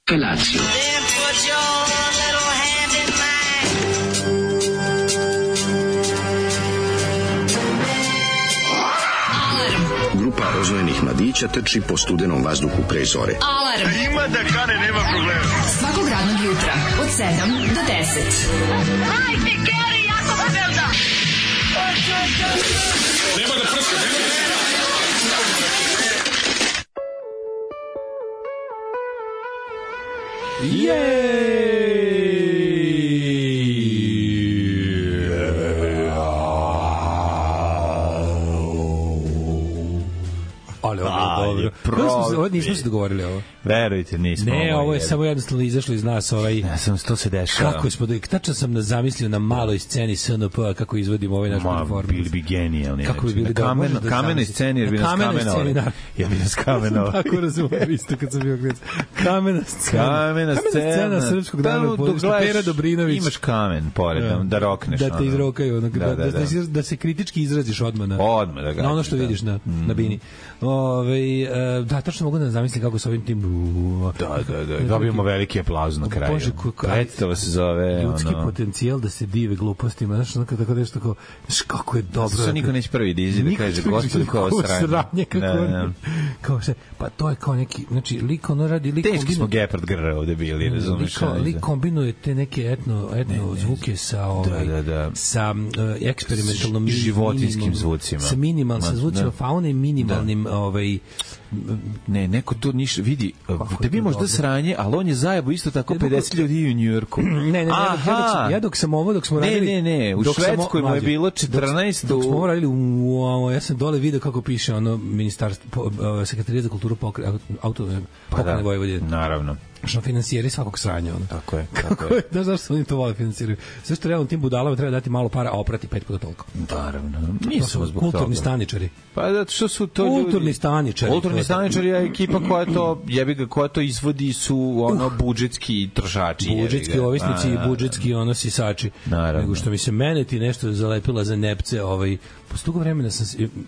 Felatio. Grupa rozvojenih mladića trči po studenom vazduhu pre zore. Alarm! Ima da kane, nema problema. Svakog radnog jutra, od 7 do 10. Hajde, Geri, jako se velda! Nema da prska, nema da prska! Ali ovo je dobro. Ovo nismo se dogovorili ovo. Verujte, nismo. Ne, ovo je samo jednostavno izašlo iz nas. Ja sam, to se dešava. Kako smo, tačno sam zamislio na maloj sceni SNP kako izvodimo ovaj naš performans. Bili bi genijalni. Kako bi bili na kamenoj sceni, jer bi nas kamenovali. Ja bi nas kamenovali. Tako razumem isto kad sam bio klinac. Kamena scena srpskog narodnog pozorišta. Pera Dobrinović. Imaš kamen pored, da rokneš. Da te izrokaju, da se kritički izraziš odmah na ono što vidiš na bini. Da, tačno mogu da zamislim kako sa ovim tim... Da. Dobijemo veliki aplauz na kraju. Bože, predstava se zove... Ljudski potencijal da se dive glupostima. Znaš, tako nešto tako... Znaš, kako je dobro... Što niko neće prvi dizi da kaže, gospodin, kao sranje. Kao sve... Pa to je kao neki... Znači, lik ono radi... Teški smo Gepard Grr ovde bili, razumiješ? Lik kombinuje te neke etno zvuke sa sa eksperimentalnom... životinskim zvucima. Sa minimalnim zvucima faune i minimalnim ne, neko to ništa vidi, tebi možda sranje, ali on je zajebo isto tako 50 ljudi u Njujorku. Ne, ja dok smo radili... Ne, u Švedskoj mu je bilo 14... Dok smo ovo radili, ja sam dole video kako piše ono ministarstvo, Sekretarijat za kulturu pokrajine Vojvodine. Naravno. Što finansijeri svakog sranja. Ono. Tako je. Znaš zašto oni to vole finansiraju? Sve što realno tim budalama treba dati malo para, a oprati 5 puta toliko. Naravno. Nisu kulturni staničari. Pa zato što su to kulturni staničari. Kulturni staničari je ekipa koja to izvodi su budžetski trošači. Budžetski ovisnici i budžetski sisači. Naravno. Nego što mi se mene ti nešto zalepila za nepce, posle dugo vremena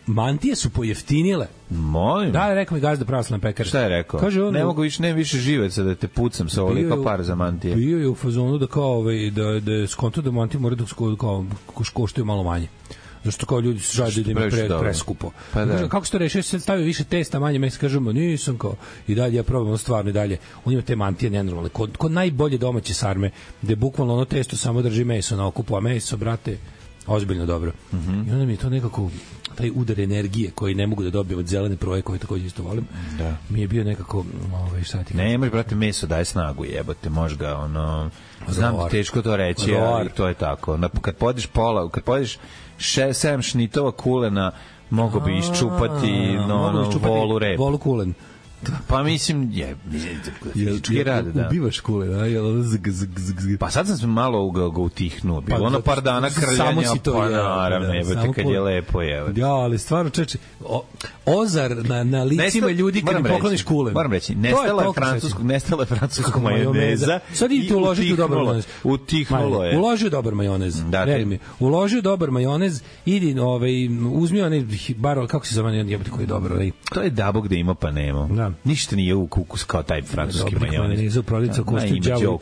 mantije su pojeftinile. Molim. Da, rekao mi gazda pravoslavne pekare. Šta je rekao? Kaže on, ne više živeca da te pucam sa ovoliko para za mantije. Bio je u fazonu da kao da skonto da mantije mora da koštaju malo manje. Zašto kao ljudi su žali da im je preskupo. Pa da. Kako se to reši? Se stavio više testa, manje mesa, kažemo, nisam kao. I dalje ja probam stvarno i dalje. On ima te mantije nenormalne. Kod najbolje domaće sarme, gde bukvalno ono testo samo drži meso na okupu, a meso, brate, ozbiljno dobro. I onda mi je to nekako taj udar energije koji ne mogu da dobijem od zelene proje koje takođe isto volim. Da. Mi je bio nekako šta ti... Ne, imaš, brate, meso daje snagu, jebote, može ga, znam da teško to reći, ali to je tako. Kad podiš 7 šnitova kulena, mogo bi iščupati volu repu. Volu kulen. Pa mislim, ubivaš kulen, pa sad sam se malo ga utihnuo, bilo ono par dana krljanja, pa naravno, jebate kad je lepo, jebate. Ja, ali stvarno, čeče, ozar na licima ljudi kad im pokloniš kulen. Moram reći, nestala je francuskog majoneza. Sad idite uložiti u dobar majonez. Utihnulo je. Uložio dobar majonez. Uložio dobar majonez, idi, uzmi onaj, bar, kako se zove, jebate koji je dobro. To je dabo gde ima pa nema. Ništa nije u kukus kao taj francuski majonez. Za prolica košta đavo.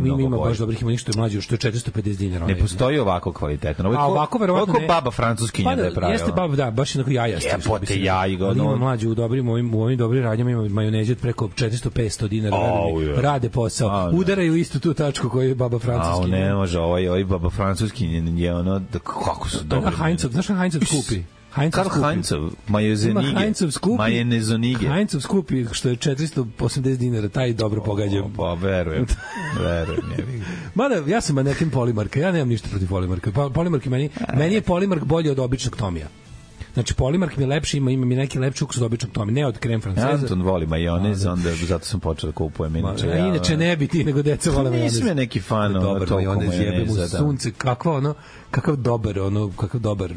Mi ima baš dobrih, ima ništa mlađe, što je 450 dinara. Ne postoji ovako kvalitetan. A ovako verovatno ne. Baba francuskinja da je pravila. Jeste baba, da, baš onako jajasti. Jepote jaj. Ima mlađe u ovim dobrim radnjama, ima majoneze od preko 400-500 dinara. Rade posao. Udaraju istu tu tačku koju je baba francuskinja. Ne može, ovaj baba francuskinja je ono, kako su dobri. Znaš na Heinzov skupi? Karl Heinzov, majonezonige. Heinzov skupi, što je 480 dinara, taj dobro pogađa. Pa, verujem. Mada, ja sam manekin Polimarka, ja nemam ništa protiv Polimarka. Polimark meni je Polimark bolji od običnog Tomija. Znači, Polimark mi je lepši, ima mi neki lepši ukus od običnog Tomija, ne od krem franceza. Anton voli majonez, onda zato sam počeo da kupujem. Inače ne bi ti, nego deca vole majonez. Nisam je neki fan toliko majoneza. Sunce, kakav dobar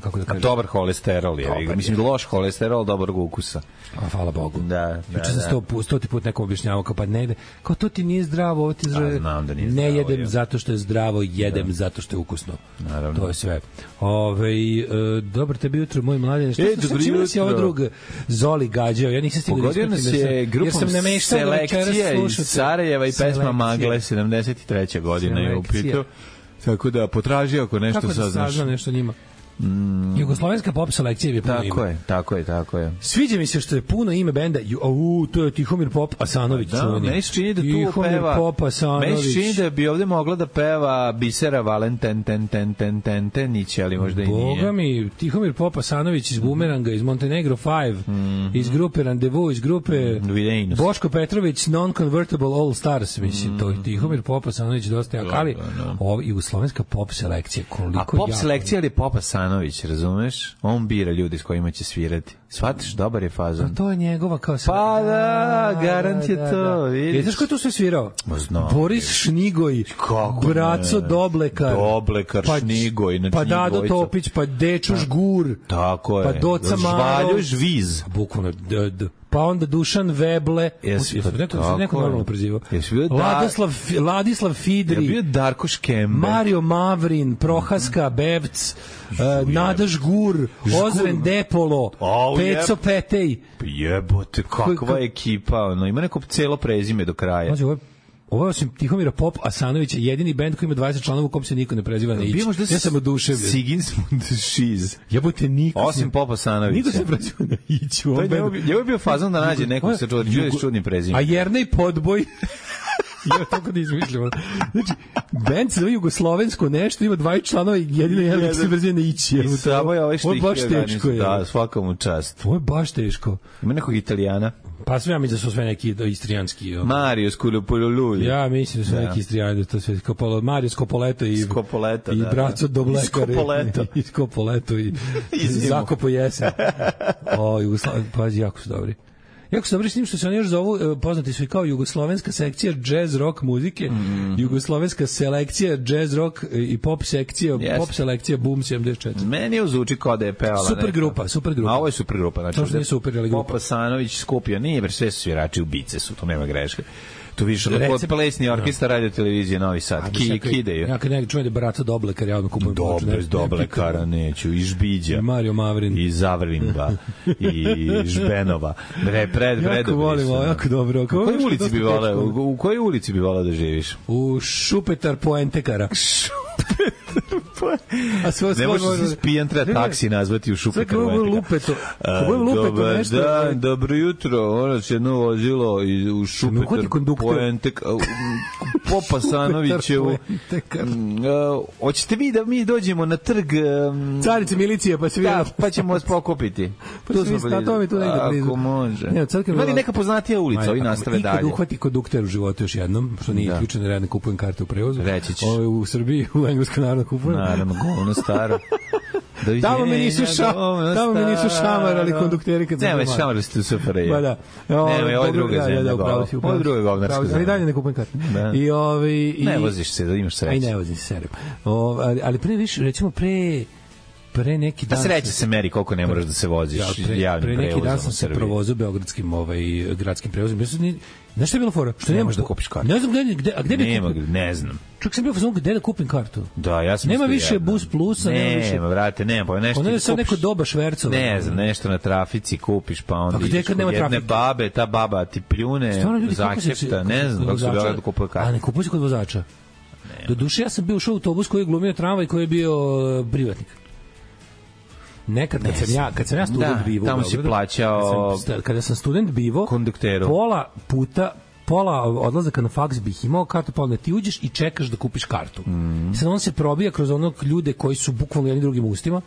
kako da kažem. Dobar holesterol je. Mislim, loš holesterol, dobrog ukusa. Hvala Bogu. Da. Juče sam 100 put nekom objašnjavao, kao pa ne ide. Kao to ti nije zdravo, ovo ti zdravo. Znam da nije zdravo. Ne zdravo, jedem zato što je zdravo, jedem zato što je ukusno. Naravno. To je sve. Dobro tebi jutro, moj mladine. Što čime si ovo drug Zoli gađao? Ja nisam stigao da ispratim. Pogodio nas je grupom Selekcija iz Sarajeva i pesma Magle, 73. godina je u pitu. Tako da potraži ako nešto saznaš. Kako da saznam nešto njima? Jugoslovenska pop selekcija je puno ime. Tako je. Sviđa mi se što je puno ime benda. To je Tihomir Pop Asanović. Da, meni se čini da tu peva. Pop Asanović. Meni se čini da bi ovde mogla da peva Bisera Valentin Niće, ali možda i nije. Boga mi, Tihomir Pop Asanović iz Bumeranga, iz Montenegro 5, iz grupe Randevu, iz grupe Boško Petrović, Non-Convertible All Stars, mislim, to je Tihomir Pop Asanović dosta jak, ali ovo jugoslovenska pop selekcija, koliko. A pop selekcija ili Pop Asanović, razumeš? On bira ljudi s kojima će svirati. Shvatiš, dobar je fazon. A to je njegova kao Pa da, garant je to. Vidiš. Znaš ko je tu sve svirao? Boris Šnigoj, Braco Doblekar, Šnigoj, pa Dado Topić, pa Dečo Žgur, tako je. Pa Doca Maro, Žvaljo Žviz. Bukvalno, pa onda Dušan Veble, neko normalno prezivao. Ladislav Fidri, je bio Darko Škembe, Mario Mavrin, Prohaska, Bevc, Nada Žgur, Ozren Depolo, Peco Petej. Jebote, kakva ekipa, ima neko celo prezime do kraja. Ovo je osim Tihomira Pop Asanovića jedini bend koji ima 20 članova u kom se niko ne preziva na Ić. Ja sam oduševljen. Sigismund Šiz. Jebote, niko osim Pop Asanovića. Niko se preziva na Ić. Ovo je bio fazon da nađe nekog sa čudnim prezimenom. A Jernej Podboj. Ja tako da izmišljamo. Znači, band se zove Jugoslovensko nešto, ima 20 članova i jedino jedan koji se preziva na Ić. I samo je ovaj štih. Ovo je baš teško. Da, svakom u čast. Ovo je baš teško. Ima nekog Italijana? Pa sve ja mislim da su sve neki istrijanski. Mario Sculopoluli. Ja mislim da su neki istrijani, to sve Mario Scopoleto i Braco Doblekar i Scopoleto i Zakopo Jesen. Pazi, jako su dobri. Jako su dobri s njim što se oni još zovu, poznati su i kao jugoslovenska sekcija jazz rock muzike, jugoslovenska selekcija jazz rock i pop sekcija, pop selekcija Boom 74. Meni je zvuči kao da je pevala super grupa. A ovo je super grupa. Znači, to što nije super, ali grupa. Pop Asanović, Skupio, nije, jer sve su svirači ubice su, to nema greške. Tu više od plesni orkestar radio televizije Novi Sad. Kideju. Ja kad čujem da Braco Doblekar, ja odmah kupujem ploču. Bez Doblekara neću. I Žbiđa. I Mario Mavrin. I Zavrinba. I Žbenova. Jako volim ovo, jako dobro. U kojoj ulici bi volao da živiš? U Šupetar Poentekara. Ne može se spijan, treba taksi nazvati u Šupetar Poentekara. Dobar dan, dobro jutro. Ono će jedno vozilo u Šupetar Poentekara. Popa Sanovićevu. Hoćete vi da mi dođemo na trg Carice milicije, pa se vidimo. Pa ćemo vas pokupiti. Tu smo blizu. To mi tu negde blizu. Ako može. Ima li neka poznatija ulica, ovi nastave dalje? Ikad uhvati kondukter u životu još jednom, što nije isključeno, ja ne kupujem karte u prevozu. Reći ćeš. U Srbiji, u Engleskoj naravno kupujem. Naravno, govno staro. Tamo mi nisu šamarali kondukteri kad sam domaći. Ne, šamarali ste u SFRJ. Ba da. Ne, ovo je druga zemlja. Ovo je druga govnarska zemlja. Ali dalje ne kupujem karte. Ne voziš se, da imaš sreće. Aj, ne vozim se, serio. Ali pre više, recimo pre neki dan... Da sreće se meri koliko ne moraš da se voziš javnim prevozom. Pre neki dan sam se provozio beogradskim gradskim prevozom. Znaš šta je bilo fora? Što ne možeš da kupiš kartu. Ne znam gde bi kupio. Ne znam. Čak sam bio fazon gde da kupim kartu. Da, ja sam nema više Bus Plusa, nema više. Nema, brate, nema, pa nešto. Ona je sad neko doba švercova. Ne znam, nešto na trafici kupiš, pa onda ideš kod jedne babe, ta baba ti pljune, zahefta, ne znam, kako se da kupuje kartu. A ne kupuje se kod vozača. Do duše ja sam bio ušao u autobus koji je glumio tramvaj, koji je bio privatnik. Nekad kad sam ja student bivo, tamo si plaćao kada sam student bivo, kondukteru. Pola odlazaka na faks bih imao kartu, pa onda ti uđeš i čekaš da kupiš kartu. Sad on se probija kroz onog ljude koji su bukvalno jednim drugim ustima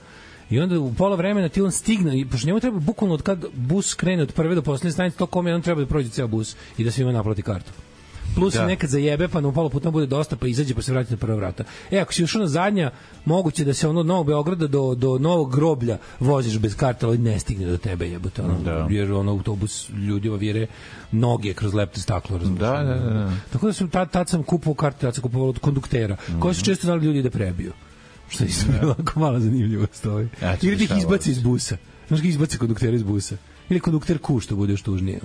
i onda u pola vremena ti on stigne i pošto njemu treba bukvalno od kad bus krene od prve do poslednje stanice, to kome on treba da prođe ceo bus i da svima naplati kartu. Plus nekad zajebe, pa na pola puta bude dosta, pa izađe, pa se vrati na prva vrata. Ako si ušao na zadnja, moguće da se ono od Novog Beograda do Novog Groblja voziš bez karta, ali ne stigne do tebe, jebote. Jer ono autobus ljudi ovire noge kroz lepto staklo. Da. Tako da sam tad sam kupovao karte, tad sam kupovao od konduktera, koji su često znali ljudi da prebiju. Što je jako malo zanimljivost ovaj. Ili ti ih izbaci iz busa. Znaš ga izbaci konduktera iz busa. Ili kondukter ku, što bude još tužnije.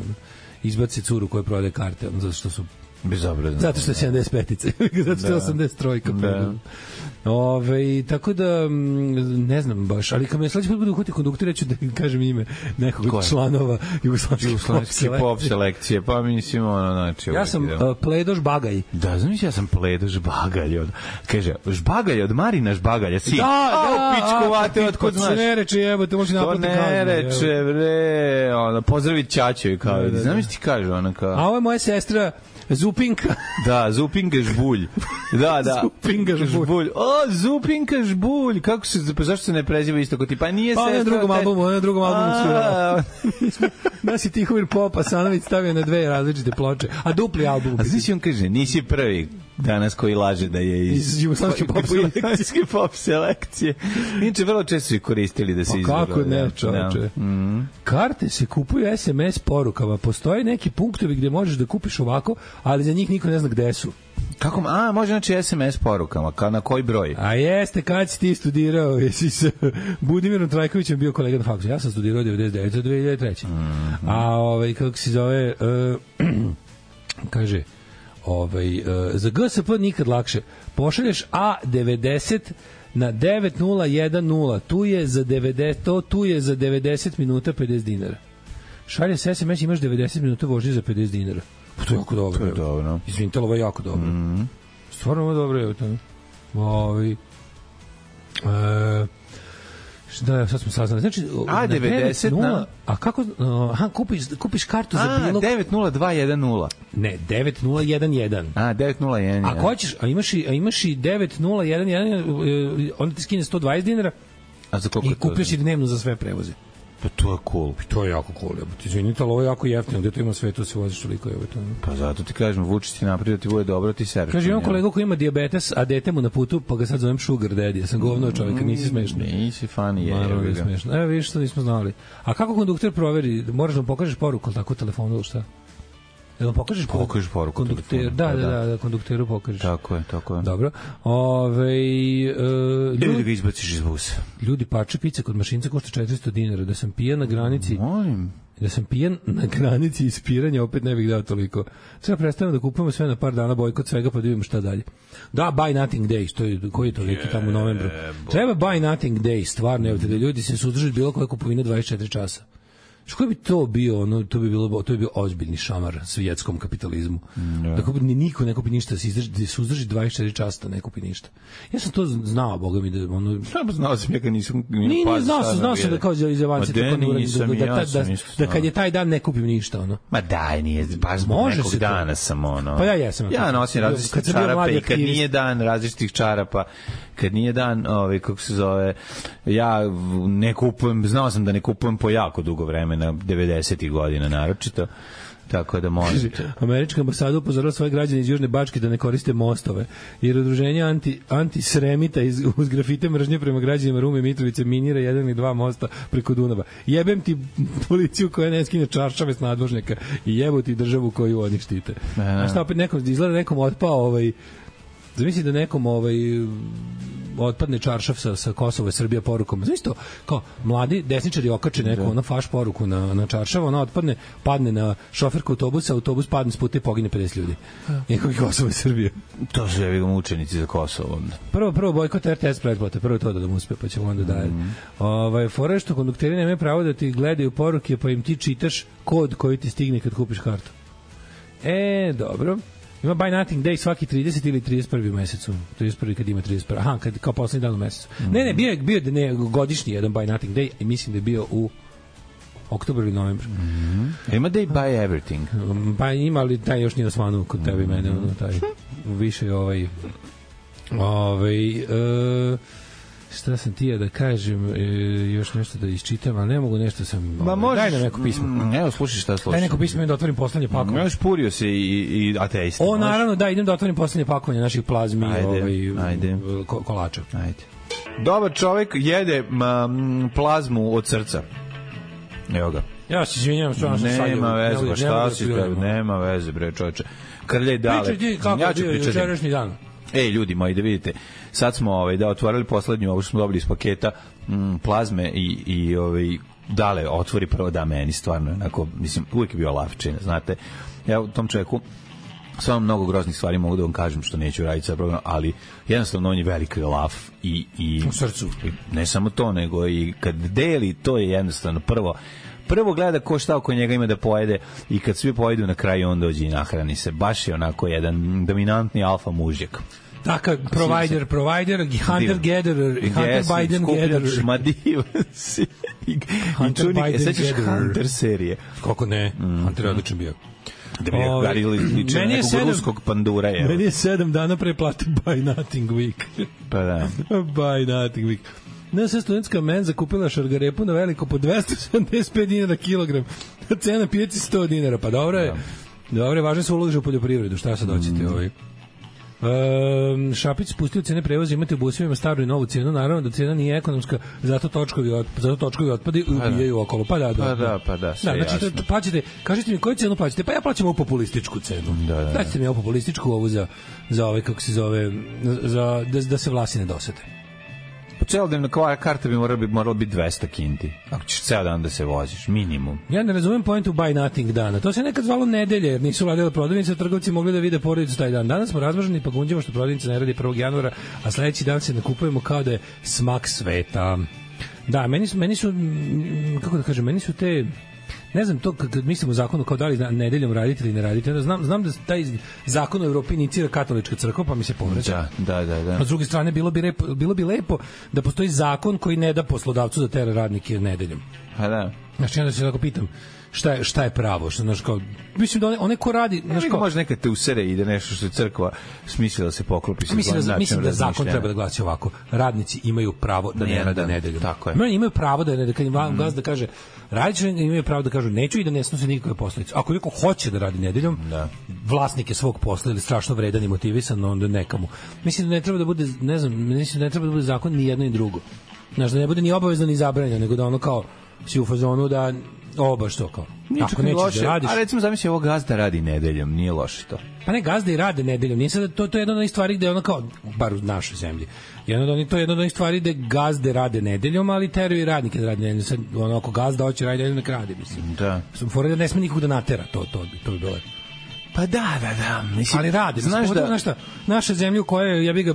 Izbaci curu koja prodaje karte, zato što su bezobrazno. Zato što je 75-ice. Zato što je 83-ka. Tako da, ne znam baš, ali kad me sledeći put budu uhvati konduktor, ću da kažem ime nekog od članova Jugoslavske pop selekcije. Pa mislim, znači... Ja sam Pledo Žbagaj. Da, znam ja sam Pledo Žbagalj. Kaže, Žbagalj od Marina Žbagalja, si. Da, pičkovate, otkud znaš. To se ne reče, jebote, može naplatiti kaznu. To ne reče, bre, pozdravit ćaćoj, kao, znam ti kaže, ona kao... A ovo je moja sestra, Zupinka. Da, Zupinka Žbulj. Da. Zupinka Žbulj. O, Zupinka Žbulj. Kako se, zašto se ne preziva isto kod ti? Pa nije sestra. Pa na drugom albumu svirala. Nas je Tihomir Popa Sanović stavio na 2 različite ploče. A dupli album. A znaš on kaže, nisi prvi danas koji laže da je iz Jugoslavske pop selekcije. Inače, vrlo često su koristili da se izgleda. Kako ne, čoveče. Karte se kupuju SMS porukama. Postoje neki punktovi gde možeš da kupiš ovako, ali za njih niko ne zna gde su. Kako? Može znači SMS porukama, na koji broj? A jeste, kad si ti studirao, jesi sa Budimirom Trajkovićem bio kolega na faksu. Ja sam studirao 99. do 2003. A kako se zove, kaže, za GSP nikad lakše. Pošalješ A90 na 9010, tu je za 90 minuta 50 dinara. Šalje se SMS, imaš 90 minuta vožnje za 50 dinara. Pa to je jako dobro. To je dobro. Izvinite, ovo je jako dobro. Stvarno ovo je dobro. Da, sad smo saznali. Znači, A90 na... A kako... kupiš kartu za bilo... 90210. Ne, 9011. A, 9011. Ako hoćeš, a imaš i 9011, onda ti skine 120 dinara i kupiš i dnevno za sve prevoze. Pa to je cool. To je jako cool. Izvinite, ali ovo je jako jeftino. Gde to ima sve, to se voziš toliko. Pa zato ti kažem, Vučić ti napravio da ti bude dobro, ti sereš. Kaže, imam kolegu koji ima dijabetes, a dete mu na putu, pa ga sad zovem Sugar Daddy. Ja sam govno čovjek, nisi smešno. Nisi funny, je. Smešno. Evo, vidiš što nismo znali. A kako kondukter proveri? Moraš da mu pokažeš poruku, ali tako u telefonu ili šta? Jel pokažeš poruku kondukteru? Da, kondukteru pokažeš. Tako je. Dobro. Ljudi ga izbaciš iz busa. Ljudi, parče pice kod mašinca košta 400 dinara. Da sam pijan na granici... Da sam pijan na granici ispiranja, opet ne bih dao toliko. Treba predstavljamo da kupujemo sve na par dana, bojkot svega, pa da vidimo šta dalje. Da, Buy Nothing Day, koji je to leki tamo u novembru. Treba Buy Nothing Day, stvarno, evo te da ljudi se suzdrže bilo koje kupovine 24 časa. Što bi to bio, to bi bio ozbiljni šamar svjetskom kapitalizmu. Da niko ne kupi ništa, da se uzdrži 24 časa, ne kupi ništa. Ja sam to znao, boga mi, da znao sam ja kad nisam znao sam da kao iz avansi da kad je taj dan ne kupim ništa, Ma daj, nije, baš zbog nekog dana sam, Pa ja jesam. Ja nosim različitih čarapa i kad nije dan različitih čarapa, kad nije dan, kako se zove, ja ne kupujem, znao sam da ne kupujem po jako dugo vremena, 90-ih godina naročito, tako da možete. Američka ambasada upozorila svoje građane iz Južne Bačke da ne koriste mostove, jer udruženje anti-sremita uz grafite mržnje prema građanima Rume i Mitrovice minira 1 ili 2 mosta preko Dunava. Jebem ti policiju koja ne skine čaršave s nadvožnjaka i jebo ti državu koju oni štite. A šta opet izgleda nekom otpao zamisli da nekom otpadne čaršav sa Kosova i Srbija porukom. Znači to, kao mladi desničari okače neku ona faš poruku na čaršav, ona otpadne, padne na šoferku autobusa, autobus padne s puta i pogine 50 ljudi. Nekog Kosova i Srbija. To su jevi mučenici za Kosovo. Prvo bojkot RTS pretplate, prvo to da mu uspe, pa ćemo onda dalje. Fora je što kondukteri nemaju pravo da ti gledaju poruke, pa im ti čitaš kod koji ti stigne kad kupiš kartu. Dobro. Ima Buy Nothing Day svaki 30 ili 31. u mesecu. 31. kad ima 31. Aha, kao poslednji dan u mesecu. Ne, bio godišnji jedan Buy Nothing Day i mislim da je bio u oktobru ili novembru. Ima Day Buy Everything. Pa ima, ali taj još nije na svanu kod tebe i mene. Taj, više šta sam tija da kažem, još nešto da isčitam, ali ne mogu, nešto sam... Daj nam neko pismo. Evo, slušaj šta slušaj. Daj neko pismo i da otvorim poslednje pakovanje. Još purio se i ateista. Naravno, da, idem da otvorim poslednje pakovanje naših plazmi kolača. Ajde. Dobar čovek jede plazmu od srca. Evo ga. Ja se izvinjam, stvarno sam sad... Nema veze, pa šta si, nema veze, bre, čoveče. Krljaj dale. Pričaj ti kako je bio jučerašnji dan. Ljudi moji, da vidite, sad smo otvorili poslednju, ovo što smo dobili iz paketa plazme i dale, otvori prvo da meni, stvarno, onako, mislim, uvijek je bio lavčina, znate. Ja u tom čovjeku stvarno mnogo groznih stvari mogu da vam kažem što neću raditi sa program, ali jednostavno on je veliki lav i u srcu. Ne samo to, nego i kad deli, to je jednostavno prvo gleda ko šta oko njega ima da pojede i kad svi pojedu na kraju on dođe i nahrani se. Baš je onako jedan dominantni alfa mužjak. Takav provider, hunter-gatherer i hunter-Biden-gatherer. Ma divan si. I čunik, sećaš Hunter serije? Kako ne, Hunter je odličan bio. Da bi je liče na nekog ruskog pandura. Meni je 7 dana pre plate Buy Nothing Week. Pa da. Buy Nothing Week. Naša studentska menza kupila šargarepu na veliko po 275 dinara kilogram. Cena pijaci 100 dinara. Pa dobro je. Dobro je, važno se uloži u poljoprivredu. Šta sad hoćete Šapić spustio cene prevoza, imate u busevima staru i novu cenu, naravno da cena nije ekonomska, zato točkovi otpadi ubijaju okolo. Pa da. Znači, plaćate, kažete mi koju cenu plaćate? Pa ja plaćam ovu populističku cenu. Dajte mi ovu populističku, ovu za kako se zove, da se vlasi ne dosete. Po celodnevna karta bi morala biti 200 kinti. Ako ćeš ceo dan da se voziš, minimum. Ja ne razumem pointu Buy Nothing dana. To se nekad zvalo nedelje, jer nisu vladile prodavnice, trgovci mogli da vide porodicu taj dan. Danas smo razmaženi pa gunđemo što prodavnica ne radi 1. januara, a sledeći dan se nakupujemo kao da je smak sveta. Da, meni su kako da kažem, meni su te... Ne znam, to kad mislim o zakonu kao da li nedeljom radite ili ne radite, onda znam da taj zakon u Evropi inicira katolička crkva, pa mi se povraća. Da. A s druge strane, bilo bi lepo da postoji zakon koji ne da poslodavcu da tera radnike nedeljom. A da. Znači, onda se tako pitam, šta je pravo? Mislim da one ko radi... Neko može nekad te usere i da nešto što je crkva smislila da se poklopi sa mislim da zakon treba da glasi ovako. Radnici imaju pravo da ne rade nedeljom. Tako je. Imaju pravo da ne, kad im gazda kaže radnici imaju pravo da kažu neću i da ne snose nikakve posledice. Ako neko hoće da radi nedeljom, vlasnik je svog posla ili strašno vredan i motivisan, onda nekamu. Mislim da ne treba da bude, ne treba da bude zakon ni jedno ni drugo. Znači da ne bude ni obavezno ni zabranjeno, nego da ono kao si u fazonu da baš to kao. Ako nećeš da radiš... A recimo zamisli ovo gazda radi nedeljom, nije loše to. Pa ne, gazda i rade nedeljom. Nije sad, to je jedna od onih stvari gde ono kao, bar u našoj zemlji, to je jedna od onih stvari gde gazde rade nedeljom, ali teraju i radnike da rade nedeljom. Sad, ono, ako gazda hoće radi nedeljom, nek radi, mislim. Da. Fora da ne sme nikog da natera, to bi bilo. Pa da. Mislim, ali radi. Znaš da... Naša zemlja u kojoj, ja bih ga,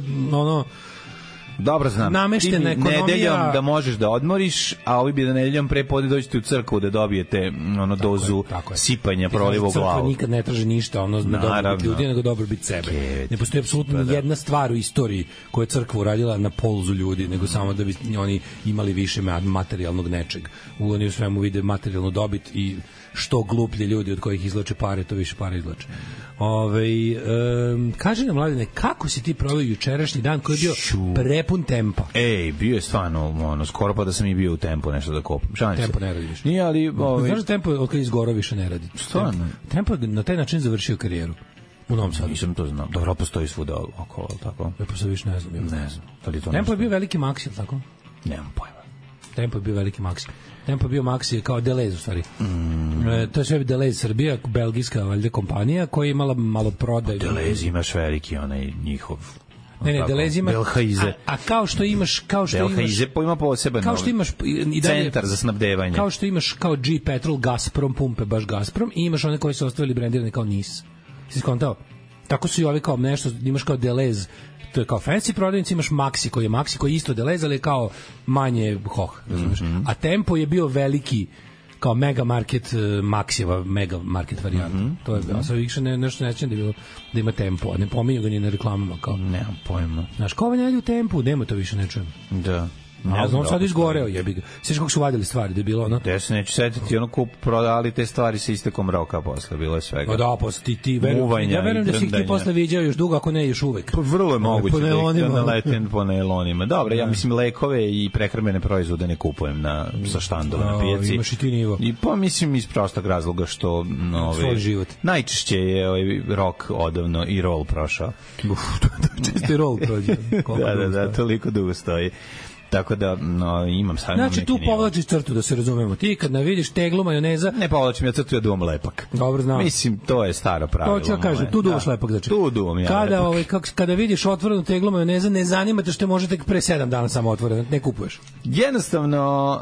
dobro znam. Nameštena ekonomija. Nedeljom da možeš da odmoriš, a ovi bi da nedeljom pre podne dođete u crkvu da dobijete dozu sipanja proliva u glavu. Crkva nikad ne traže ništa na dobrobit ljudi, nego dobrobit sebe. Ne postoji apsolutno ni jedna stvar u istoriji koju je crkva uradila na polzu ljudi, nego samo da bi oni imali više materijalnog nečeg. Oni u svemu vide materijalnu dobit i što gluplje ljudi od kojih izlače pare, to više pare izlače. Kaži nam, Mladene, kako si ti proveo jučerašnji dan koji je bio prepun tempa? Bio je stvarno, skoro pa da sam i bio u tempu nešto da kopam. Tempo ne radi više. Nije, ali... Znaš da tempo od kada izgoro više ne radi? Stvarno? Tempo je na taj način završio karijeru. U Novom Sadu. Nisam to znao. Dobro, postoji svuda okolo, tako? Ja postoji više ne znam. Ne znam. Tempo je bio veliki maksi, tako? Nemam pojma. Tempo je bio veliki maksi. Tempo je bio maksi kao Deleuze u stvari. To je sve Deleuze Srbija, belgijska valjda kompanija koja je imala malo prodaj. Deleuze imaš veliki onaj njihov. Ne, Deleuze ima. Belhaize. A kao što imaš Belhaize ima poseban. Kao što imaš i dalje centar za snabdevanje. Kao što imaš kao G Petrol, Gazprom pumpe, baš Gazprom i imaš one koji su ostavili brendirane kao NIS. Si skontao? Tako su i ovi kao nešto, imaš kao Deleuze. To je kao fancy prodavnici, imaš Maxi koji je isto Deleuze, ali je kao manje hoh, razumiješ? A Tempo je bio veliki kao mega market, Maxijeva mega market varijanta. To je bilo. Sad više nešto nećem da je bilo da ima Tempo, a ne pominju ga ni na reklamama. Kao. Nemam pojma. Znaš, kao ne u Tempu, nema to više, ne čujem. Da. Ne znam, sad izgoreo, jebi ga. Sveći kako su vadili stvari, da je bilo ono... Ja se neću setiti, prodali te stvari sa istekom roka posle, bilo je svega. Da, posle ti verujem da si ih ti posle viđao još dugo, ako ne još uvek. Vrlo je moguće da naletim po nailonima. Dobro, ja mislim lekove i prehrambene proizvode ne kupujem sa štandova na pijaci. Imaš i ti nivo. I pa mislim iz prostog razloga što... Svoj život. Najčešće je rok odavno i roll prošao. Čisto i roll prođe. Da, toliko dugo stoji. Tako da imam sam. Znači tu povlačiš crtu, da se razumemo. Ti kad vidiš teglu majoneza, ne povlačim ja crtu, ja duvam lepak. Dobro znam. Mislim, to je staro pravilo. To ću kažem, tu duvaš lepak, znači. Tu duvam ja lepak. Kada vidiš otvorenu teglu majoneza, ne zanima te što može tek pre 7 dana samo otvoreno, ne kupuješ. Jednostavno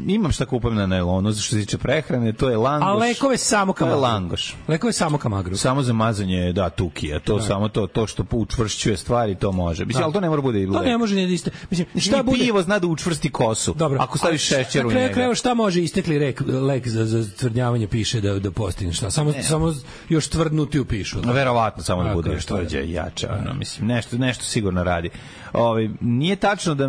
imam šta kupujem na nailonu, što se tiče prehrane, to je langoš. A lekove samo kamagru. To je langoš. Lekove samo kamagru. Samo za mazanje, da, tukija. To samo to što učvršćuje stvari, to može. Mislim, ali to ne mora bude i lek. To ne može ni da iste. Mislim, šta bude? Pivo zna da učvrsti kosu. Dobro. Ako staviš šećer u njega. Kreo šta može istekli lek za tvrdnjavanje piše da postigne šta. Samo još tvrdnuti u pišu. Verovatno samo da bude još tvrđe i jače. Mislim, nešto sigurno radi. Nije tačno da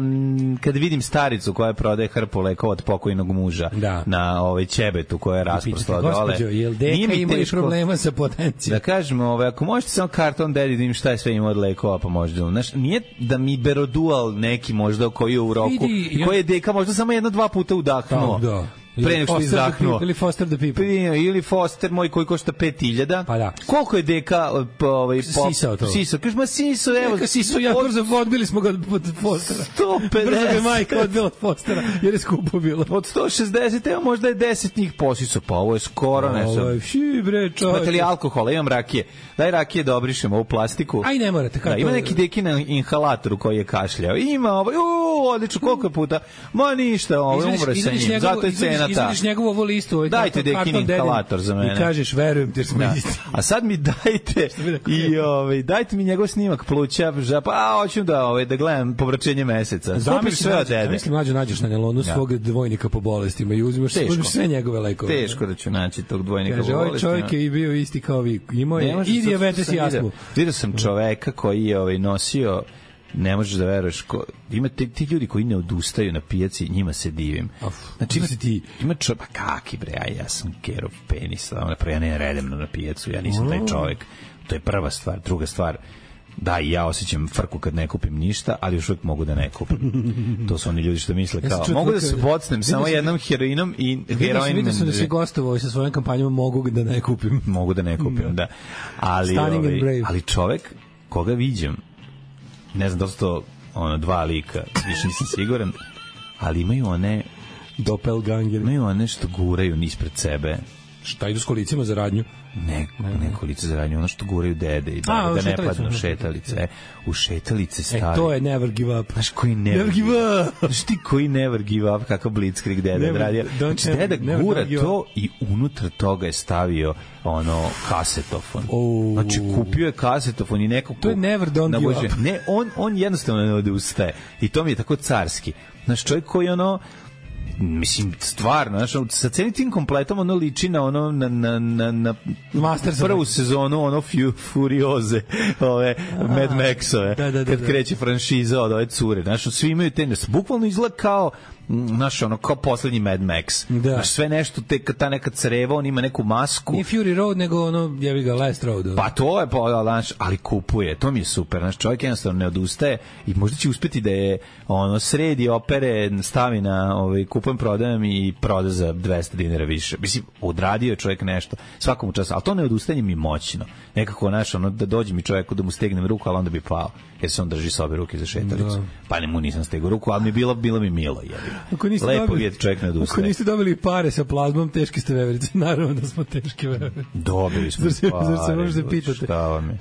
kad vidim staricu koja prodaje hrpu lekova od pokojnog muža na ćebetu koja je rasprostala dole. Gospođo, jel deka imaju problema sa potencijom? Da kažemo, ako možete samo karton dedi da im šta je sve ima od lekova, pa možda. Znaš, nije da mi berodual neki možda koji je u roku, koji je deka možda samo 1-2 puta udahnuo. Da. Pre nego što izdahnuo. Ili Foster the People. Ili Foster moj koji košta 5.000. Pa da. Koliko je deka sisao to? Sisao. Kažeš, ma sisao, evo. Neka sisao, ja brzo odbili smo ga od Fostera. 150. Brzo ga majka odbila od Fostera, jer je skupo bilo. Od 160, evo možda je 10 njih posisao. Pa ovo je skoro nešto. Ovo je bre, čovječ. Imate li alkohola? Imam rakije. Daj rakije da obrišemo u plastiku. Aj, ne morate. Da, ima neki deki na inhalatoru koji je kašljao. Ima odlično, koliko puta. Ma ništa, umre sa njim. Zato je cena. Izvadiš njegovu ovu listu, dajte dekin inhalator za mene. I kažeš, verujem ti, jer smo isti. A sad mi dajte dajte mi njegov snimak pluća, pa hoću da gledam povraćenje meseca. Kupiš sve od dede. Mislim, mlađo nađeš na nelonu svog dvojnika po bolestima i uzimaš sve njegove lekove. Teško da ću naći tog dvojnika po bolestima. Kaže, ovaj čovjek je bio isti kao vi. Imao je i dijabetes i astmu. Vidio sam čoveka koji je nosio, ne možeš da veruješ, ima ti ljudi koji ne odustaju na pijaci, njima se divim. Znači ima čovjek, pa kaki bre, ja sam kerov penis, ja ne redem na pijacu, ja nisam taj čovjek. To je prva stvar. Druga stvar, da, i ja osjećam frku kad ne kupim ništa, ali još uvijek mogu da ne kupim. To su oni ljudi što misle kao, mogu da se bocnem samo jednom heroinom i heroin. Vidio sam da si gostovao sa svojom kampanjom mogu da ne kupim. Mogu da ne kupim, da. Ali čovjek koga viđam, ne znam da su to dva lika, više nisam siguran, ali imaju one doppelganger, imaju one što guraju ispred sebe. Šta idu s kolicima za radnju? Ne kolice za radnju, ono što guraju dede i da ne padnu šetalice. U šetalice stari. To je never give up. Znaš koji never give up? Znaš ti koji never give up, kakav blitzkrieg deda radio? Znači deda gura to i unutra toga je stavio kasetofon. Znači kupio je kasetofon i neko... To je never don't give up. Ne, on jednostavno ne odustaje. I to mi je tako carski. Znaš, čovjek koji mislim, stvarno, znaš, sa celim tim kompletom liči na na prvu sezonu Furioze, Mad Maxove, kad kreće franšiza od ove cure, znaš, svi imaju bukvalno izgleda kao kao poslednji Mad Max. Znaš, sve nešto, ta neka creva, on ima neku masku. Nije Fury Road, nego jevi ga Last Road. Pa to je, ali kupuje, to mi je super. Znaš, čovjek jednostavno ne odustaje i možda će uspeti da je sredi opere, stavi na kupujem, prodajem i proda za 200 dinara više. Mislim, odradio je čovjek nešto, svakom času, ali to ne odustajanje mi moćno. Nekako, da dođe mi čovjeku da mu stegnem ruku, ali onda bi pao, jer se on drži sa obe ruke za šetalicu. Pa ne mu nisam stegao ruku, ali bilo mi milo, lepo vidjeti čovjek ne odustaje. Ako niste dobili pare sa plazmom, teški ste veverice. Naravno da smo teški veverice. Dobili smo pare. Zar se možete pitati?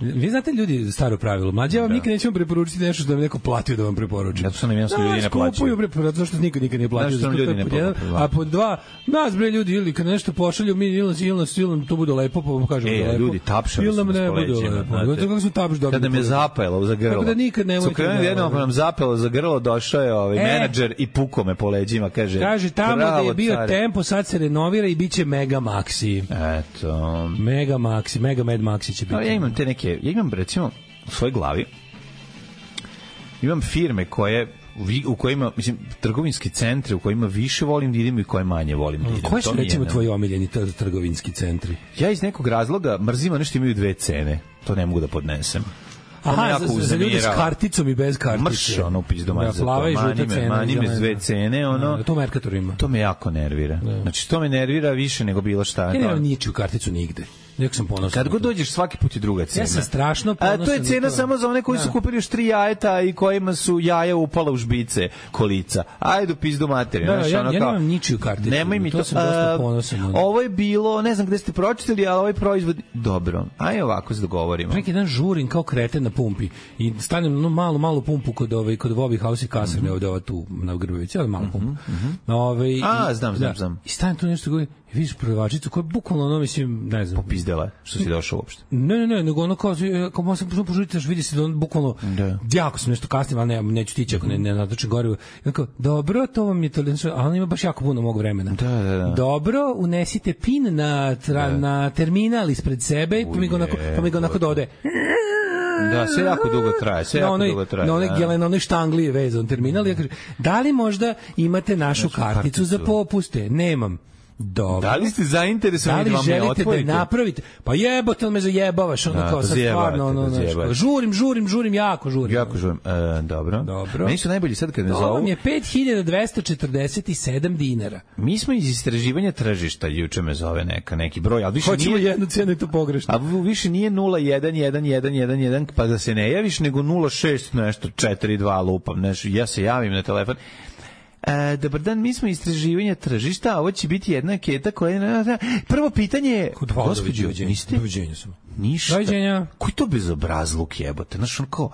Vi znate ljudi staro pravilo. Mlađe, ja vam nikad nećemo preporučiti nešto što da vam neko platio da vam preporučim. Zato što nam jednostavno ljudi ne plaćaju. Zato što nikad nije platio. A pod dva, nas bre ljudi, ili kad nešto pošalju, mi ili to bude lepo, pa vam kažemo da je lepo. Ljudi, tapšali smo s poleđima. Kako smo tapš dobili? Kada me zapelo za grlo. Tako da nikad nemojte. Jednom nam zapelo za grlo, došao je menadžer i puko me po leđima, kaže tamo da je bio Tempo, sad se renovira i biće Mega Maxi. Eto. Mega Maxi, Mega Mad Maxi će biti. Ja imam recimo u svojoj glavi imam firme u kojima, mislim, trgovinski centri u kojima više volim da idem i koje manje volim da idem. Koji su, recimo, tvoji omiljeni trgovinski centri? Ja iz nekog razloga mrzim ono što imaju dve cene. To ne mogu da podnesem. Aha, za ljudi s karticom i bez kartice. Mrš, upis mani me s dve cene, to Mercator ima. To me jako nervira. Znači, to me nervira više nego bilo šta. Ja nemam ničiju karticu nigde. Nek sam ponosan. Kad god dođeš svaki put je druga cena. Ja sam strašno ponosan. A to je cena samo za one koji su kupili još 3 jajeta i kojima su jaja upala u žbice kolica. Ajde, pizdu materiju. Ja nemam ničiju karticu. Nemoj mi to. Sam dosta ponosan. Ovo je bilo, ne znam gde ste pročitali, ali ovaj proizvod dobro. Ajde ovako se dogovorimo. Neki dan žurim kao kreten na pumpi i stanem na malu pumpu kod Bobby House i kasarne ovde ova tu na Grbovici, ali malu pumpu. Znam. I stanem tu nešto govori, vidiš prodavačicu koja je bukvalno ono, mislim, ne znam. Popizdela, što si došao uopšte. Ne, nego ono kao sam požuriti, vidi se da on bukvalno, jako sam nešto kasnim, ali neću tići ako ne natočem gorivo. I kao, dobro, to vam je to, ali on ima baš jako puno mog vremena. Da. Dobro, unesite pin na terminal ispred sebe, pa mi ga onako dode. Da, sve jako dugo traje, Na onoj štangli je vezan terminal. Ja kažem, da li možda imate našu karticu za popuste? Nemam. Dobro. Da li ste zainteresovani da vam je otvorite? Da li želite da napravite? Pa jebote, me zajebavaš, ono kao sad stvarno, žurim, jako žurim. Dobro. Meni su najbolji sad kad me zovu. Ovo mi je 5.247 dinara. Mi smo iz istraživanja tržišta, juče me zove neki broj, ali više hoćemo nije... jednu cenu i to pogrešno. A više nije 0111111, pa da se ne javiš, nego 06 nešto, 42 lupam, nešto, ja se javim na telefon. Dobar dan, mi smo istraživanja tržišta, a ovo će biti jedna anketa koja je... Prvo pitanje je... Gospođo, niste? Doviđenja sam. Ništa. Doviđenja. Koji to bezobrazluk jebote? Znaš, on kao...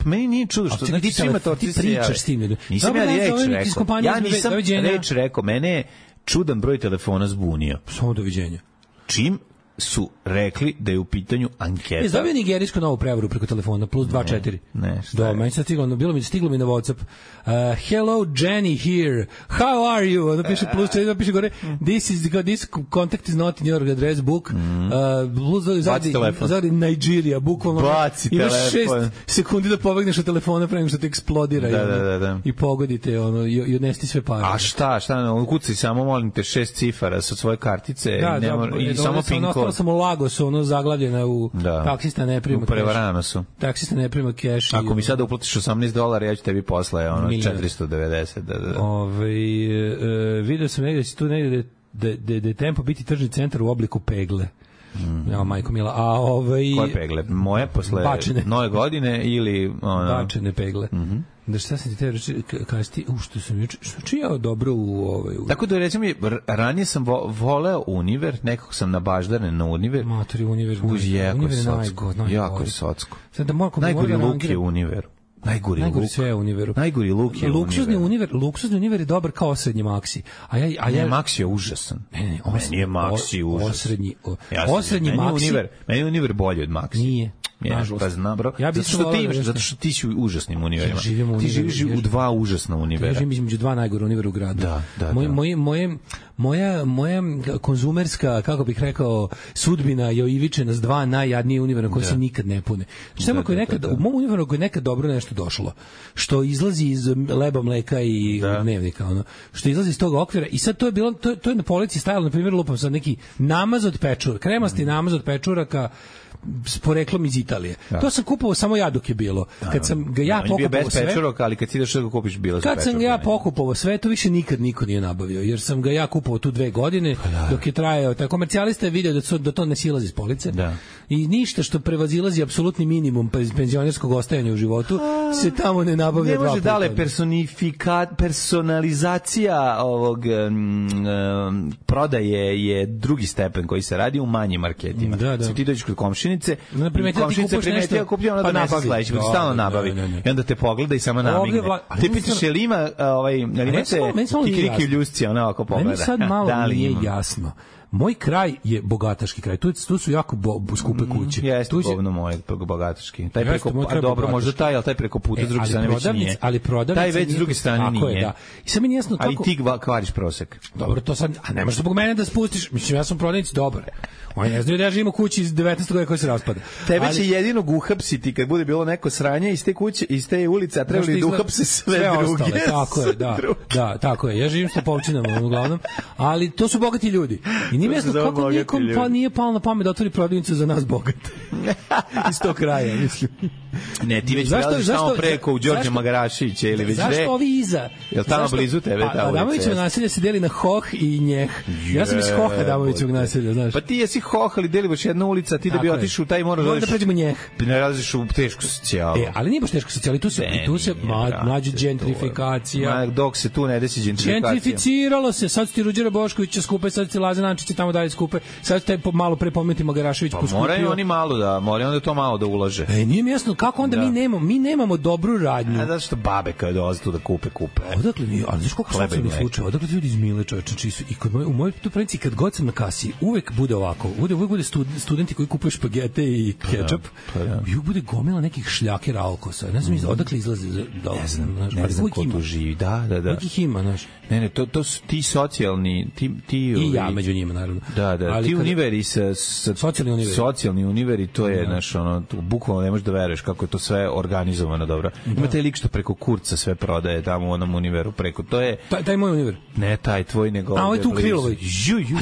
Meni nije čudo što... Znači, svima to ti pričaš s tim. Nisam ja reč rekao. Ja nisam reč rekao. Mene je čudan broj telefona zbunio. Samo doviđenja. Čim su rekli da je u pitanju anketa. Dobio nigerijsku novu prevaru preko telefona, plus 24. Ne, da, meni sad stiglo mi na WhatsApp. Hello, Jenny here. How are you? Ono piše plus 4, piše gore, this contact is not in your address book. Zadi Nigeria, bukvalno. Imaš 6 sekundi da pobegneš od telefona pre nego što te eksplodira. Da. I pogodite, i odnesti sve pare. A šta, kucaj samo, molim te, 6 cifara sa svoje kartice i samo pin kod. Sam u Lagosu, zaglavljena u taksista ne prima keš. U prevarano su. Taksista ne prima keš. Ako mi sada uplatiš $18, ja ću tebi posle 490. Vidio sam negdje da si tu negdje da je Tempo biti tržni centar u obliku pegle. Ja, majko mila. Koje pegle? Moje posle nove godine ili... Bačene pegle. Da šta sam ti te reći, kada si ti, što sam čijao dobro u Tako da recimo, ranije sam voleo Univer, nekako sam nabaždaren na Univer. Matori Univer. Jako je socko. Najgori luk je Univer. Najgori sve je Univeru. Najgori luk je Luksuzni Univer je dobar kao osrednji Maxi. Maxi je užasan. Meni je Maxi užasan. Osrednji Maxi. Meni je Univer bolji od Maxi. Nije. Pa znam, bro. Zato što ti si u užasnim univerima. Ti živiš u dva užasna univera. Ja živim između dva najgore univera u gradu. Moja konzumerska, kako bih rekao, sudbina je oivičena s dva najjadnije univera koje se nikad ne pune. Samo ako je nekad, u mom univeru ako je nekad dobro nešto došlo, što izlazi iz leba, mleka i dnevnika, što izlazi iz tog okvira, i sad to je bilo, to je na polici stajalo, na primjer, lupam sad neki namaz od pečura, kremasti namaz od pečuraka, s poreklom iz Italije. To sam kupovao samo ja dok je bilo. Kad sam ga ja pokupovao sve... ali kad si ideš da ga kupiš bilo kad sam ga ja pokupovao sve, to više nikad niko nije nabavio, jer sam ga ja kupovao tu 2 godine, dok je trajao. Taj komercijalista je video da to ne silazi iz police. I ništa što prevazilazi apsolutni minimum penzionerskog ostajanja u životu se tamo ne nabavlja 2 puta. Ne može dale personalizacija ovog prodaje je drugi stepen koji se radi u manjim marketima. Ti dođeš kod komšinice, komšinica primetija, kupio ona donese sledeći, pa stalno nabavi. I onda te pogleda i samo namigne. Ti pitaš je li ima kikiriki u ljusci, ona ovako pogleda. Meni sad malo nije jasno. Moj kraj je bogataški kraj. Tu su jako skupe kuće. Jeste govno moj bogataški. Taj preko, dobro, možda taj, ali taj preko puta s druge strane već nije. Taj već s druge strane nije. I sad mi nije jasno kako... Ali ti kvariš prosek. Dobro, to sad... A nemaš zbog mene da spustiš. Mislim, ja sam prodavnici dobar. Oni ne znaju da ja živim u kući iz 19. godina koja se raspada. Tebe će jedinog uhapsiti kad bude bilo neko sranje iz te kuće, iz te ulice, a trebali da uhapse sve druge. Tako je, da, tako je. Ja živim s Topovčinama, uglavnom. Ali to su bogati ljudi. I nije jasno kako nikom pa nije palo na pamet da otvori prodavnicu za nas bogate. Iz tog kraja, mislim. Ne, ti već prelaziš tamo preko u Đorđe Magarašića ili već zašto ovi iza? Jel tamo blizu tebe ta ulica? Adamovićevo naselje se deli na Hoh i Njeh. Ja sam iz Hoha Adamovićevog naselja, znaš. Pa ti jesi Hoh, ali deli baš jedna ulica, ti da bi otišao u taj moraš da pređemo Njeh. Ne raziš u tešku socijalu. Ali nije baš teško socijalu, tu se mlađe gentrifikacija. Dok se tu ne desi gentrifikacija. Gentrificiralo se, sad ti Ruđera Boškovića skupe, sad ti Laza Nančić tamo dalje skupe, sad taj malo pre pomenuti Magarašević poskupio. Moraju oni malo da, moraju onda to malo da ulaže. Nije mi jasno kako onda mi nemamo dobru radnju. Zato što babe kad dolaze tu da kupe. Odakle mi, ali znaš koliko socijalnih slučaja, odakle ljudi iz Mile čoveče, čiji su, i u mojoj prenici kad god sam na kasi, uvek bude ovako, uvek bude studenti koji kupuju špagete i kečap, i uvek bude gomila nekih šljakera alkosa, ne znam odakle izlaze, ne znam ko tu živi, da. Uvek ih ima, znaš. Ne, to su ti socijalni, ti i ja među njima, naravno. Da, ti univeri socijalni univeri, to je, znaš, ono, bukvalno ne možeš da veruješ kako je to sve organizovano dobro. Ima taj lik što preko Kurca sve prodaje tamo u onom univeru preko, to je... Taj moj univer. Ne, taj tvoj, nego... A ovo je tu u Krilovoj.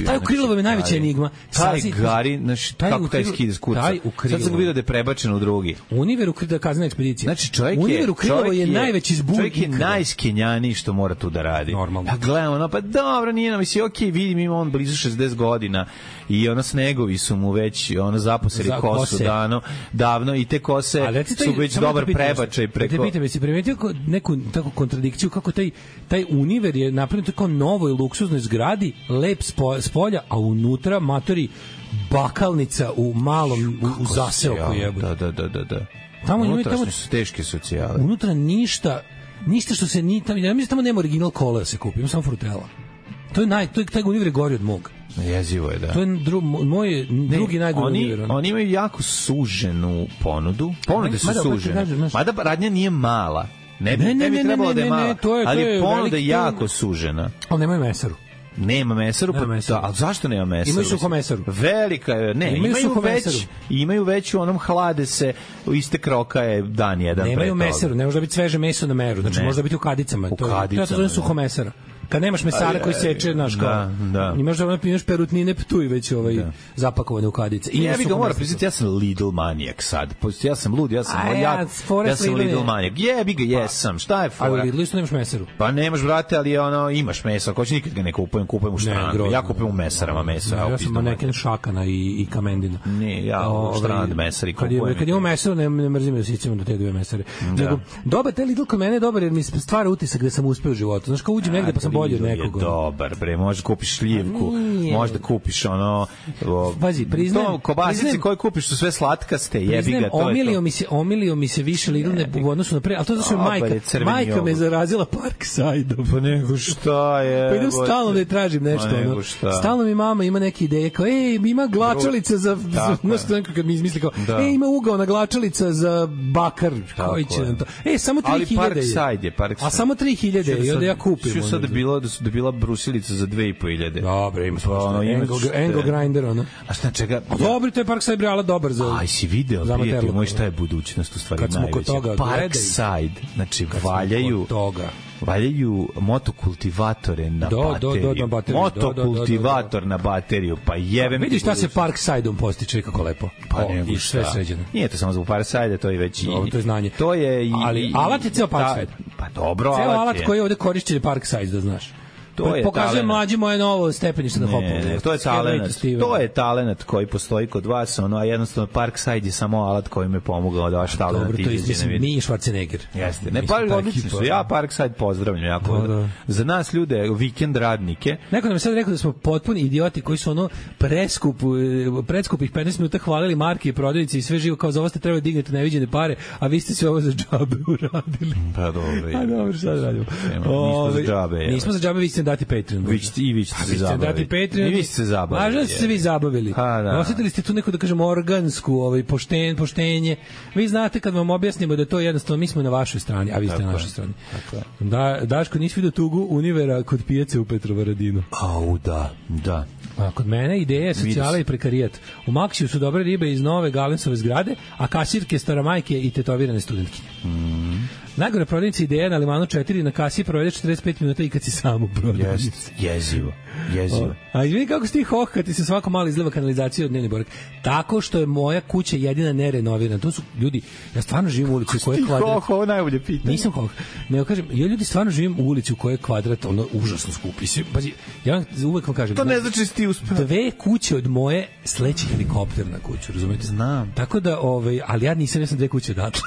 A taj u Krilovoj je najveća enigma. Taj Gari, znaš, kako taj skide s Kurca. Sad sam ga vidio da je prebačen u drugi. Univer u Kazna ekspedicija. Znači, čovjek Univer u Krilovoj je najveći zbun. Čovjek je najskenjaniji što mora tu da radi. Normalno. Ja gledam, ono, pa dobro, nije nam, misli, okej, vidim, ima on blizu 60 godina i ono snegovi su mu već, ono, zaposeli kosu davno i te kose su već dobar prebačaj preko... Te pitam, jesi primetio neku takvu kontradikciju kako taj univer je napravljen tako novoj luksuznoj zgradi, lep spolja, a unutra matori bakalnica u malom u zaseoku jebote. Da. Tamo su teške socijale. Unutra ništa što se ni tamo, ja mislim tamo nema original kola da se kupi, ima samo frutela. To je taj univer gori od mog. Jezivo je, da. To je moj drugi najgori univer. Oni imaju jako suženu ponudu. Ponude su sužene. Mada radnja nije mala. Ne bi trebalo da je mala. Ali ponuda je jako sužena. Ali nemaju mesaru. Nema mesaru, ali zašto nema mesaru? Imaju suhomesaru. Velika je, imaju već u onom hlade se, iste kroka je dan jedan pre toga. Nemaju mesaru, ne može da biti sveže meso na meru, znači može da biti u kadicama. To se zove suhomesara. Kad nemaš mesara koji seče, znaš, kao, imaš perutnine ptuj već zapakovane u kadice. Ja bih ga mora priznati, ja sam Lidl manijak sad. Ja sam lud, ja sam Lidl manijak. Jebi ga, jesam. Šta je fora? A u Lidlu isto nemaš mesaru? Pa nemaš, brate, ali imaš meso. Ako će nikad ga ne kupujem u Štrandu. Ja kupujem u mesarama meso. Ja sam maneken Šakana i Kamendina. Ne, ja u Štrand mesari kupujem. Kad imam mesaru, ne mrzim da sićemo do te dve mesare. Dobar, taj Lidl kod mene je dobar jer mi stvara utisak da sam uspeo u životu. Znaš, kao uđem negde pa sam bolje od nekog. Dobar, bre, možda kupiš šljivku, možda kupiš ono... Pazi, priznajem... Kobasice koje kupiš su sve slatkaste, jebi ga, to je to. Omilio mi se više Lidl u odnosu na pre, ali to zato što majka me zarazila Parkside-om. Pa nego šta je... Pa idem stalno da je tražim nešto. Stalno mi mama ima neke ideje, kao, ima glačalica za... Znaš, kad mi izmisli kao, ima ugaona glačalica za bakar, koji će nam to... samo 3000 je. Ali Parkside je. A samo 3000 i onda ja kupim. Što sad da bila brusilica za 2500. Dobre, ima Engo Grinder, ono. A šta čega? Dobro, to je Parkside Brala dobar za... Aj, si video, prijatelj moj, šta je budućnost u stvari najveća? Parkside, znači valjaju motokultivatore na bateriju. Motokultivator na bateriju, pa jebem. Vidiš šta se Parkside-om postiče, kako lepo. Pa nego šta. Sve sređeno. Nije to samo zbog Parkside, to je već i... To je znanje. To je i... Ali alat je ceo Parkside. Pa dobro, alat je. Ceo alat koji je ovde korišćen je Parkside, da znaš. Pokazuje mlađi moje novo stepenište na hopu. Ne, to je talenat. To je talenat koji postoji kod vas, a jednostavno Parkside je samo alat koji me pomogao da vaš talenat izađe na vid. Nije Schwarzenegger. Jeste. Ne, odlični su. Ja Parkside pozdravljam jako. Za nas ljude, vikend radnike. Neko nam je sad rekao da smo potpuni idioti koji su predskupih 15 minuta hvalili marke i prodavnice i sve živo, kao za ovo ste trebali dignete neviđene pare, a vi ste sve ovo za džabe uradili. Pa dobro. A dobro, sad radimo. Nismo za džabe, vi ste dati Patreon. Vi ćete se zabavili. I vi ste se zabavili. Važno ste se vi zabavili. Osjetili ste tu neku, da kažem, organsku poštenje. Vi znate kad vam objasnimo da to jednostavno mi smo na vašoj strani, a vi ste na našoj strani. Daško, nisi vidio tugu Univera kod pijace u Petrovaradinu? Au, da. A kod mene ideja je socijala i prekarijat. U Maksiju su dobre ribe iz nove Galensove zgrade, a kasirke staramajke i tetovirane studentkinje. Najgore prodavnice Ideja na Limanu 4 na kasi provede 45 minuta i kad si sam u prodavnici. Jezivo. A vidi kako si ti hoh kad ti se svako malo izleva kanalizacija od dnevni borak. Tako što je moja kuća jedina nerenovirana. To su ljudi, ja stvarno živim u ulici u kojoj je kvadrat. Hoh, ovo najbolje pitanje. Nisam hoh. Nego kažem, ja ljudi stvarno živim u ulici u kojoj je kvadrat ono užasno skupi. Pazi, ja uvek vam kažem. To ne znači ti uspeo. 2 kuće od moje sleći helikopter na kuću, razumete? Znam. Tako da, ali ja nisam 2 kuće odatle.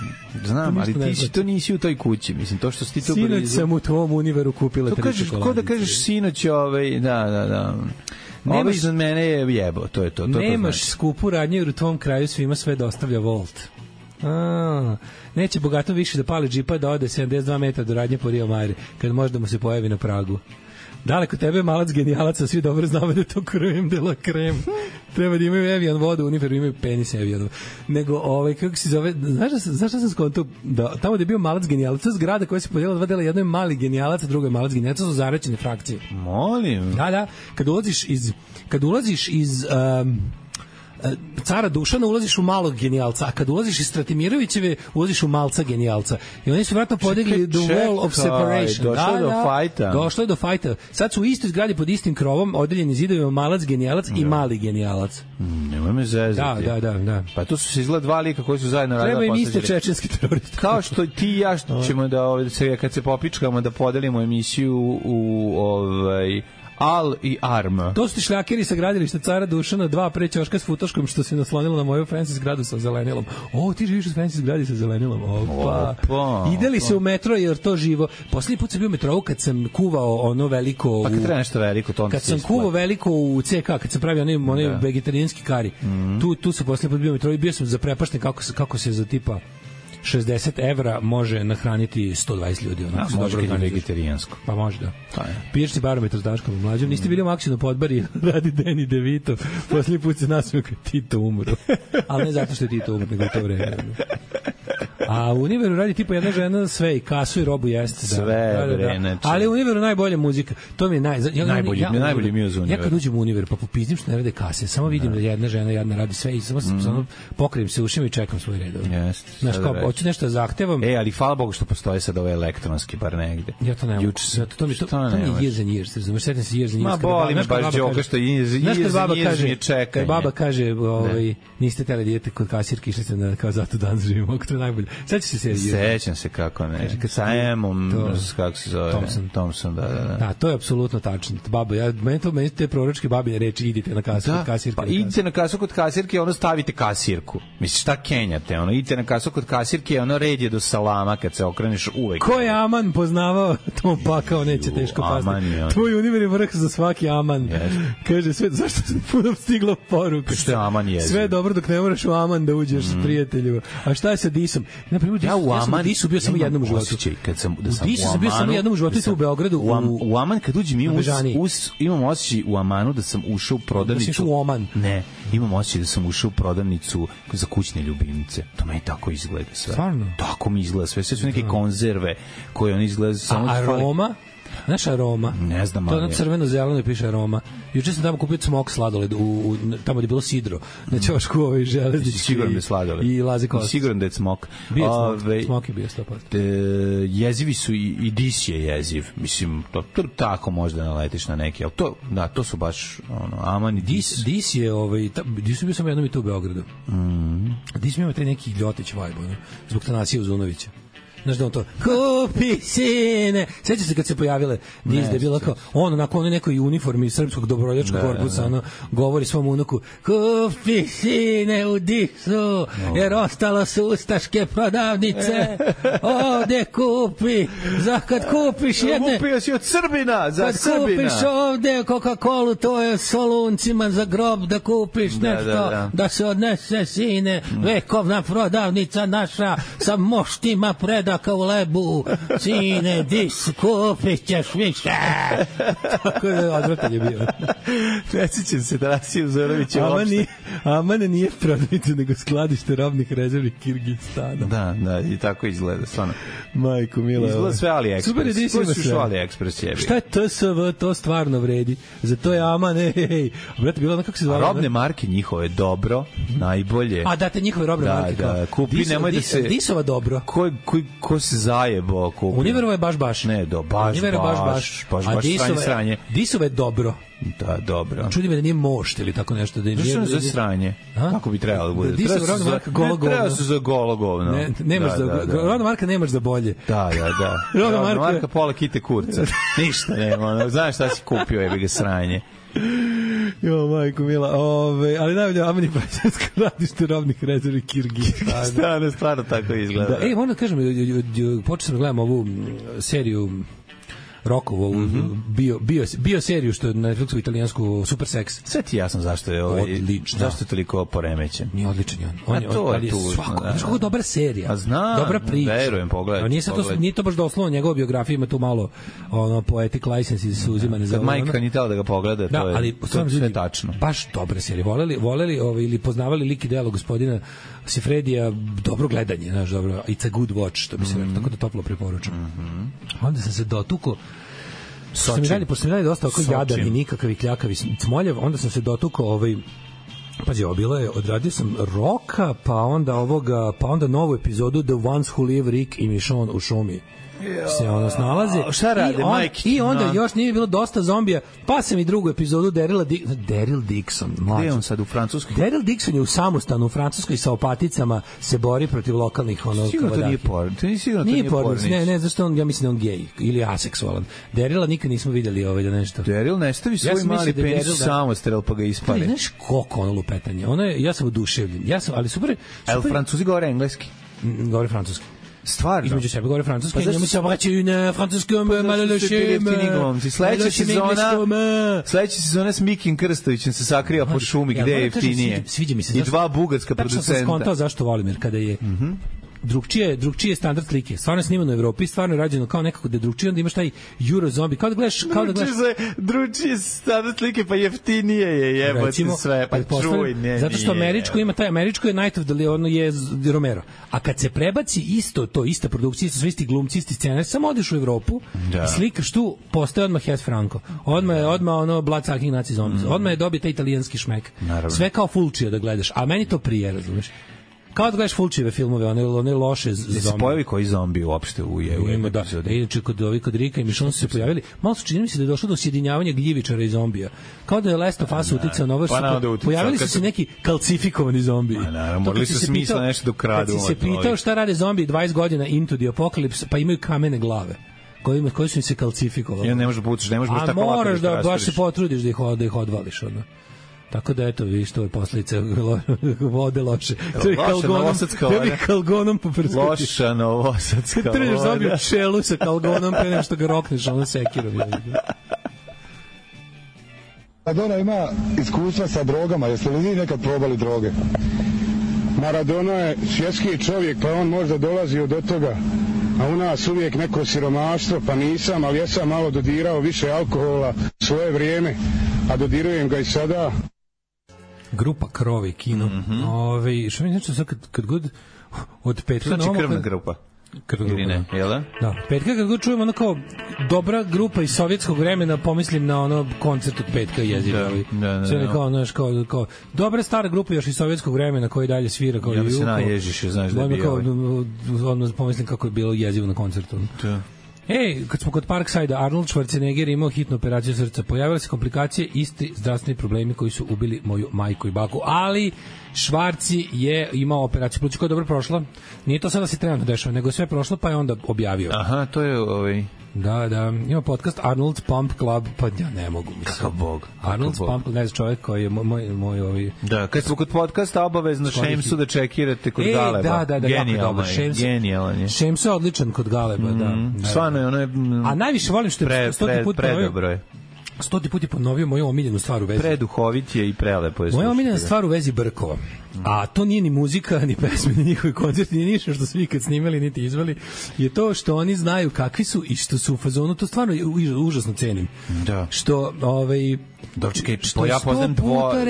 Znam, ali ti nisi u toj kući, mislim, to što si ti to blizu. Sinoć sam u tvom univeru kupila 3 čokoladice. Ko da kažeš sinoć, da. Ovo iznad mene je jebo, to je to. Nemaš skupu radnju jer u tvom kraju svima sve dostavlja Volt. Neće bogato više da pali džipa da ode 72 metra do radnje po Rio Mare, kad možda mu se pojavi na pragu. Daleko tebe je malac genijalaca, svi dobro znamo da je to krem de la krem. Treba da imaju Evian vodu, univeru imaju penis Evianu. Nego, kako se zove, zašto sam skontao, da tamo da je bio malac genijalaca, zgrada koja se podijela 2 dela, jedno je mali genijalac, a drugo je malac genijalaca, su zaraćene frakcije. Molim. Da, kad ulaziš iz Cara Dušana ulaziš u malog genijalca, a kad ulaziš iz Stratimirovićeve ulaziš u malca genijalca. I oni su vratno podigli the wall of separation. Došlo je do fajta. Sad su u istoj zgradi pod istim krovom, odeljeni zidovima malac genijalac i mali genijalac. Nemoj me zezati. Da. Pa to su se izgleda 2 lika koji su zajedno radili. Treba im iste čečenski teroristi. Kao što ti i ja ćemo da kad se popičkamo da podelimo emisiju u Al i Arm. To su ti šljakeri sa gradilišta Cara Dušana, 2 pre ćoška s futoškom što se naslonilo na moju fancy zgradu sa zelenilom. Ti živiš u fancy zgradi sa zelenilom. Opa. Ide li se u metro jer to živo? Poslednji put sam bio u metrou kad sam kuvao ono veliko... Pa kad treba nešto veliko, to onda kad sam kuvao veliko u CK, kad sam pravio onaj vegetarijanski kari. Tu sam poslednji put bio u metrou i bio sam zaprepašten kako se za tipa 60 evra može nahraniti 120 ljudi. Može kada je vegetarijansko. Pa može, da. Piješ ti barometar s Daškom mlađom. Niste bili u Maksinu Podbari, radi Danny DeVito. Posljednji put se nasmio kad Tito umro. Ali ne zato što je Tito umro, nego u to vreme. A u Univeru radi tipa jedna žena sve i kasu i robu jeste. Sve, bre. Ali u Univeru najbolja muzika. To mi je najbolji mi je za Univer. Ja kad uđem u Univer, pa popizdim što ne rade kase, samo vidim da jedna žena jadna radi sve i samo pokrijem se ušima i čekam svoj red. Znaš, kao, hoću nešto zahtevam. Ali hvala Bogu što postoje sad ove elektronski, bar negde. Ja to ne mogu. To mi je years and years, razumeš, setim se years and years. Ma boli me baš džoka što years mi čekanje. Baba kaže, niste teli da idete kod kasirke, išli ste na, kao zato dan živimo, to je najbolje. Sećam se kako ne. Sa Emom, kako se zove? Thompson, da. Da, to je apsolutno tačno. Baba, meni te proročke babine reči, idite na kasu kod kasirke. Pa idite na kasu kod kasirke, ono stavite kasirku. Misliš, šta kenjate? Idite na kasu kod kasirke, ono red je do salama kad se okreneš uvek. Ko je Aman poznavao, to pakao neće teško pasti. Tvoj Univer je vrh za svaki Aman. Kaže, sve, zašto se puno stiglo poruka? Što je Aman jezik? Sve dobro dok ne moraš u Aman da uđeš s prijatelju. A šta je sa Disom? Ja u Disu bio samo jednom u životu. Disu sam bio samo jednom u životu u Beogradu. U Aman kad uđem imam osjećaj u Amanu da sam ušao u prodavnicu. U Oman. Ne, imam osjećaj da sam ušao u prodavnicu za kućne ljubimce. To meni tako izgleda sve. Stvarno? Tako mi izgleda sve. Sve su neke konzerve koje on izgleda samo... A aroma? Znaš aroma? Ne znam. To je ono crveno-zeleno i piše aroma. Juče sam tamo kupio smok sladoled, tamo gde je bilo sidro. Na ćošku železnički. Siguran da je sladoled. I Lazi Kostić. Siguran da je smok. Smok je bio 100%. Jezivi su i Dis je jeziv. Mislim, to tako možda naletiš na neki. Ali to su baš Aman i Dis. Dis je, Dis je bio samo jednom i tu u Beogradu. Dis mi ima taj neki ljotić vibe, zbog Tanasija Uzunovića. Znaš da on to, kupi sine. Sjeća se kad se pojavile Diz da je bilo kao, onako nekoj uniformi srpskog dobrovoljačkog korpusa, govori svom unuku, kupi sine u Disu, jer ostalo su ustaške prodavnice, ovde kupi, kad kupiš jedne... Kupio si od Srbina, za kad Srbina. Kad kupiš ovde Coca-Colu, to je soluncima za grob, da kupiš nešto, da se odnese sine, vekovna prodavnica naša, sa moštima preda kao u lebu, sine, Dis, kupit ćeš više. Tako je odvratan je bio. Predsjećam se Tanasija Uzorovića uopšte. Aman nije prodavnica, nego skladište robnih rezervi Kirgistana. Da, i tako izgleda, stvarno. Majko mila. Izgleda sve AliExpress. Super, Dis ima sve. AliExpress jebi. Šta je TSV, to stvarno vredi. Zato je Aman, Brate, bilo ono kako se zvala. Robne marke njihove dobro, najbolje. A date njihove robne marke. Da, kupi, nemoj da se... Disova dobro. ko se zajebo kupio. Univerovo je baš. Ne, baš sranje. Disova je dobro. Da, dobro. Čudi me da nije mošt ili tako nešto. Zašto je za sranje? Kako bi trebalo da bude? Treba su za golo govno. Rodna marka nemaš za bolje. Da. Rodna marka pola kite kurca. Ništa nema. Znaš šta si kupio, jebi ga sranje. Jo, majko mila, ali najbolje Amani Pajsanska radište robnih rezervi Kirgizstana. Stvarno tako izgleda. Da, moram da kažem, počeo sam da gledam ovu seriju Rokovo, bio seriju što je na Netflixu italijansku Super Sex. Sve ti jasno zašto je odlično. Zašto je toliko poremećen. Nije odličan on. On je svako. Znaš kako dobra serija. Dobra priča. Verujem, pogledaj. Nije to baš doslovno njegova biografija, ima tu malo poetic license su uzimane za. Kad majka nije htela da ga pogleda, to je sve tačno. Baš dobra serija. Voleli ili poznavali lik i delo gospodina Sifredija, dobro gledanje, znaš, dobro. It's a good watch, što bi se rekao, tako da toplo preporučam. Onda sam se dotukao. Pošto sam radili dosta oko jadan i nikakavi kljakavi cmoljev, onda sam se dotukao pazi, bilo je, odradio sam Roka, pa onda novu epizodu The Ones Who Live, Rick i Michonne u šumi se snalaze. Šta rade, majke? I onda još nije bilo dosta zombija, pa sam i drugu epizodu Daryl Dixon. Gde je on sad u Francuskoj? Daryl Dixon je u samostanu u Francuskoj sa opaticama se bori protiv lokalnih sigurno to nije porno. Nije porno. Ne, zašto on, ja mislim da on gej ili aseksualan. Daryla nikad nismo videli da nešto. Daryl ne stavi svoj mali penis u samostrel pa ga ispali. Znaš koliko ono lupetanje. Ja sam oduševljen. Ali super. Ali Francuzi govore engleski? Govore francuski. Stvarno. Između sebe govore francuski, njemu se obraćaju i na francuskom malološem. Sledeća sezona s Mikim Krstovićem se sakrio po šumi, gde je jeftinije. Sviđa mi se. I dva bugarska producenta. Tačno sam skontao zašto volim, jer kada je drugčije standard slike. Stvarno je snimano u Evropi, stvarno je rađeno kao nekako da je drugčije, onda imaš taj Euro zombie, kao da gledaš drugčije standard slike, pa jeftinije je, jebati sve, pa čuj, ne. Zato što američko ima taj američko je Night of the ono je Romero. A kad se prebaci ista produkcija, isto sve isti glumci, isti scenari, samo odeš u Evropu i slikaš tu, postaje odmah Hes Franco. Odmah blood-sucking nazi zombies. Odmah je dobio taj italijanski šmek. Sve kao Fulčija da gledaš, a meni to prije, razumeš? Kao da gledaš Fulčijeve filmove, one loše zombije. Se pojavi koji zombi uopšte u epizodi. Inače, kod Rika i Michonne su se pojavili. Malo su čini mi se da je došlo do sjedinjavanja gljivičara i zombija. Kao da je Last of Us uticao na ovo. Pojavili su se neki kalcifikovani zombiji. Morali su smisla nešto da ukradu. Kad si se pitao šta rade zombiji 20 godina into the apocalypse, pa imaju kamene glave koji su im se kalcifikovali. Ja ne možeš da pucaš, ne možeš tako lako. A moraš da baš se potrudiš da ih odvališ, Tako da eto, vidiš, to je posljedica vode loše. Treba kalgonom poprskati. Loša novosadska voda. Trebaš zabiju čelu sa kalgonom pre nešto ga rokneš, sekirom. Maradona ima iskustva sa drogama, jeste li vi nekad probali droge? Maradona je svjetski čovjek, pa on možda dolazio do toga, a u nas uvijek neko siromaštvo, pa nisam, ali ja sam malo dodirao više alkohola svoje vrijeme, a dodirujem ga i sada. Grupa Krovi kino. Što mi znači sad kad god od petka znači krvna grupa. Ili ne, jel da? Da, petka kad god čujem kao dobra grupa iz sovjetskog vremena, pomislim na koncert od petka jezivo. Kao dobra stara grupa još iz sovjetskog vremena koji dalje svira kao ja se naježiš, znaš da je bio. Odmah pomislim kako je bilo jezivo na koncertu. Da. Kad smo kod Parkside, Arnold Schwarzenegger imao hitnu operaciju srca. Pojavile se komplikacije, isti zdravstveni problemi koji su ubili moju majku i baku. Ali Švarci je imao operaciju pluća koja je dobro prošla. Nije to sada se trenutno dešava, nego je sve prošlo, pa je onda objavio. Aha, to je Da, ima podcast Arnold's Pump Club, pa ja ne mogu. Kakav bog. Arnold's Pump Club, ne znam čovjek koji je moj Da, kad smo kod podcasta obavezno Šemsu da čekirate kod Galeba. Da, genijalan je. Šemsu je odličan kod Galeba, da. Stvarno je, ono je... A najviše volim što je 100 put predobro je. 100 put je ponovio moju omiljenu stvar u vezi. Preduhovit je i prelepo je. Moja omiljena stvar u vezi Brkova. A to nije ni muzika, ni pesme, ni njihovi koncerti, ni ništa što su vi kad snimali, niti izveli. Je to što oni znaju kakvi su i što su u fazonu, to stvarno užasno cenim. Da. Što, čekaj, ja poznam dvojicu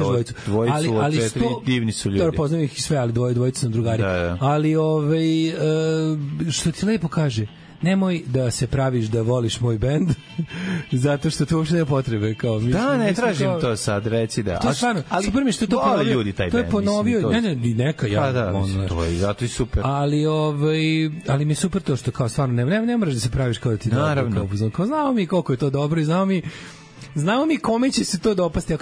od 4 divni su ljudi. Dobro, poznam ih i sve, ali dvojicu sam drugari. Da. Ali, što ti lepo kaže, nemoj da se praviš da voliš moj bend, zato što to uopšte nema potrebe. Kao, ne tražim to sad, reci da. To je stvarno, super mi što je to ponovio. Ljudi taj to je band, ponovio, mislim, neka ja. Pa da, to je zato i super. Ali mi je super to što kao stvarno ne moraš da se praviš kao da ti naravno. Kao znamo mi koliko je to dobro i znamo mi kome će se to dopasti.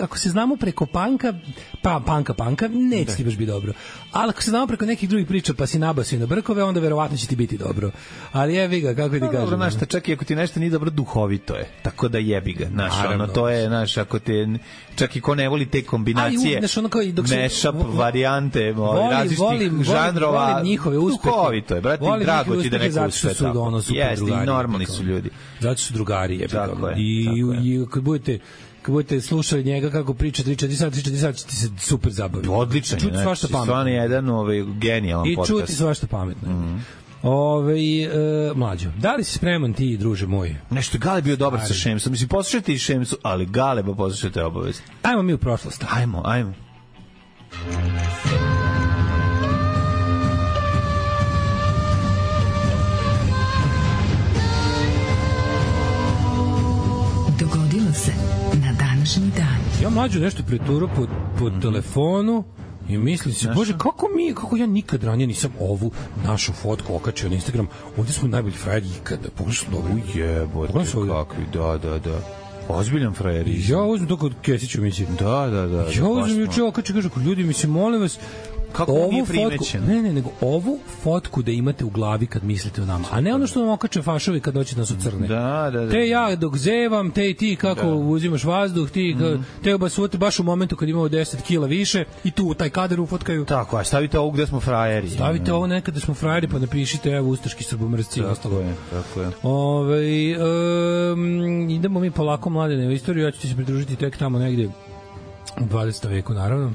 Ako se znamo preko panka, neće ti baš biti dobro. Ali ako se znamo preko nekih drugih priča, pa si nabasio na brkove, onda verovatno će ti biti dobro. Ali jebi ga, kako ti kažem. Dobro, znaš, čak i ako ti nešto nije dobro, duhovito je. Tako da jebi ga. Znaš, to je, znaš, ako te, čak i ko ne voli te kombinacije, mashup, varijante, različitih žanrova, volim njihove uspehe. Duhovito je, brate, drago ti da neko uspe tako. Jeste, i normalni su ljudi. Zato su drugari, jebi ga. I kad budete slušali njega kako priča 3-4 sata, ćete se super zabaviti. Odličan je, čuti svašta pametno. Stvarno je jedan genijalan podcast. I čuti svašta pametno. Mlađo, da li si spreman ti, druže moj? Nešto, Gale bio dobar sa Šemsom. Mislim, poslušajte i Šemsu, ali Gale ba poslušajte obavezno. Ajmo mi u prošlost. Ajmo. Dogodilo se na današnji dan. Ja mlađu nešto preturo po telefonu i mislim se, bože, kako ja nikad ranije nisam ovu našu fotku okačio na Instagram. Ovdje smo najbolji frajeri ikada. Pogledaj što dobro. Ujebote, kakvi, da. Ozbiljan frajer. Ja uzmem to kod Kesiću, mislim. Da. Ja uzmem juče okačio, kažu, ljudi, mislim, molim vas, kako nije primećeno? Ne, nego ovu fotku da imate u glavi kad mislite o nama, a ne ono što nam okače fašovi kad doći nas u crne. Da. Te ja dok zevam, te i ti kako uzimaš vazduh, ti te obasuvate baš u momentu kad imamo 10 kila više i tu u taj kadar ufotkaju. Tako, a stavite ovo gde smo frajeri. Stavite ovo nekada smo frajeri, pa napišite evo ustaški srbomrsci i ostalo. Tako je. Idemo mi polako, Mladene, u istoriju, ja ću ti se pridružiti tek tamo negdje u 20. veku, naravno.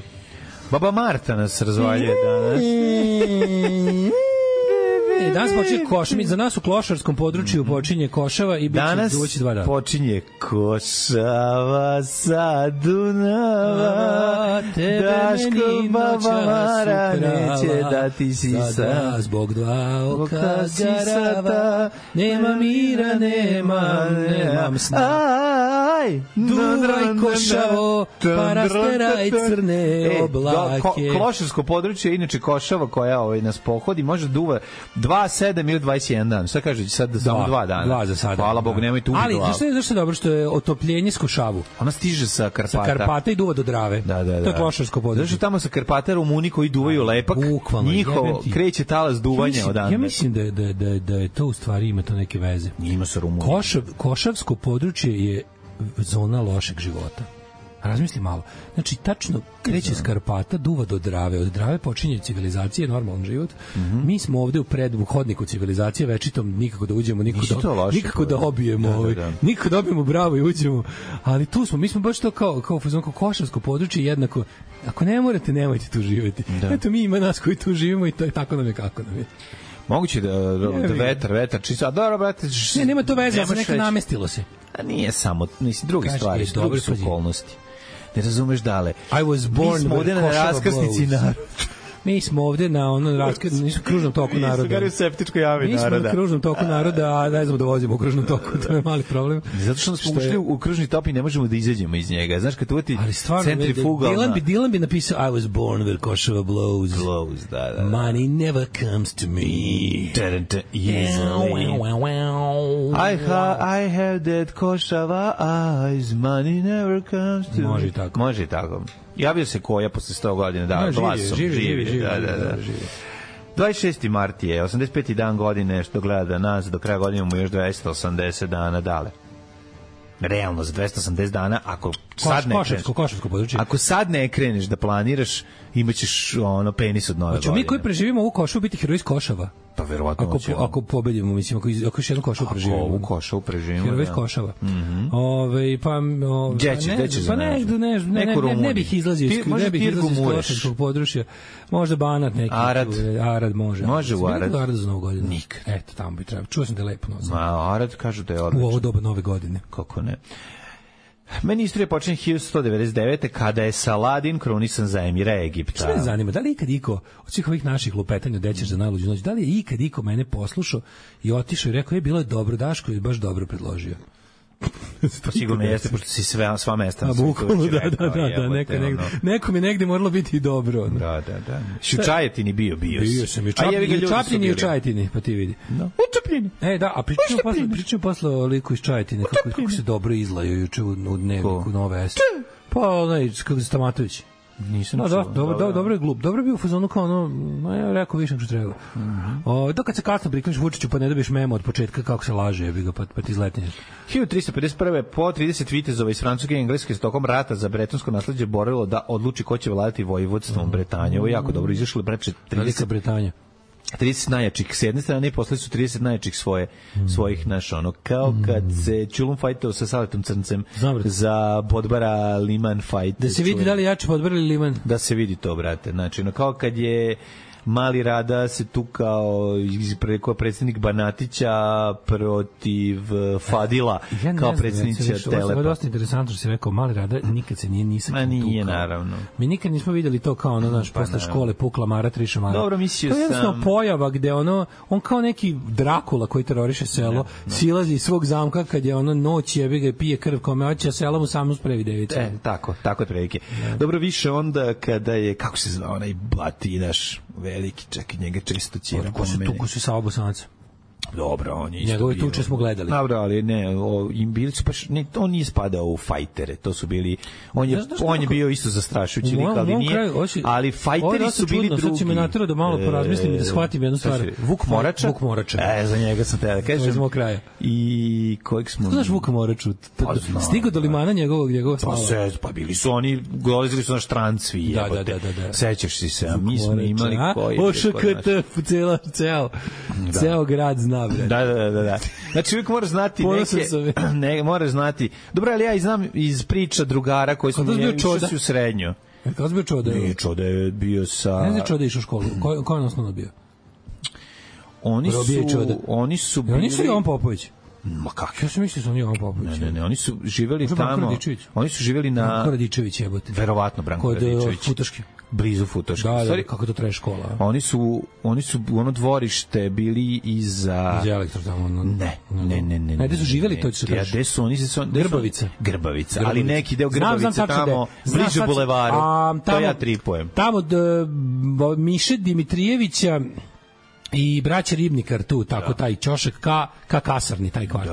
Baba Marta nas razvaljuje danas. Danas počinje Košava. Za nas u klošarskom području počinje Košava i bit će duvaći 2 dana. Danas počinje Košava sa Dunava, Daško Baba Mara neće da ti sisa. Zbog 2 oka garava, nema mira, nemam sna. Duvaj Košavo, pa rasteraj crne oblake. Klošarsko područje, inače Košava koja nas pohodi, može duva 2-7 ili 21 dan. Šta kaže, sad samo 2 dana? 2 za sada. Hvala Bogu, nemojte ubiti glavu. Ali, zašto je dobro što je otopljenje s Košavu? Ona stiže sa Karpata. Sa Karpata i duva do Drave. Da. To je klošarsko područje. Zašto tamo sa Karpata Rumuni koji duvaju lepak, njihovo kreće talas duvanja odande. Ja mislim da je to u stvari ima to neke veze. Ima sa Rumuni. Košavsko područje je zona lošeg života. Razmisli malo. Znači, tačno kreće s Karpata, duva do Drave. Od Drave počinje civilizacija, normalan život. Mi smo ovde u hodniku civilizacije, večitom nikako da uđemo, nikako da obijemo, nikako da obijemo bravo i uđemo. Ali tu smo, mi smo baš to kao košarsko područje jednako. Ako ne morate, nemojte tu živjeti. Eto, mi ima nas koji tu živimo i to je tako nam je kako nam je. Moguće da vetar čisto, a dobro, brate... nema to veze, ali neka namestilo se. A nije samo, druge stvari, druge su okolnosti. Ne razumeš dale. Mi smo ovde na raskrsnici naroda. Mi smo ovde na kružnom toku naroda. Mi smo u septičkoj jami naroda. Mi smo na kružnom toku naroda, a ne znamo da vozimo u kružnom toku, to je mali problem. Zato što smo ušli u kružni tok i ne možemo da izađemo iz njega. Znaš, kad uvati centrifugalna... Dylan bi napisao I was born where Košava blows. Da. Money never comes to me. Easily. I have that Košava eyes. Money never comes to me. Može i tako. Javio se Koja posle 100 godina, glasom. Živi. 26. mart je, 85. dan godine, što gleda nas, do kraja godine imamo još 280 dana dale. Realno, za 280 dana, ako sad ne kreneš... Košarsko područje. Ako sad ne kreneš da planiraš, imaćeš penis od nove godine. Mi koji preživimo ovu Košavu biti heroji iz Košava? Pa verovatno ako pobedimo, mislim, ako još jednu Košavu preživimo. Ako ovu Košavu preživimo, heroji iz Košava. Gdje za ne bih izlazio iz Košarskog područja. Možda Banat neki. Arad može. Može u Arad. Arad za novu godinu. Nikad. Eto, tamo bi trebalo. Čuo sam da je lepo. Arad kažu da je odlično. U ovo doba nove godine. Kako ne. Meni istorija počinje 1199. kada je Saladin krunisan za emira Egipta. Što me zanima, da li je ikad iko od svih ovih naših lupetanja Dećeš za najluđu noć, da li je ikad iko mene poslušao i otišao i rekao, bilo je dobro, Daško je baš dobro predložio. Pa sigurno jeste, pošto si sva mesta. Bukvalno, da, neko mi negde moralo biti i dobro. Da. U Čajetini bio sam. U Čapljini i u Čajetini, pa ti vidi. U Čapljini. Da, a pričamo posle o liku iz Čajetine, kako se dobro izlaju juče u dnevniku Nove S. Pa onaj, kako je Stamatović. Nisam dobro je glup. Dobro je bio u fazonu kao ono, ja rekao više nego što treba. Da kad se kasno prikliš Vučiću pa ne dobiješ memo od početka kako se laže, jebi ga, pa ti izletneš. 1351. po 30 vitezova iz Francuske i Engleske s tokom rata za bretonsko nasleđe borilo da odluči ko će vladati vojvodstvom Bretanje. Ovo je jako dobro izašlo, breče 30 Bretanja. 30 najjačih s jedne strane i posle su 30 najjačih svojih kao kad se Čulum fajtao sa Saletom Crncem za Podbara Liman fight. Da se vidi da li jači Podbara ili Liman. Da se vidi to, brate. Znači, kao kad je Mali Rada se tukao preko predsjednik Banatića protiv Fadila kao predsjednića Telepa. Ovo je dosta interesantno što si rekao, Mali Rada nikad se nije tukao. Nije, naravno. Mi nikad nismo vidjeli to kao posle škole pukla Mara Triša Mara. Dobro, mislio sam. To je jednostavno pojava gde on kao neki Drakula koji teroriše selo, silazi iz svog zamka kad je noć jebi ga i pije krv kome hoće, a selo mu samo sprevi devica. Tako je prilike. Dobro, više onda kada je, kako se zvao onaj Batinaš, veliki, čekaj, njega često ćira. Tuku se sa Bosanaca. Dobro, on je isto njegove tuče smo gledali. Dobro, ali bili su baš, on nije spadao u fajtere, to su bili, on je bio isto zastrašujući lik, ali nije, ali fajteri su bili drugi. Sad će me natrao da malo porazmislim i da shvatim jednu stvar. Vuk Morača. Za njega sam te da kažem. Iz mog kraja. I kojeg smo... Znaš Vuka Moraču? Stigo do limana njegova slava. Pa bili su oni, dolazili su na Štrancvi. Da. Sećaš si se, a mi smo imali koji... OŠKT, ceo grad zna. Da. Znači uvijek moraš znati moraš znati. Dobro, ali ja i znam iz priča drugara koji su išli u srednju. Kada bio Čoda? Nije, Čoda je bio sa... Ne znam Čoda išao u školu. Ko je osnovno bio? Oni su bili... Oni su Jovan Popović. Ma kako? Ja sam mislio da su oni Jovan Popović. Ne, oni su živeli tamo. Oni su živeli na... Branko Radičević jebote. Verovatno Branko Radičević. Kod Futoške. Blizu Futoške. Da, kako to traje škola. Oni su ono dvorište bili iza Elektro tamo. Ne. Gde su živeli, to će se kaži. Gde su oni? Grbavica. Ali neki deo Grbavice tamo, bliže bulevaru. To ja tripujem. Tamo Miše Dimitrijevića i braća Ribnikar tu, tako taj ćošak ka kasarni, taj kvart.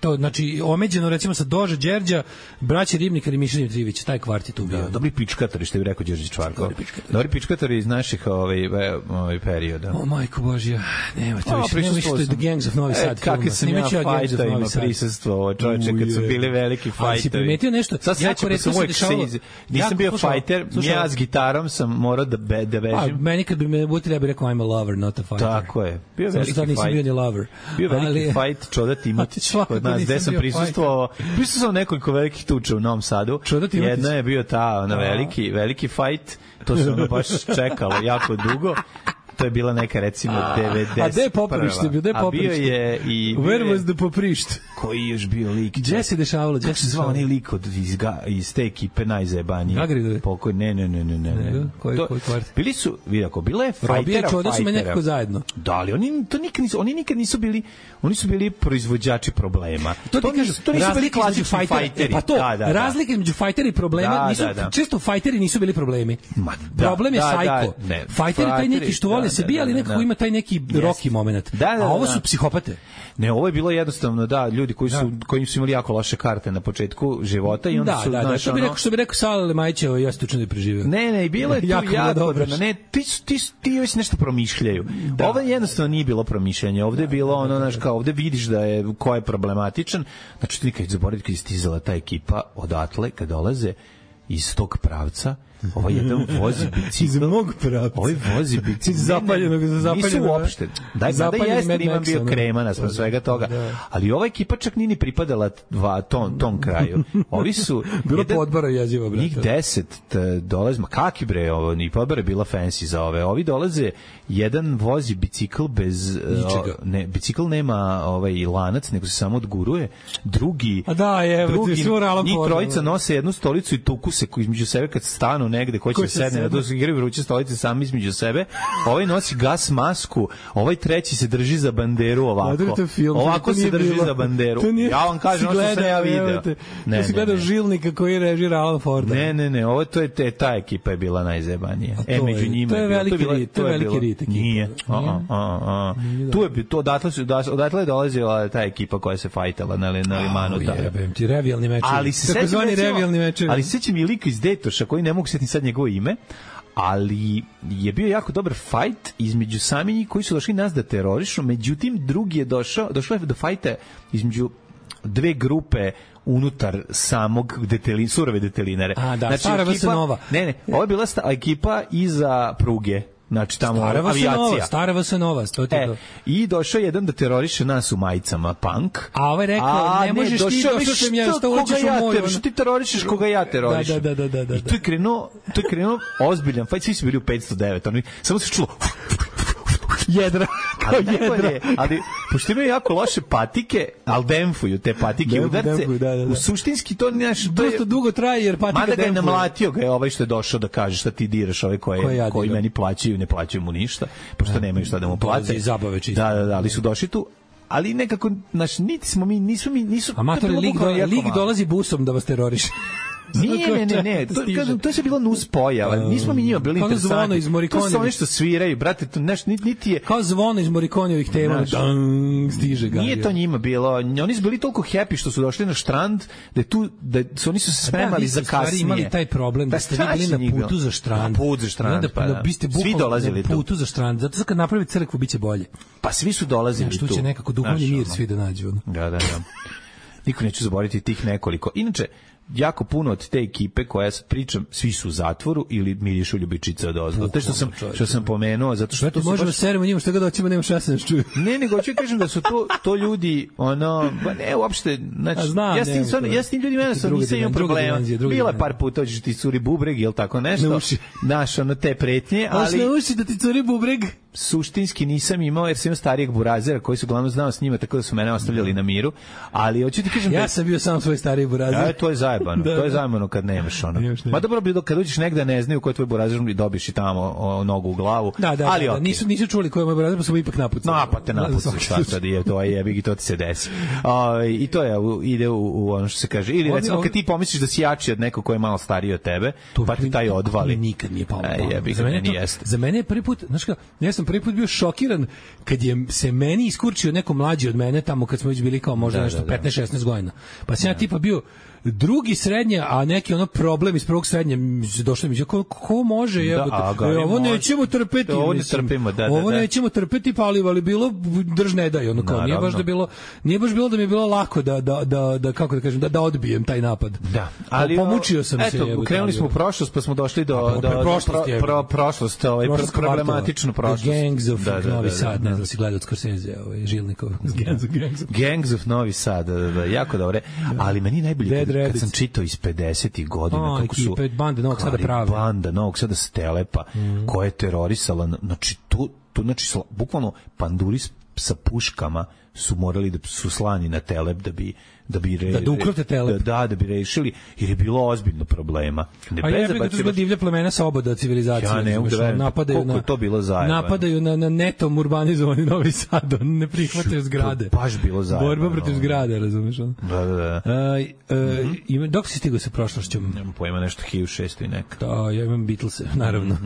To, znači, omeđeno recimo sa Dože Đerđa, braća Ribnikar i Miša Dimitrijević, taj kvart je tu bio. Dobri pičkatori, što bi rekao Đorđe Čvarkov. Dobri pičkatori iz naših perioda. O, majko Božja, nemojte više The Gangs of Novi Sad. Kakve sam ja fajtovima prisustvo, čovječe, kad su bili veliki fajtovi. Ali si primetio nešto? Jako redko se dešavalo. Nisam bio fajter, ja s gitarom sam morao da bežim. Meni kad bi me butili, ja bih rekao I'm a lover, not a fighter. Tako je. Bio veliki fajt. Bio veliki fajt, Čoda Timatić. Nas, gde sam prisustvovao nekoliko velikih tuča u Novom Sadu. Jedna je bio ta veliki fajt, to se ono baš čekalo jako dugo. To je bila neka recimo 90. A gde je Poprište bio? A bio je i... Where was the Poprište? Koji je još bio lik? Gde se dešavalo? Kako se zvao onaj lik iz te ekipe najzajebanije? Gagridove? Ne. Koji kvart? Bili su, vidako, bila je fajtera. Robija i Čoda su me nekako zajedno. Da, ali oni nikad nisu bili, oni su bili proizvođači problema. To nisu bili klasični fajteri. Pa to, razlika između fajtera i problema, često fajteri nisu bili problemi. Problem je sajko. Fajter je taj neki što vole se bija, ali nekako ima taj neki rocky moment. A ovo su psihopate. Ne, ovo je bilo jednostavno, ljudi koji su imali jako loše karte na početku života i onda su... Što bi rekao Sale Majić, ja se učinu preživio. Ne, bilo je tu jako dobro. Ne, ti već nešto promišljaju. Ovo jednostavno nije bilo promišljanje. Ovde je bilo ovde vidiš da je ko je problematičan. Znači, ti nikad zaboraviti kad je stizala ta ekipa odatle, kad dolaze iz tog pravca, Ovaj jedan vozi bicikl. Iz mog pravca. Ovaj vozi bicikl. Iz zapaljenog. Nisu uopšte. Daj, sada jeste imam bio krema na svega toga. Ali ova ekipa čak nije ni pripadala tom kraju. Ovi su... Bilo po odbora jezivo, brate. Njih 10 dolaze, ma kaki bre, ovo, ni podbora je bila fancy za ove. Ovi dolaze, jedan vozi bicikl bez... ne, bicikl nema lanac, nego se samo odguruje. Drugi, njih trojica nose jednu stolicu i tuku se između sebe kad stanu negde, ko će sedne, da se igraju vruće stolice sami između sebe. Ovaj nosi gas masku, ovaj treći se drži za banderu ovako. Ovako se drži za banderu. Ja vam kažem, ono što sam ja video. Ne si gledao Žilnika koji režira Alan Forda. Ne, ovo to je ta ekipa je bila najzebanija. Među njima to je veliki rit. Nije. Tu odatle je dolazila ta ekipa koja se fajtala na limanu. Jebem ti, revijalni mečevi. Takozvani revijalni mečevi. Ali sećam i lika iz Detoša koji ne mogu setiti sad njegovo ime, ali je bio jako dobar fajt između sami njih koji su došli nas da terorišu, međutim drugi je došao je do fajta između dve grupe unutar samog surove detelinare. Znači, stara Vasanova. Ne, ovo je bila ekipa iza pruge. Znači tamo avijacija. Stara Vasanova, to ti to. I došao jedan da teroriše nas u majicama, punk. A ovaj rekao, ne možeš ti, došao sam ja, što uličiš u moju. Što ti terorišeš koga ja terorišem. Da. I to je krenuo ozbiljan fajt, svi su bili u 509, samo se čulo jedra. Ali pošto imaju jako loše patike, ali demfuju te patike udarce. U suštinski to dosta dugo traje jer patika demfuje. Mada ga je namlatio ga je ovaj što je došao da kaže šta ti diraš ove koji meni plaćaju, ne plaćaju mu ništa, pošto nemaju šta da mu plate. Zabave čisto. Da, ali su došli tu. Ali nekako, niti smo mi, nisu... Amatori, lig dolazi busom da vas teroriše. Ne. To je bilo nus pojava. Nismo mi njima bili interesantni. To su oni što sviraju, brate, to niti je... Kao zvono iz Morikonijevih tema. Stiže ga. Nije to njima bilo. Oni su bili toliko happy što su došli na štrand, oni su se spremali za kasnije. Imali taj problem da ste vi bili na putu za štrand. Na put za štrand, pa da. Svi dolazili tu. Na putu za štrand. Zato što kad napravi crkvu, bit će bolje. Pa svi su dolazili tu. Tu će nekako duhovni mir svi da nađu. Da. Niko neće zaboraviti tih nekoliko. Inače, jako puno od te ekipe koja sad pričam, svi su u zatvoru ili mirišu ljubičice od ozgo. To što sam pomenuo, zato što to možemo seremo njima što god hoćemo, nema šanse da nas čuju. Ne, nego hoću kažem da su to ljudi, ne uopšte, znači ja s tim ljudima nisam imao problema. Bila je par puta hoćeš ti curi bubreg ili tako nešto. Naš te pretnje, ali ne uši da ti curi bubreg. Suštinski nisam imao jer sam imao starijeg burazera koji su uglavnom znao s njima, tako da su mene ostavljali na miru, ali hoću ti kažem ja sam bio sam svoj stariji burazer. To je zajebano, to je zajebano kad nemaš ono. Ma dobro bi kad uđeš negde ne znaju ko je tvoj burazer i dobiš i tamo nogu u glavu. Ali okay. Nisu čuli ko je moj burazer, pa su ipak napucali. Napate šta sad je, to je jebi i to ti se desi. I to je ide u ono što se kaže. Ili recimo kad ti pomisliš da si jači od nekog ko je malo stariji od tebe, pa ti taj odvali. Nikad nije palo. Za mene je prvi put, znači ja sam prvi put bio šokiran kad je se meni iskurčio neko mlađi od mene tamo kad smo već bili kao možda nešto 15-16 godina. Pa sam ja tipa bio drugi srednje, a neki problem iz prvog srednje došlo mi ko može ovo nećemo trpeti. Ovo nećemo trpeti, pa ali bilo drž ne daj, nije baš bilo da mi je bilo lako da kako da kažem da odbijem taj napad. Da, ali pomučio sam se. Eto, krenuli smo u prošlost, pa smo došli do prošlost, problematičnu prošlost. Gangs of Novi Sad, ne znam si gledao od Scorsese, Žilnikov. Gangs of Novi Sad, jako dobre, ali meni najbolje kad sam čitao iz 50-ih godina kako su banda Novog Sada prave. Banda Novog Sada Stelepa koja je terorisala, znači bukvalno panduri sa puškama su morali da su slani na Telep da ukrote Telep. Da bi rešili, jer je bilo ozbiljno problema. A je to su divlja plemena sa oboda civilizacije. Ja ne mogu da verujem koliko je to bilo zajebano. Napadaju na netom urbanizovani Novi Sad, ne prihvataju zgrade. To baš bilo zajebano. Borba protiv zgrade, razumeš? Da. Dok si stigao sa prošlošću? Nemam pojma, nešto 1600 i neka. Da, ja imam Beatlese, naravno.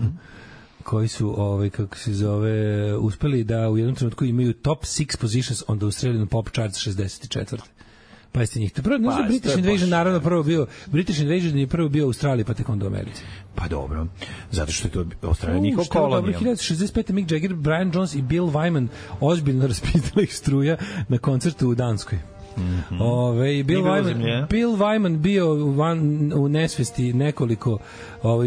Koji su, kako se zove, uspeli da u jednom trenutku imaju top 6 positions on the Australian Pop Charts 64. Pa jeste njih. British Invasion naravno prvo bio, British Invasion je prvo bio u Australiji, pa tek onda u Americi. Pa dobro, zato što je to Australija njihov kolonija. 1965. Mick Jagger, Brian Jones i Bill Wyman ozbiljno raspitali ih struja na koncertu u Danskoj. Bill Wyman bio u nesvesti nekoliko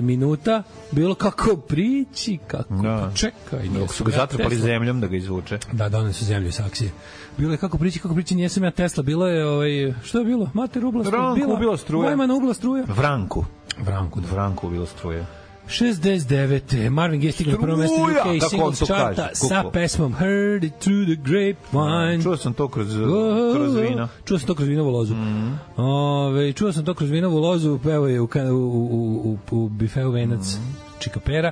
minuta. Bilo kako priči, kako čekaj. Dok su ga zatrpali zemljom da ga izvuče. Da, doneli su zemlju iz aksije. Bilo je kako priči, nijesam ja Tesla. Bilo je, što je bilo? Mater ubila struja. Wyman ubila struja. Vranku ubila struja. 69. Marvin Gaye stigla na prvo mesto UK singles charta sa pesmom Heard It Through the Grapevine. Čuo sam to kroz vino. Čuo sam to kroz vinovu lozu. Čuo sam to kroz vinovu lozu, evo je u bifeu Venac Čikapera.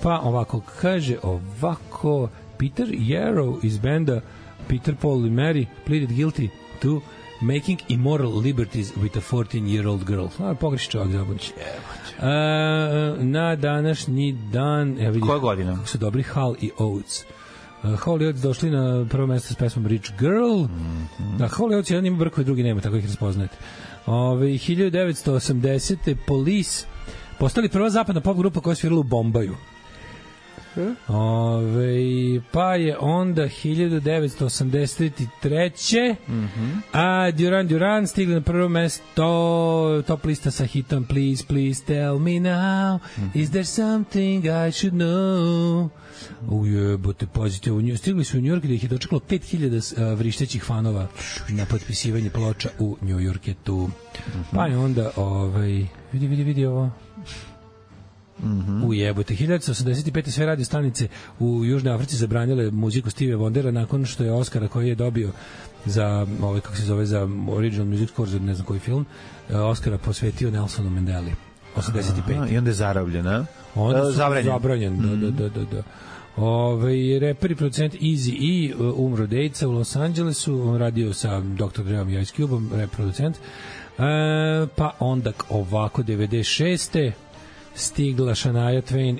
Pa ovako, kaže ovako, Peter Yarrow iz benda Peter, Paul i Mary pleaded guilty to making immoral liberties with a 14-year-old girl. Pogreši čovjek zabunći. Na današnji dan... Koja godina? Kako su dobri Hall i Oates. Hall i Oates došli na prvo mesto s pesmom Rich Girl. Da, Hall i Oates jedan ima brkove, drugi nema, tako ih raspoznajete. 1980. Police postali prva zapadna pop grupa koja je svirala u Bombaju. Pa je onda 1983. A Duran stigli na prvo mesto top lista sa hitom Please tell me now, is there something I should know. Ujebote, pazite, stigli su u New York gde ih je dočekalo 5000 vrištećih fanova na potpisivanje ploča u New Yorketu. Pa je onda vidi ovo. Ujebote, 1985. sve radio stanice u Južnoj Africi zabranjale muziku Stevie Wondera nakon što je Oscara koji je dobio za kako se zove, za original music score za ne znam koji film, Oscara posvetio Nelsonu Mandeli. 85. I onda je zarobljen, a? Onda zabranjen. Da. Reper i producent Eazy-E umro dejca u Los Angelesu, on radio sa Dr. Dreom i Ice Cube-om, rap producent. Pa onda ovako 96. stigla Shania Twain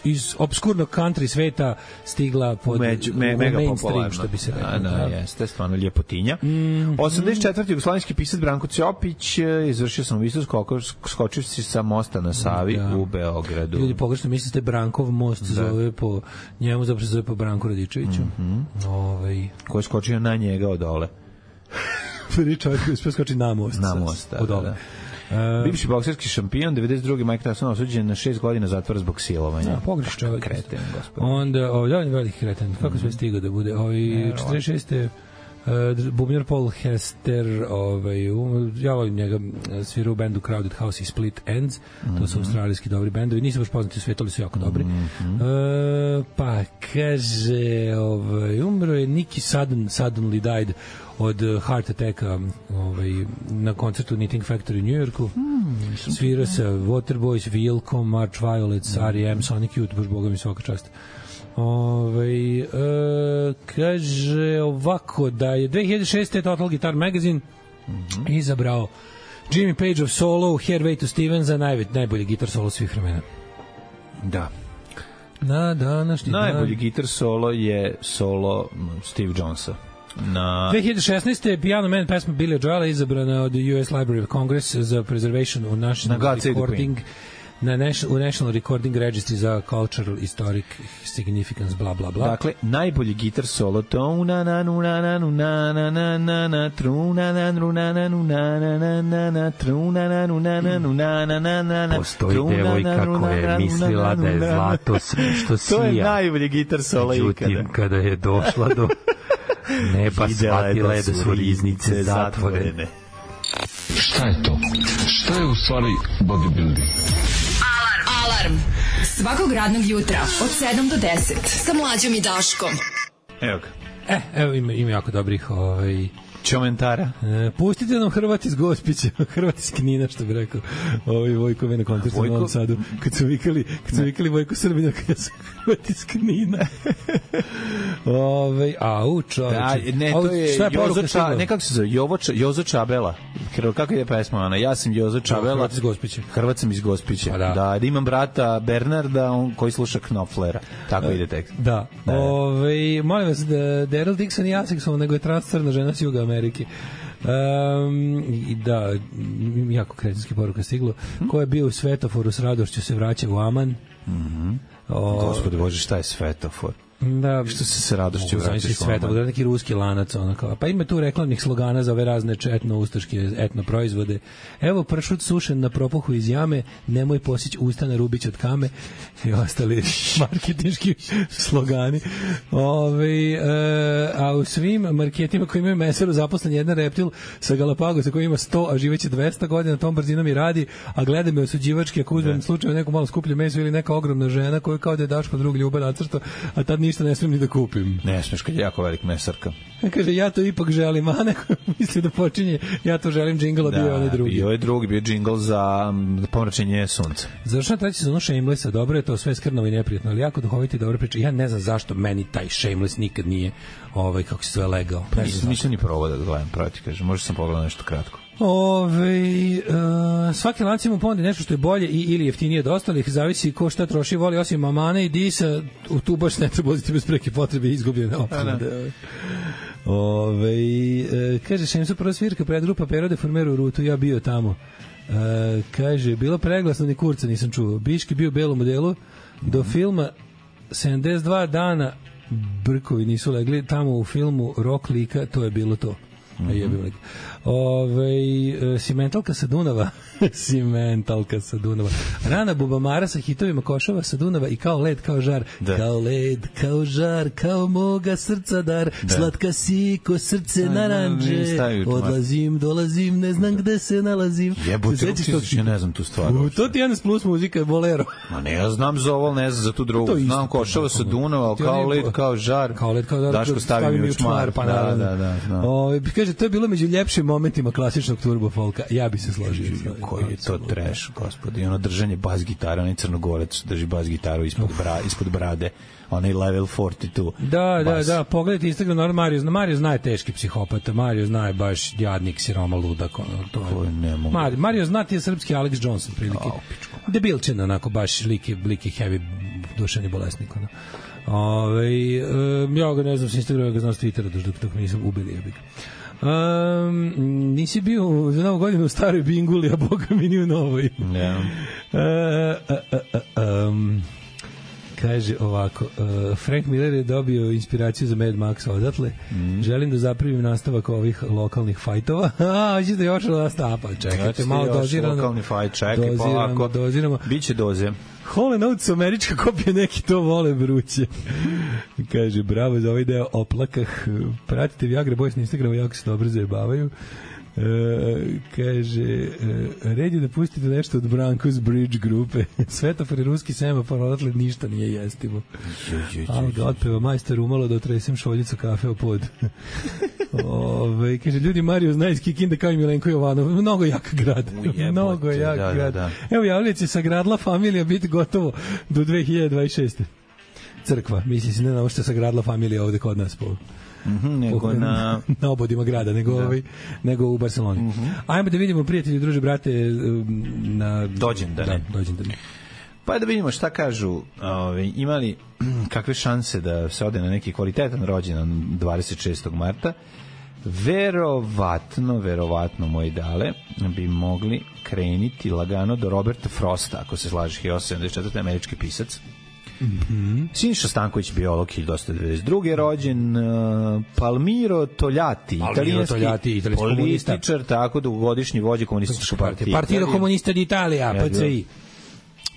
iz obskurnog country sveta, stigla pod mainstream, što bi se rekao. Da, jeste, stvarno ljepotinja. 84. jugoslovenski pisac Branko Ciopić izvršio samoubistvo skočivši sa mosta na Savi u Beogradu. Ljudi pogrešno mislite, Brankov most zove po njemu, zapravo se zove po Branku Radičeviću. Ko je skočio na njega od dole? Prvi čovjek koji je skočio na most. Na most, da. Bivši bokserski šampion, 92. Mike Tyson osuđen na 6 godina zatvora zbog silovanja. Pogreš čovjek. Kreten, gospod. Onda, veliki kreten. Kako sve stigao da bude? 46. bubnjar Paul Hester, ja volim njega, svira u bendu Crowded House i Split Ends, to su australijski dobri bendovi, nisu baš poznati u svijetu, ali su jako dobri. Pa kaže, umro je Nicky suddenly died od heart attacka na koncertu Knitting Factory u New Yorku. Svira sa Waterboys, Wilco, March Violets, R.E.M., Sonic Youth, baš boga mi svaka čast. Kaže ovako da je 2006. Total Guitar Magazine izabrao Jimmy Page of solo Hairway to Steven za najbolji gitar solo svih vremena. Da. Na današnji najbolji gitar solo je solo Steve Jonesa. 2016. Piano Man pesma Billy Joela izabrana od US Library of Congress za preservation u National Recording Registry za Cultural Historic Significance, bla bla bla. Dakle, najbolji gitar solo to postoji devojka koja je mislila da je zlato sve što sija. To je najbolji gitar solo ikada. Međutim, kada je došla do neba, shvatila je da su riznice zatvorene. Šta je to? Šta je u stvari bodybuilding? Alarm. Svakog radnog jutra od 7 do 10 sa Mlađom i Daškom. Evo ga. Evo ima jako dobrih Čomentara. Pustite nam Hrvat iz Gospića, Hrvat iz Knina, što bi rekao Vojko na koncertu u Novom Sadu, kad su vikali Vojko Srbina, kad su Hrvat iz Knina. Ne, to je kako se zove, Jozo Čabela. Kako je pesma ona? Ja sam Jozo Čabela. Hrvat iz Gospića. Hrvat sam iz Gospića. Da, imam brata Bernarda, on koji sluša Knopflera. Tako ide tekst. Da. Molim vas, Daryl Dixon i aseksualno, nego je transferna žena s Juga Amerike. Da, jako kretinski poruka stiglo. Ko je bio u Svetoforu s radošću se vraća u Aman. Gospode Bože, šta je Svetofor? Da, što se sa radošću vratiš sveta, da neki ruski lanac ono kao. Pa ima tu reklamnih slogana za ove razne etno ustaške etno proizvode. Evo pršut sušen na propuhu iz jame, nemoj posići usta na rubić od kame i ostali marketinški slogani. A u svim marketima koji imaju meseru zaposlen jedan reptil sa Galapagosa koji ima 100, a živeće 200 godina, tom brzinom i radi, a gleda me osuđivački ako uzmem slučajno neko malo skuplje meso ili neka ogromna žena koja kao da je Daško drug Ljuba nacrta, a tad ništa ne smijem ni da kupim. Ne smiješ kad je jako velik mesarka. Kaže, ja to ipak želim, a neko misli da počinje, ja to želim džingl, bio je onaj drugi. Bio je drugi, bio džingl za pomračenje sunca. Završeno treći sezonu Shamelessa, dobro je to, sve skrnavo i neprijatno, ali jako duhoviti i dobro priča. Ja ne znam zašto meni taj Shameless nikad nije, kako se sve legao. Nisam ni probao da gledam, proti kažem, možda sam pogledao nešto kratko. Svaki lanac ima ponudi nešto što je bolje ili jeftinije od ostalih, zavisi ko šta troši, voli, osim mamane i disa, tu baš ne treba uzeti bez preke potrebe izgubljene opade. Kaže, Šemsu prva svirka predgrupa Pero de Formeru u Rutu, ja bio tamo. Kaže, bilo preglasno, ni kurca nisam čuo. Biški bio u belom modelu, do filma 72 dana brkovi nisu legli, tamo u filmu Rok lika, to je bilo to. Simentalka sa Dunava Simentalka sa Dunava, rana bubamara sa hitovima Košava sa Dunava i kao led, kao žar, kao led, kao žar, kao moga srca dar, slatka si ko srce naranđe, odlazim, dolazim, ne znam gde se nalazim. Jebote, ja ne znam tu stvar. To ti je NS Plus muzika, Bolero. Ma ne, ja znam za ovo, ne znam za tu drugu. Znam Košava sa Dunava, kao led, kao žar, Daško stavi mi u čmar. Pa da. Kaže, to je bilo među ljepšim momentima klasičnog turbo folka. Ja bi se složio. Koji je to trash, gospodi. Ono držanje bas gitara, onaj Crnogorac drži bas gitaru ispod brade. Onaj level 42. Da. Pogledajte Instagram, Mario zna je teški psihopata. Mario zna je baš jadnik, siroma, ludak. Mario zna ti je srpski Alex Johnson prilike. Debilčin, onako, baš liki heavy duševni bolesnik. Ja ga ne znam s Instagrama, ga znam s Twittera, dok nisam ubili jebik. Nisi bio za novu godinu u staroj Binguli, a boga mi ni u novoj. Kaže ovako, Frank Miller je dobio inspiraciju za Mad Max odatle. Želim da zapravim nastavak ovih lokalnih fajtova. Hoćeš da još nastapa, čekajte, malo dozirano. Lokalni fajt, čekaj, polako. Biće doze. Hall & Oates, američka kopija, neki to vole vruće. Kaže, bravo za ovaj deo oplakah. Pratite Viagra Boys na Instagramu, jako se dobro zajebavaju. Kaže, red je da pustite nešto od Brankos Bridge grupe. Svetofor i ruski semafor, odatle ništa nije jestivo. Ali ga otpeva majstor umalo da otresem šoljicu kafe o pod. Kaže, ljudi, Mario zna iz Kikinda kao i Milenko Jovanov. Mnogo jak grad. Mnogo jak grad. Evo, javljac je sagradila familija biti gotovo do 2026. Crkva, misli se ne na ovo što je sagradila familija ovde kod nas po nego na obodima grada, nego u Barceloni. Ajmo da vidimo, prijatelji, druže, brate, na dođendane. Pa da vidimo šta kažu, imali kakve šanse da se ode na neki kvalitetan rođendan 26. marta. Verovatno moji dale bi mogli kreniti lagano do Roberta Frosta, ako se slažeš, 1874. američki pisac. Siniša Stanković, biolog, 1992. rođen. Palmiro Togliatti, italijanski političar, tako dugogodišnji vođa komunističke partije. Partito Comunista d'Italia, PCI.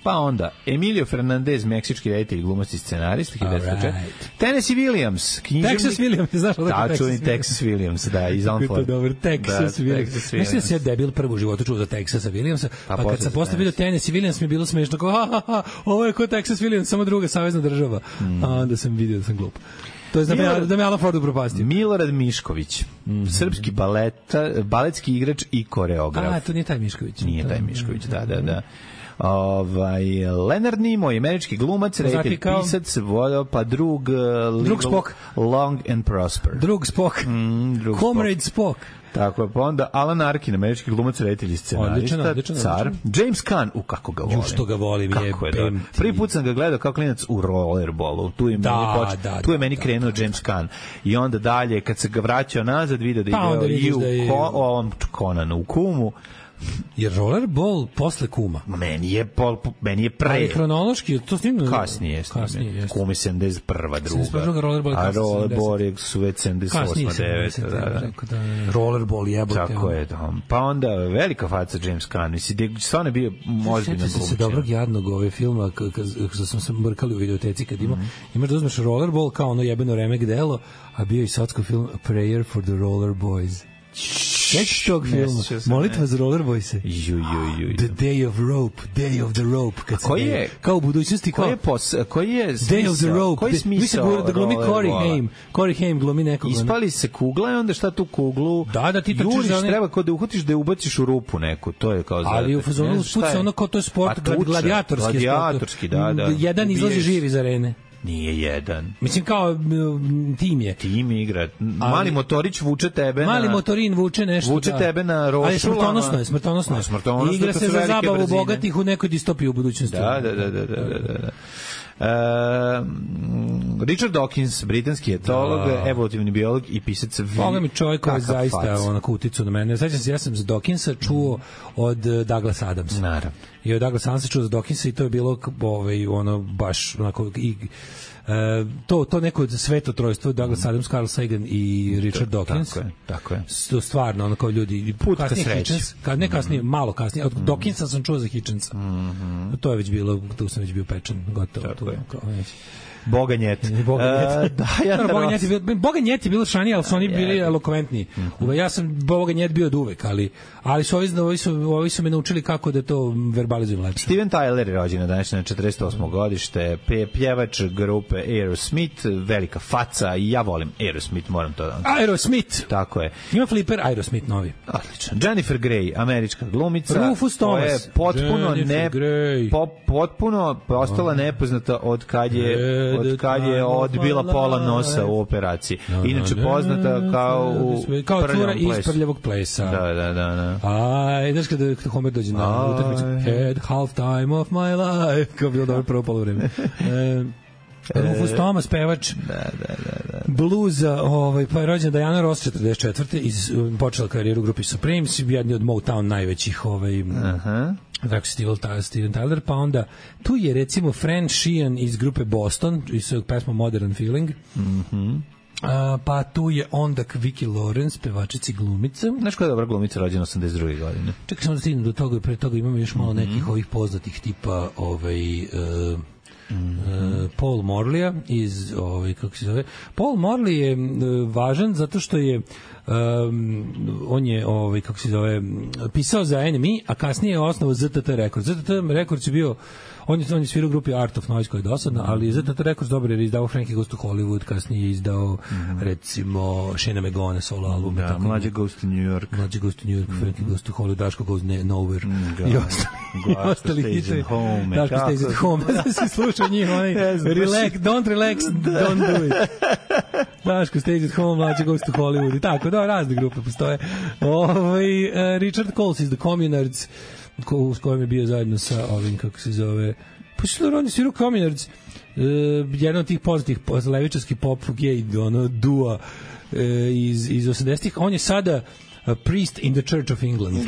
Pa onda, Emilio Fernandez, meksički reditelj, glumac i scenarist, 1904. Tennessee Williams, književnik. Texas Williams, znaš odakle Texas? Tačuni Texas Williams, da, iz Unford. Dobar, Texas Williams. Mislim da se debil prvo u životu čuo za Texasa Williamsa, pa kad sam posle vidio Tennessee Williams mi je bilo smešno, kao, ovo je ko Texas Williams, samo druga savezna država. A onda sam vidio da sam glup. To je da me Alan Ford upropastio. Milorad Mišković, srpski baletski igrač i koreograf. To nije taj Mišković. Nije taj Mišković, da. Leonard Nimoy, američki glumac, reditelj, pisac, pa drug Spock, Long and Prosper. Drug Spock. Comrade Spock. Tako je, pa onda Alan Arkin, američki glumac, reditelj i scenarista, car. James Caan, kako ga volim. Što ga volim, prvi put sam ga gledao kao klinac u Rollerballu. Tu je meni krenuo James Caan. I onda dalje, kad se ga vraćao nazad, vidio da igrao i u ovom Conanu, u Kumu. Jer Rollerball posle Kuma. Meni je pre. Ali hronološki, to snimno... Kasnije. Kum je 71. druga. A Rollerball su već 78. 9. Rollerball jebote. Tako je. Pa onda velika faca James Caan. Mislim, stvarno je bio ozbiljno glumčan. Sjećam se dobrog jadnog ove filma, kada smo se mrkali u videoteci, kad imaš da uzmeš Rollerball kao ono jebeno remek delo, a bio i sotsko film A Prayer for the Roller Boys. Sećaš tog filma? Molitva za Roller Boyse. The Day of the Rope. Kad se je, kao u budućnosti, koji je Day of the Rope. Koji smisao da glumi Corey Haim glumi nekog. Ispali se kugla i onda šta tu kuglu? Da ti trčiš za one... treba kao da uhvatiš da je ubaciš u rupu neku. To je kao ali u fazonu spuca ono kao to je sport, gladijatorski. Da. Jedan izlazi živ iz arene. Nije jedan. Mislim kao tim je. Tim igra. Mali motorić vuče tebe Mali motorin vuče nešto. Vuče tebe na rošulama. Ali smrtonosno je. Igra se za zabavu bogatih u nekoj distopiji u budućnosti. Da. Richard Dawkins, britanski etolog, evolutivni biolog i pisac. Boga mi čovjek koji zaista onako uticu na mene. Sećam se, ja sam za Dawkinsa čuo od Douglas Adamsa. Naravno. I od Douglas Adamsa čuo za Dawkinsa i to je bilo ono baš onako to neko svetotrojstvo Douglas Adams, Carl Sagan i Richard Dawkins. Tako je. To stvarno ono kao ljudi put ka sreći. Ne kasnije, malo kasnije. Od Dawkinsa sam čuo za Hitchensa. To je već bilo, tu sam već bio pečen, gotovo. Tako je. Boganjet. Boganjet je bilo šanije, ali su oni bili elokventniji. Ja sam Boganjet bio od uvek, ali su ovi su me naučili kako da to verbalizujem lepše. Steven Tyler je rođen na današnje 48. godište, pjevač grupe Aerosmith, velika faca i ja volim Aerosmith, moram to da... Aerosmith! Tako je. Ima fliper Aerosmith novi. Odlično. Jennifer Grey, američka glumica. Rufus Thomas. Koja je potpuno postala nepoznata od kad je odbila pola nosa u operaciji. Inače poznata kao cura iz Prljavog plesa. Da. Znaš kada Homer dođe na utakmicu, had half time of my life, kao bilo dobro prvo polovreme. Rufus Thomas, pevač bluza, pa je rođen Diana Ross 44. Počela karijeru u grupi Supremes, jedni od Motown najvećih tako Steven Tyler, pa onda tu je recimo Fran Sheehan iz grupe Boston, iz svojeg pesma Modern Feeling. Pa tu je onda Vicki Lawrence, pevačica i glumica. Znaš koja je dobra glumica, rođena 82. godine? Čekaj samo da stignem do toga i pre toga imamo još malo nekih ovih poznatih tipa Paul Morleya iz kako se zove. Paul Morley je važan zato što je on je kako se zove pisao za NME, a kasnije je osnovao ZTT Records. ZTT Records je bio on je svirao u grupi Art of Noise koja je dosadna, ali ZTT Records dobro jer je izdao Frankie Goes to Hollywood, kasnije je izdao recimo Shane McGowan solo album. Mlađe Goes to New York, Frankie Goes to Hollywood, Daško Goes Nowhere i ostali Stage at Home, Daško Stays at Home. Se slušao njih, don't relax, don't do it. Daško Stays at Home, Mlađe Goes to Hollywood i tako, razne grupe postoje. Richard Coles iz The Communards, s kojim je bio zajedno sa ovim, kako se zove, pa što on je svirao Communards, jedan od tih poznatih levičarskih pop gay dua iz 80-ih, on je sada priest in the Church of England.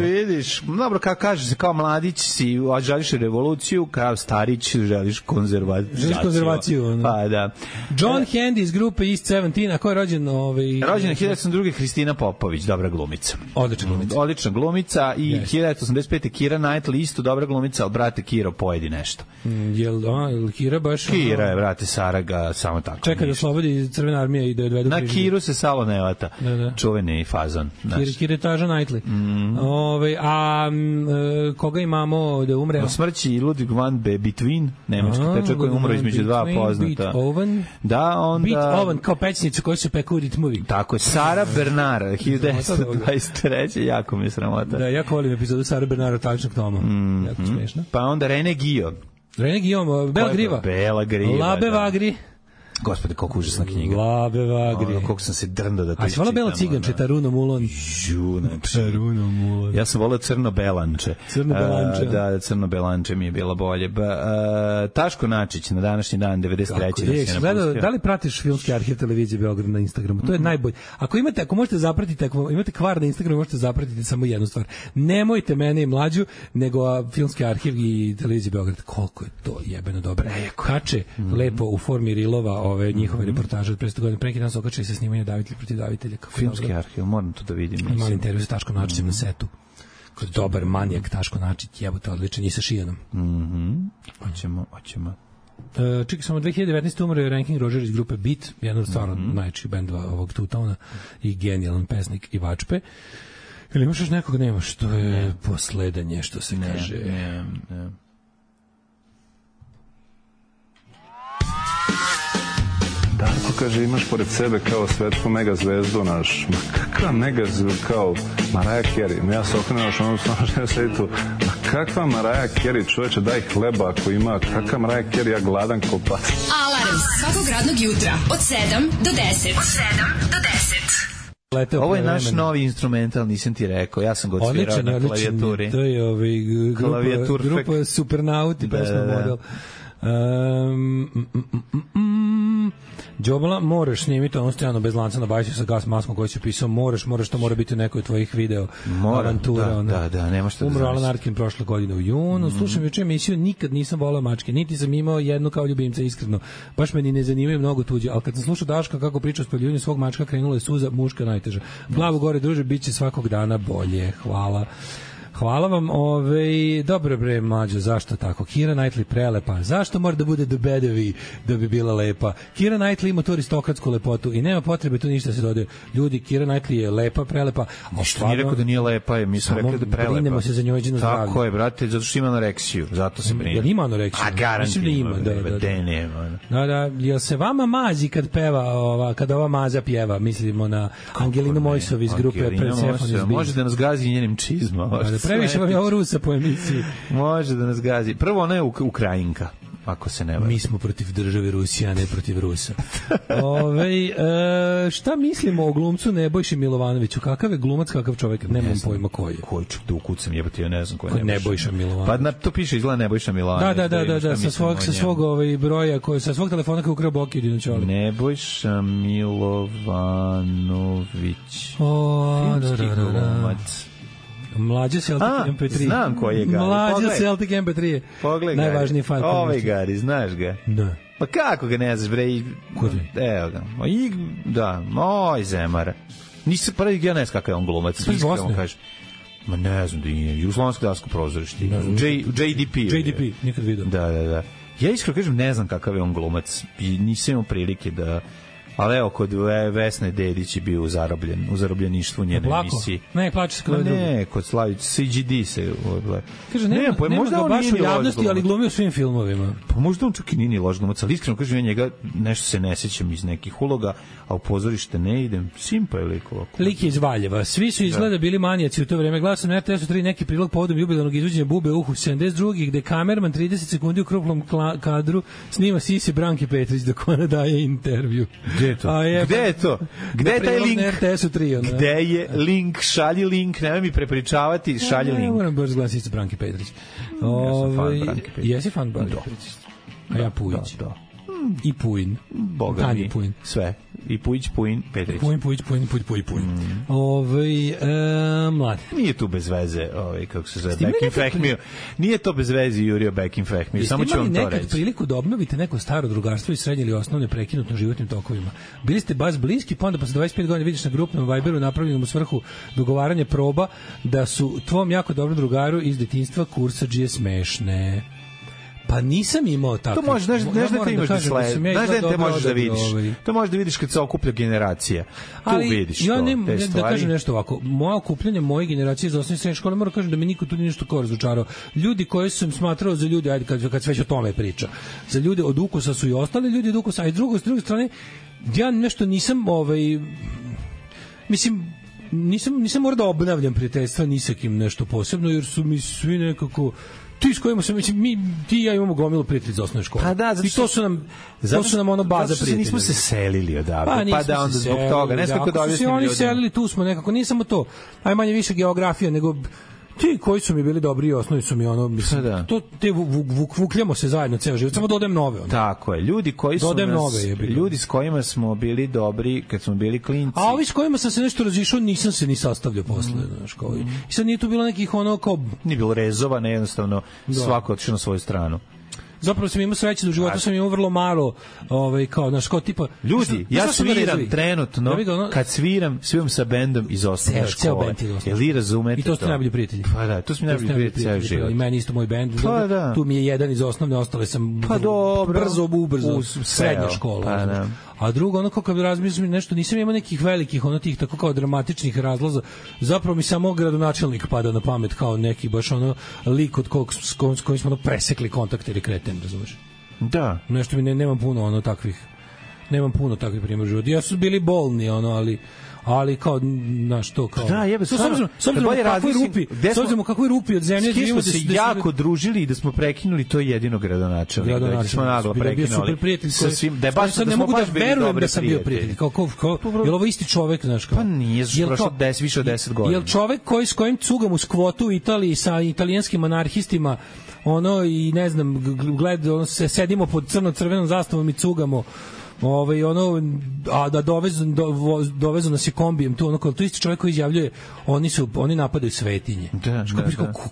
Vidiš. Dobro, kako kaže se, kao mladić si želiš revoluciju, kao starić želiš konzervaciju. Pa da. John Handy iz grupe East 17, a ko je rođen? Rođena 1902. Hristina Popović, dobra glumica. Odlična glumica i 1985. Kira Knightley, isto dobra glumica, ali brate Kiro pojedi nešto. Jel Kira baš? Kira je, brate, Saraga, samo tako. Čeka da slobodi Crvena armija i da je odvedu na Kiru se salo ne vata. Čuveni fazon. Kiretaža Knightley. Koga imamo da umre? Na smrći Ludwig van Beethoven, nemački pečak koji umro između dva poznata. Da, onda... Beethoven, kao pećnicu koji se peku u ritmovi. Tako je, Sara Bernard, 1923. Jako mi je sramota. Da, jako volim epizodu Sara Bernard od Taličnog Toma. Jako smiješno. Pa onda René Guillaume, Bela Griva. Bela Griva. Labe Vagri. Gospode, koliko užasna knjiga. Labe Vagri. Koliko sam se drndao da to iščitam. A hvala Bela Ciganče, Taruno Mulon. Taruno Mulon. Ja sam volao Crno Belanče. Crno Belanče. Da, Crno Belanče mi je bilo bolje. Taško Načić na današnji dan, 93. Da li pratiš filmski arhiv televizije Beograd na Instagramu? To je najbolje. Ako možete zapratiti, ako imate kvar na Instagramu, možete zapratiti samo jednu stvar. Nemojte mene i mlađu, nego filmski arhiv i televizije Beograd. Koliko je to jebeno dobro. Kače lepo u formi rilova ove njihove reportaže od 500 godina. Preki dan se okače sa snimanja Davitelj protiv davitelja. Filmski arhiv, moram to da vidim. Mali intervju sa Taškom Načićem na setu. Dobar manijak Taško Načić, jebote, odličan i sa Šijanom. Hoćemo. Čekaj, samo 2019. umro je Ranking Roger iz grupe Beat, jedan od stvarno najjačih bendova ovog Two-Towna i genijalan pesnik i vačpe. Ili imaš još nekog? Nemaš, to je posledanje, što se kaže. Ne. Darko kaže, imaš pored sebe kao svetsku megazvezdu naš. Ma kakva megazvezdu kao Mariah Carey? Ja se okrenuo još ono što sedi tu. Ma kakva Mariah Carey? Čoveče, daj hleba ako ima. Kakva Mariah Carey? Ja gladan ko pas. Alarm svakog radnog jutra od 7 do 10. Ovo je naš novi instrumental, nisam ti rekao. Ja sam ga odsvirao na klavijaturi. To je grupa Supernauti, pesma model. Đobala, moraš snimiti ono stojano bez lanca na bajsu sa gas maskom koji si pisao, moraš, to mora biti u nekoj tvojih video avantura. Da, nema što da umro Alan Arkin prošle godine u junu. Slušam juče emisiju, nikad nisam volao mačke, niti sam imao jednu kao ljubimca, iskreno. Baš me ni ne zanimaju mnogo tuđe, ali kad sam slušao Daška kako priča o spaljivanju svog mačka, krenula je suza, muška najteža. Glavu gore, druže, bit će svakog dana bolje. Hvala vam, dobro bre, mlađo, zašto tako? Keira Knightley prelepa, zašto mora da bude the bedovi da bi bila lepa? Keira Knightley ima tu aristokratsku lepotu i nema potrebe tu ništa se dodaje. Ljudi, Keira Knightley je lepa, prelepa. Ništa nije rekao da nije lepa, mi smo rekli da je prelepa. Brinemo se za njojđeno zdravlje. Tako je, brate, zato što ima anoreksiju, zato se brine. Jel ima anoreksiju? A garanti ima, da. Jel se vama mazi kad peva, kada ova maza pjeva, mislimo na Angelinu Mojsov iz grupe Persephone. Može da nas gazi njenim čizma. Previše vam je ovo Rusa po emisiji. Može da nas gazi. Prvo, ona je Ukrajinka, ako se ne varam. Mi smo protiv države Rusije, a ne protiv Rusa. Šta mislimo o glumcu Nebojši Milovanoviću? Kakav je glumac, kakav čovjek? Nemam pojma koji je. Koji ću da ukucam, jebati, ja ne znam koji je Nebojša Milovanović. Pa to piše izgleda Nebojša Milovanović. Da, sa svog broja, sa svog telefona koji ukrao Boki Dinoćoli. Nebojša Milovanović. Filmski glumac. Mlađe Celtic MP3. Znam koji je Gari. Mlađe Celtic MP3. Pogledaj. Najvažniji fajl. Ovaj Gari, znaš ga? Da. Pa kako ga ne znaš, bre? Kod je? Evo ga. Oj, Zemara. Nisi prvi, ja ne znam kakav je on glumac. Iskreno kaže. Ma ne znam da je. Jugoslovensko dasko prozorište. JDP. JDP, nikad vidio. Da. Ja iskreno kažem, ne znam kakav je on glumac. I nisam imao prilike da... Ali evo, kod Vesne Dedić je bio u zarobljeništvu njene emisiji. Ne, plače se kod drugo. Ne, kod Slavić, CGD se... Kaže, nema ga baš u javnosti, ali glumio u svim filmovima. Pa možda on čak i nije loš glumac, ali iskreno kažem, ja njega nešto se ne sećam iz nekih uloga, a u pozorište ne idem. Simpa je lik ovako. Lik je iz Valjeva. Svi su izgleda bili manijaci u to vreme. Gledao sam na RTS-u 3 neki prilog povodom jubilarnog izvođenja Bube uhu 72. gde kamerman 30 sekundi u krupnom kadru snima Sisi Branki Petrić dok ona daje intervju. Gde je to? Gde je taj link? Gde je link? Šalji link, nemoj mi prepričavati, šalji link. Ne moram baš glasiti sa Branki Petrić. Ja sam fan Branki Petrić. Jesi fan Branki Petrić? A ja Pujić. I Pujin. Boga mi. Pujin. Sve. I Pujić, Pujin, Petrić. Pujin. Mladi. Nije tu bez veze, kako se zove, Bekim Fehmio. Nije to bez veze Jurio Bekim Fehmio. Samo ću vam to reći. Jeste imali nekad priliku da obnovite neko staro drugarstvo iz srednje ili osnovne prekinutno životnim tokovima? Bili ste baš bliski, pa onda posle 25 godina vidiš na grupnom Viberu napravljenom u svrhu dogovaranja proba da su tvom jako dobrom drugaru iz detinjstva kursadžije smešne. Pa nisam imao tako. To možeš, znaš da te imaš da sled. Znaš da te možeš da vidiš. To možeš da vidiš kad se okuplja generacija. Tu vidiš to, te stvari. Da kažem nešto ovako. Moje okupljanje moje generacije iz osnovne i srednje škole, moram kažem da me niko tu nije nešto kao razočarao. Ljudi koji sam smatrao za ljudi, ajde kad sve o tome priča, za ljude od ukusa su i ostali ljudi od ukusa, a i s druge strane, ja nešto nisam, mislim, nisam morao da obnavljam prijateljstva ni sa kim nešto posebno, jer su mi svi nekako Ti s kojima se ti i ja imamo gomilu prijatelja iz osnovne škole. Pa da, i to su nam ono baza prijatelja. Nismo se selili odavde, pa da onda zbog toga. Ne znam kako da objasnim ljudima. Oni selili, tu smo nekako, nije samo to. Aj manje više geografija, nego ti koji su mi bili dobri i osnovi su mi ono, mislim, to te vukljamo se zajedno ceo život, samo dodajem nove. Tako je, ljudi koji su ljudi s kojima smo bili dobri kad smo bili klinci. A ovi s kojima sam se nešto razišao, nisam se ni sastavljao posle, znaš, kao i sad nije tu bilo nekih ono kao... Nije bilo rezova, ne, jednostavno svako otišao na svoju stranu. Zapravo sam imao sreće da u životu sam imao vrlo malo kao naš kao tipa ljudi, ja sviram trenutno kad sviram sa bendom iz osnovne škole. Jel vi razumete? I to ste najbolji prijatelji. Pa da, to smo najbolji prijatelji ceo život. I meni isto moj bend. Tu mi je jedan iz osnovne, ostale sam brzo srednja škola. A drugo, ono kako bi razmišljam nešto, nisam imao nekih velikih, ono tih tako kao dramatičnih razlaza. Zapravo mi samo gradonačelnik pada na pamet kao neki baš ono lik od s kojim smo presekli kontakt ili kreten, razumiješ? Da. Nešto mi nemam puno takvih primjera u životu. Ja su bili bolni, ali kao naš to kao da jebe s obzirom kakvoj rupi od zemlje živimo se jako družili i da smo prekinuli to jedino gradonačelnik da smo naglo prekinuli sa svim da je baš ne mogu da verujem da sam bio prijatelj kao je ovo isti čovjek znaš kao pa nije prošlo više od 10 godina jel čovjek s kojim cugam uz kvotu u Italiji sa italijanskim anarhistima i ne znam sedimo pod crvenom zastavom i cugamo a da dovezu nas je kombijem tu, to isti čovjek koji izjavljuje oni napadaju svetinje.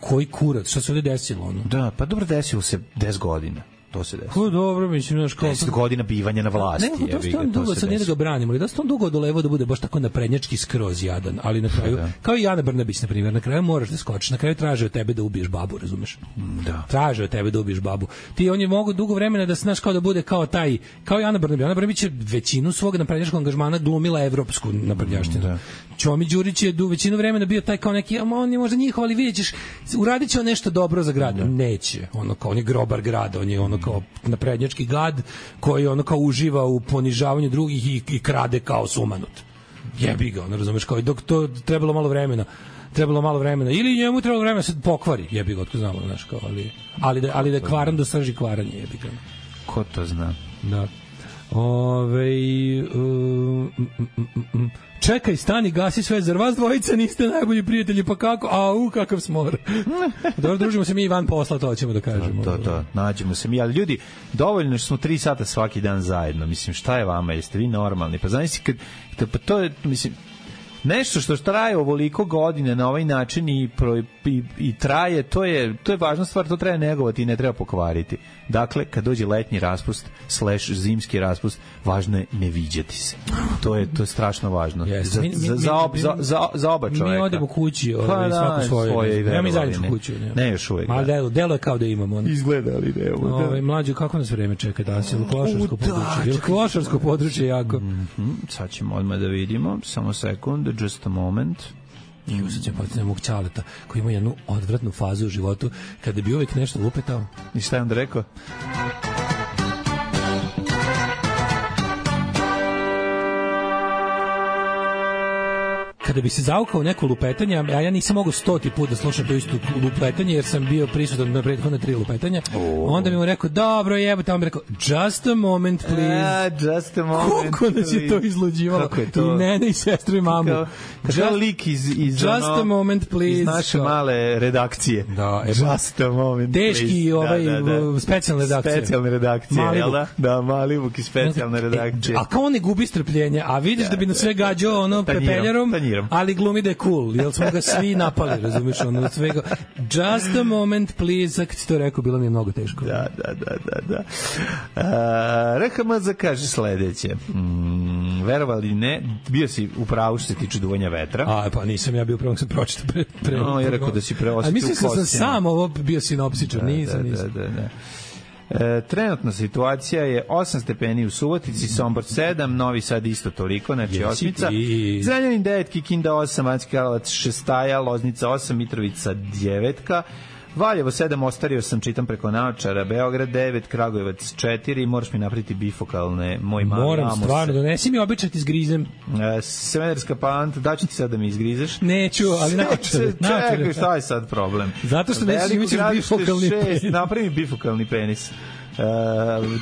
Koji kurac, šta se ovdje desilo? Da, pa dobro, desilo se 10 godina. To se desilo. Ko dobro, mislim, 10 godina bivanja na vlasti. Ne, dosta on dugo, sad nije da ga branimo, ali dosta on dugo odolevao da bude baš tako naprednjački skroz jadan, ali na kraju, kao i Ana Brnabić, na primjer, na kraju moraš da skočiš, na kraju traže od tebe da ubiješ babu, razumeš? Da. Traže od tebe da ubiješ babu. On je mogu dugo vremena da znaš kao da bude kao i Ana Brnabić. Ana Brnabić je većinu svog naprednjačkog angažmana glumila evropsku naprednjaštinu. Ćomi Đurić je većinu vremena bio taj kao neki, on je možda njihov, ali vidjet ćeš, uradit će on nešto dobro za grad. Neće. On je grobar grada, on je kao naprednjački gad koji kao uživa u ponižavanju drugih i krade kao sumanut. Jebi ga, razumeš, kao dok to trebalo malo vremena ili njemu trebalo vremena se pokvari, jebi ga, otko znamo, znaš, kao, ali da kvaran do srži kvaranje, jebi ga. Ko to zna? Da. Čekaj, stani, gasi sve, zar vas dvojica niste najbolji prijatelji, pa kako? Kakav smor. Dobro, družimo se mi i van posla, to ćemo da kažemo. To, nađemo se mi, ali ljudi, dovoljno što smo 3 sata svaki dan zajedno, mislim, šta je vama, jeste vi normalni? Pa znaš, pa to je, mislim, nešto što traje ovoliko godine na ovaj način i traje, to je važna stvar, to treba negovati i ne treba pokvariti. Dakle, kad dođe letnji raspust / zimski raspust, važno je ne viđati se. To je strašno važno. Za oba čoveka. Mi odemo kući, svako svoje. Nemamo i zajedničku kuću. Ne još uvijek. Ali delo je kao da imamo. Izgleda, ali nemamo. Mlađo, kako nas vreme čeka danas? Je li klošarsko područje jako? Sad ćemo odmah da vidimo. Samo sekund, just a moment. I sad ćemo potrebno mog Ćaleta koji ima jednu odvratnu fazu u životu kada bi uvijek nešto lupetao. I šta je onda rekao? Kada bi se zaukao neko lupetanje, a ja nisam mogao 100 put da slušam to isto lupetanje, jer sam bio prisutan na prethodne 3 lupetanja, onda mi mu rekao, dobro jebote, on mi rekao, just a moment, please. Just a moment, koliko nas je to izluđivalo. I mene i sestru i mamu. Kao lik iz just a moment, please. Iz naše male redakcije. Da, just a moment, teški specijalne redakcije. Specijalne redakcije, jel da? Da, Malibuk i specijalne redakcije. A kao on ne gubi strpljenje, a vidiš da bi nas sve gađao pepeljarom, ali glumi da je cool, jer smo ga svi napali, razumiješ, svega. Just a moment, please, kad si to rekao, bilo mi je mnogo teško. Da. RHMZ kaže sledeće. Verovali ne, bio si u pravu što se tiče duvanja vetra. Pa nisam ja bio upravo, sam pročitao pre. No, ja rekao da si preosjetio. A mislim sam sam ovo bio sinopsičar, nisam. Da. Trenutna situacija je 8 stepeni u Subotici, Sombor 7, Novi Sad isto toliko, znači osmica, Zrenjanin 9, Kikinda 8, Banjski Karlovac 6, Loznica 8, Mitrovica 9, Valjevo 7, ostario sam, čitam preko naočara, Beograd 9, Kragujevac 4, moraš mi napraviti bifokalne, moj mali Moram, amos. stvarno, donesi mi običaj ti izgrizem. Smederska Palanka, daću ti sad da mi izgrizeš? Neću, ali naočare. Čekaj, šta je sad problem? Zato što nećeš imati bifokalni penis. Napravi mi bifokalni penis.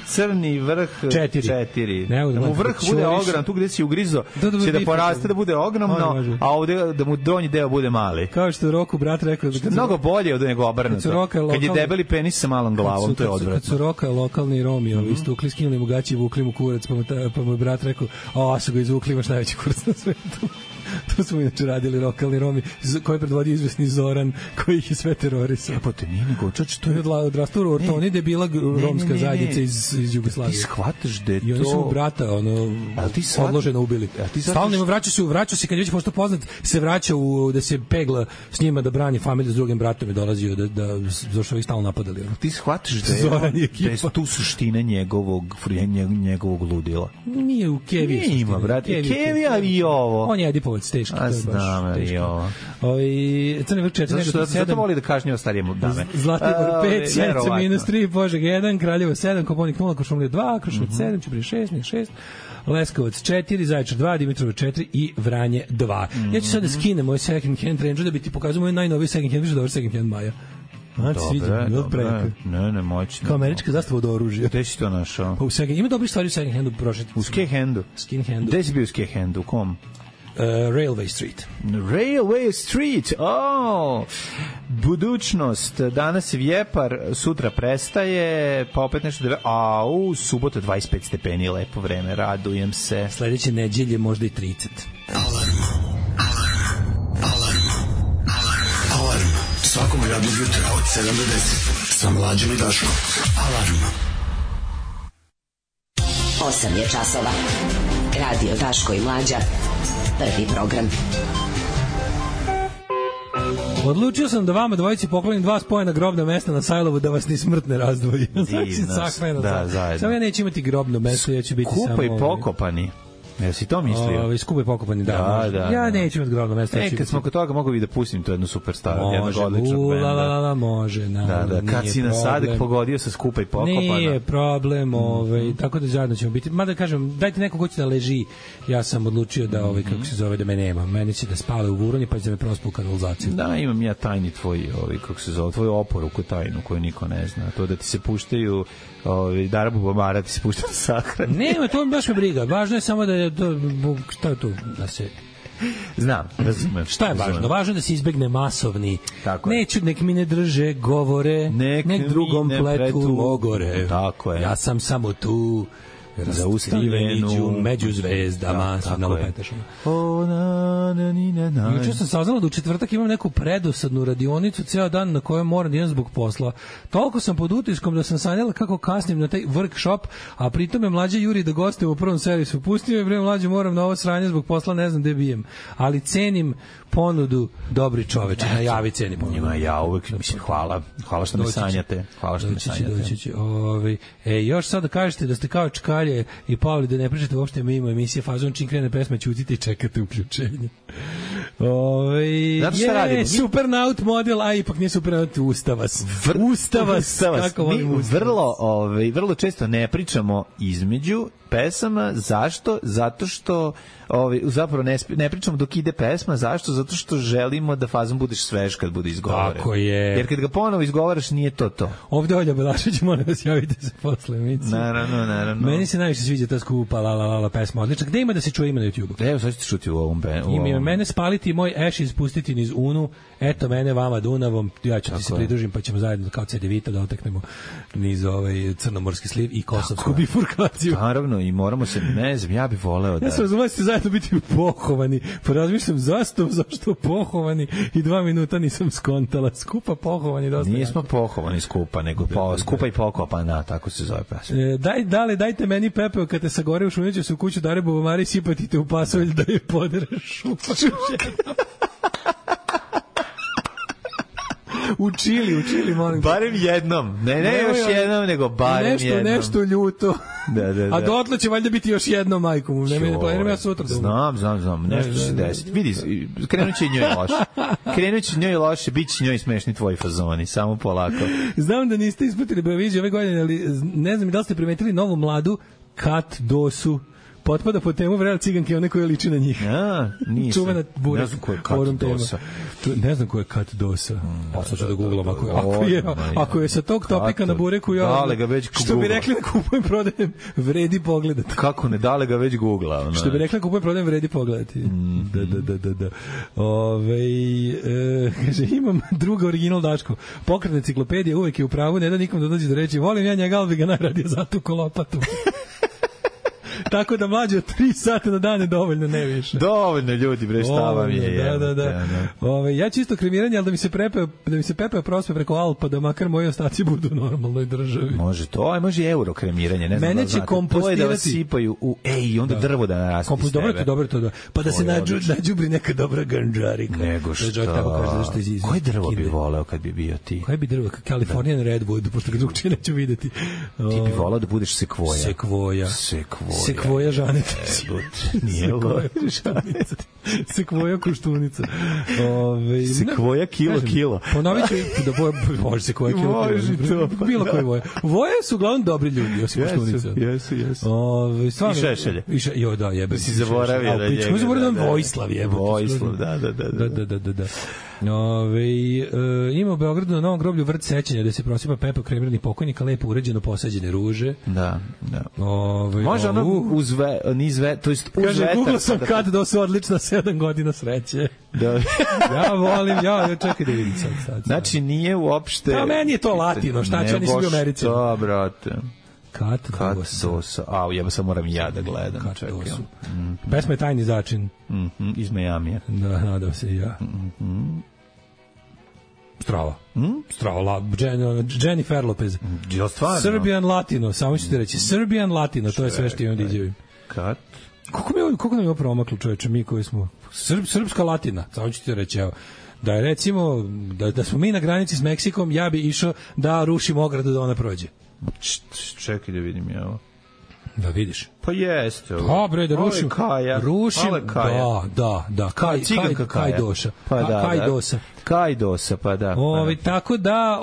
Crni vrh 4. Da mu vrh bude ogrom, tu gde si ugrizo će da poraste da bude ogromno, a ovde da mu donji deo bude mali. Kao što Roku brat rekao, da mnogo bolje od nego obrnuto. Kad je debeli penis sa malom glavom, to je odvratno. Kad su Roka lokalni Romi, istukli, skinuli mu gaće i vukli mu kurac, pa mu brat rekao, a su ga izvukli, imaš najveći kurac na svetu. To smo inače radili lokalni Romi, koji predvodio izvesni Zoran, koji ih je sve terorisao. Epo te nije nego, čač, to je odrastao u Ortoni, gde je bila romska zajednica iz Jugoslavije. Ti shvataš da je to... I oni su brata, odloženo ubili. Stalno vraćao se, kad je već pošto poznat, se vraća da se pegla s njima da brani familiju, s drugim bratom je dolazio da zašto ih stalno napadali. Ti shvataš da je tu suština njegovog ludila. Nije u Keviju. Ima, brate, Kevija i ovo. On je Edipovac, teški. A znam, i ovo. Crni vrh 4, zato voli da kažnjava starijemu dame. Zlatibor 5, Sjenica -3, Požeg 1, Kraljevo 7, Koponik 0, Košumlija 2, Kruševac 7, Ćuprije 6, Niš 6, Leskovac 4, Zaječar 2, Dimitrovac 4 i Vranje 2. Ja ću sad da skinem moj second hand range da bi ti pokazao moj najnoviji second hand, više dobar second hand Maja. Dobre. Ne, moćno. Kao američka zastava od oružja. Gde si to našao? Ima dobri stvari u second handu prošli. U skate handu? Gde si bio u skate handu? U kom? Railway Street. Railway Street, budućnost, danas je vjepar, sutra prestaje, pa opet nešto u subota 25 stepeni, lepo vreme, radujem se. Sledeće nedelje možda i 30. Alarm. Svakog radnog jutra od 7 do 10 sa Mlađom i Daškom. Alarm. 8 je časova. Radio Daško i Mlađa. Prvi program. Odlučio sam da vama dvojici poklonim 2 spojena grobna mesta na Sajlovu da vas ni smrt ne razdvoji. Da, zajedno. Samo ja neću imati grobno mesto, ja ću biti samo... Skupa i pokopani. Jel si to mislio? Skupa i pokopani, da. Ja neću imati grobno mesto. Kad smo kod toga, mogu bi da pustim tu jednu super staru, jednog odličnog benda. Može. Da, kad si na Sadek pogodio sa Skupa i pokopana. Nije problem, tako da zajedno ćemo biti. Mada kažem, dajte neko ko će da leži. Ja sam odlučio da, kako se zove, da me nema. Meni će da spale u Vuroni, pa će da me prospu u kanalizaciju. Da, imam ja tajni tvoj, kako se zove, tvoju oporuku tajnu koju niko ne zna. To da ti se puštaju Darabu Bamara, ti se puštaju sahrani. Nema, to baš me briga. Važno je samo da je šta je to, da se... Znam, razumem. Šta je važno? Važno je da se izbegne masovni. Neću, nek mi ne drže govore, nek drugom pletu logore. Tako je. Ja sam samo tu, zaustavljenu među zvezdama. Tako je. Juče sam saznala da u četvrtak imam neku predosadnu radionicu ceo dan na kojoj moram da idem zbog posla. Toliko sam pod utiskom da sam sanjala kako kasnim na taj workshop, a pritom je Mlađa juri da gostujem u prvom servisu. Pustio je bre Mlađe, moram na ovo sranje zbog posla, ne znam gde bijem. Ali cenim ponudu, dobri čoveče, najavi cenim ponudu. Njima ja uvek, mislim, hvala što me sanjate. Hvala što me sanjate. Još sad da kažete da ste kao čkalje i Pavli, da ne pričate uopšte mimo emisije Fazon, čim krene pesma ćutite i čekate uključenje. Znate šta radimo? Supernaut model, a ipak nije Supernaut, Ustavas. Ustavas. Mi vrlo često ne pričamo između pesama. Zašto? Zato što zapravo ne pričamo dok ide pesma. Zašto? Zato što želimo da fazom budeš svež kad bude izgovoren. Tako je. Jer kad ga ponovo izgovaraš nije to. Ovde Olja Balašić, molim vas, javite se posle emisije. Naravno. Meni se najviše sviđa ta skupa la pesma. Odlična. Gde ima da se čuje ime na YouTube-u? Evo, sad ćete čuti u ovom bandu. Ima mene spaliti moj Ashes spustiti niz Unu. Eto mene vama Dunavom. Ja ću ti se pridružim pa ćemo zajedno kao CD Vita da oteknemo niz crnomorski sliv i kosovsku bifurkaciju. Naravno, i moramo se, ne znam, ja bih voleo da... Ja sam razumio da ste zajedno biti pohovani. Pa razmišljam zašto pohovani i 2 minuta nisam skontala. Skupa pohovani dosta. Nismo pohovani skupa, nego skupa i pokopana, tako se zove pesma. Dajte meni pepeo kad te sagore u šunjeću se u kuću Dare Bubamari, sipatite u pasolj da je podereš šupa. U Čili, molim. Barem jednom. Ne još jednom, nego barem jednom. Nešto ljuto. A dotle će valjda biti još jedno majko mu. Ne planiram ja sutra. Znam. Nešto će se desiti. Vidi, krenut će njoj loše. Bit će njoj smešni tvoji fazoni. Samo polako. Znam da niste ispratili Beoviziju ove godine, ali ne znam da li ste primetili novu mladu Kat Dosu. Potpada po temu vrela ciganke, one koje liči na njih. Nisam. Čuvena bura. Ne znam ko je Kat Dosa. Ne znam ko je Kat Dosa. Sad ću da googlam. Ako je sa tog topika na bureku, što bi rekli da kupujem, prodajem, vredi pogledati. Kako ne, dale ga već googla. Što bi rekli da kupujem, prodajem, vredi pogledati. Da. Kaže, imam druga original Daško. Pokretna enciklopedija uvek je u pravu, ne da nikom da dođe da reći, volim ja njega, ali bi ga najradije zatuko lopatu. Tako da mlađe od 3 sata na dan je dovoljno, ne više. Dovoljno ljudi, bre, šta vam je. Da. Ja čisto kremiranje, ali da mi se pepeo prospe preko Alpa, da makar moji ostaci budu u normalnoj državi. Može to, može i euro kremiranje, ne znam. Mene će kompostirati. To je da vas sipaju u, i onda drvo da naraste s tebe. Dobro to. Pa da se nađubri neka dobra ganđarika. Nego šta. Koje drvo bi voleo kad bi bio ti? Koje bi drvo? Californian Redwood, pošto ga drugčije neću videti. Ti bi voleo da budeš sekvoja. Sekvoja žanica. Nije žanica. Sekvoja koštunica. Sekvoja kilo. Ponovit ću da može sekvoja kilo. Bilo koje voje. Voje su uglavnom dobri ljudi, osim koštunica. Jesu. I šešelje. Jo, da, jebe. Si zaboravio da njega. Zaboravio da Vojislav jebe. Vojislav, da. Ima u Beogradu na Novom groblju vrt sećanja da se prosipa pepo kremirani pokojnika, lepo uređeno posađene ruže. Da. Može ono niz vetar, to jest uz vetar. Kaže, Google sam kad da su odlična 7 godina sreće. Da. Ja volim, čekaj da vidim sad. Znači nije uopšte... Da, meni je to latino, šta će, nisam bio u Americi. Da, brate. Kat Dosa. Jeba sam moram ja da gledam. Kat Dosu. Pesma je Tajni začin. Iz Majamija. Da, nadam se i ja. Strava. Jennifer Lopez. Serbian Latino, samo ću ti reći. Serbian Latino, to je sve što imam da izjavim. Kat? Koliko nam je promaklo, čoveče, mi koji smo... Srpska Latina, samo ću ti reći, evo. Da je recimo, da smo mi na granici s Meksikom, ja bi išao da rušim ogradu da ona prođe. Čekaj da vidim ja ovo. Da vidiš. Pa jeste. Dobre, da rušim. Da. Kaj doša. Kaj dosa, pa da. Tako da,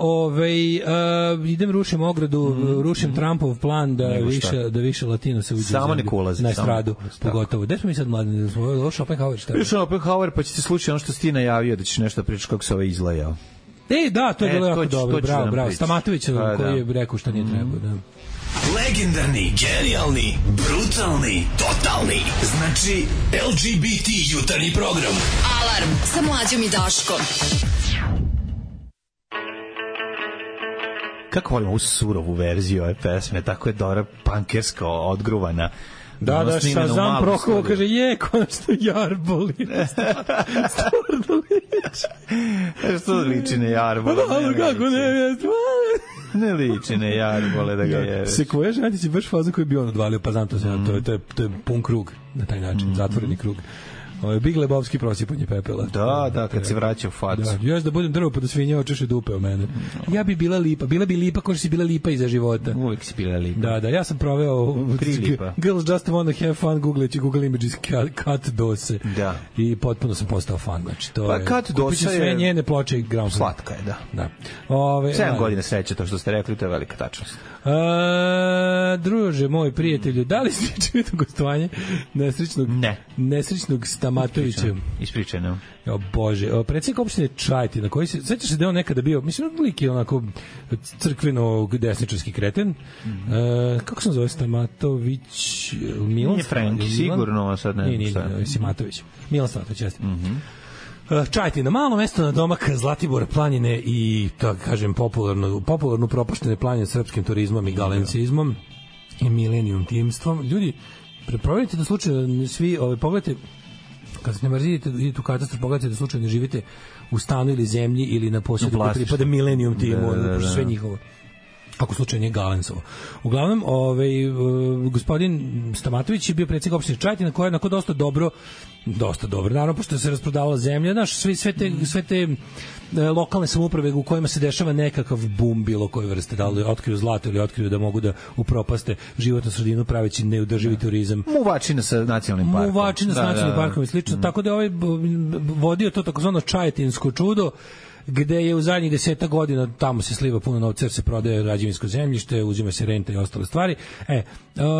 idem rušim ogradu, rušim Trumpov plan da više Latino se uđe samo nek ulazi na estradu, pogotovo. Gde smo mi sad mladine? Ovo Schopenhauer šta? Schopenhauer, pa će ti slučiti ono što si ti najavio da ćeš nešto pričati kako se izlajao. Da, to je bilo jako dobro. Bravo. Stamatović koji je rekao šta nije trebao, da. Legendarni, genijalni, brutalni, totalni. Znači, LGBT jutarnji program. Alarm sa Mlađom i Daškom. Kako volim ovu surovu verziju ove pesme, tako je dobra pankerska, odgruvana. Da, Shazam Prokovo kaže, konačno Jarboli. Stvarno liči. Što liči na Jarbole? Kako ne, ne liči na Jarbole da ga jebe. Sekvoja Žantić je baš fazan koji bi on odvalio, pa znam to se, to je pun krug na taj način, zatvoreni krug. Big Lebowski prosipanje pepela. Da, kad se vraća u facu. Još da budem drvo pa da svinja očeše dupe o mene. Ja bi bila lipa kao što si bila lipa iza života. Uvijek si bila lipa. Da, ja sam proveo Girls Just Wanna Have Fun googleći Google Images Kat Dose. Da. I potpuno sam postao fan. Znači, to pa Kat Dosa je... sve njene ploče i Ground. Slatka je, da. 7 godina sreće, to što ste rekli, to je velika tačnost. Druže, moj prijatelju, da li ste čuli to gostovanje nesrećnog Stamatovića? Ispričano. O Bože, predsjednik opštine Čajetina, koji se, sećaš se da on nekada bio, mislim, lik je onako crkveno desničarski kreten. Kako se zove Stamatović? Nije Franki, sigurno, sad ne. Nije, Simatović. Milan Stamatović, jeste. Čajetina, malo mesto na domak Zlatibora planine i, tako kažem, popularno propuštene planine srpskim turizmom i galencizmom i milenijum timstvom. Ljudi, provjerite da slučajno svi, pogledajte, kad se ne mrzite, idete u katastar, pogledajte da slučajno ne živite u stanu ili zemlji ili na posjedu koji pripada milenijum timu, sve njihovo. ako slučaj nije Galensovo. Uglavnom, gospodin Stamatović je bio predsjednik opštine Čajetina, koja je onako dosta dobro, naravno, pošto se rasprodavala zemlja, znaš, sve te lokalne samouprave u kojima se dešava nekakav bum bilo koje vrste, da li otkriju zlato ili otkriju da mogu da upropaste životnu sredinu praveći neodrživi turizam. Muvačina sa nacionalnim parkom. Muvačina sa nacionalnim parkom i slično, tako da ovaj vodio to takozvano čajetinsko čudo, gde je u zadnjih 10 godina tamo se sliva puno novca jer se prodaje građevinsko zemljište, uzima se renta i ostale stvari.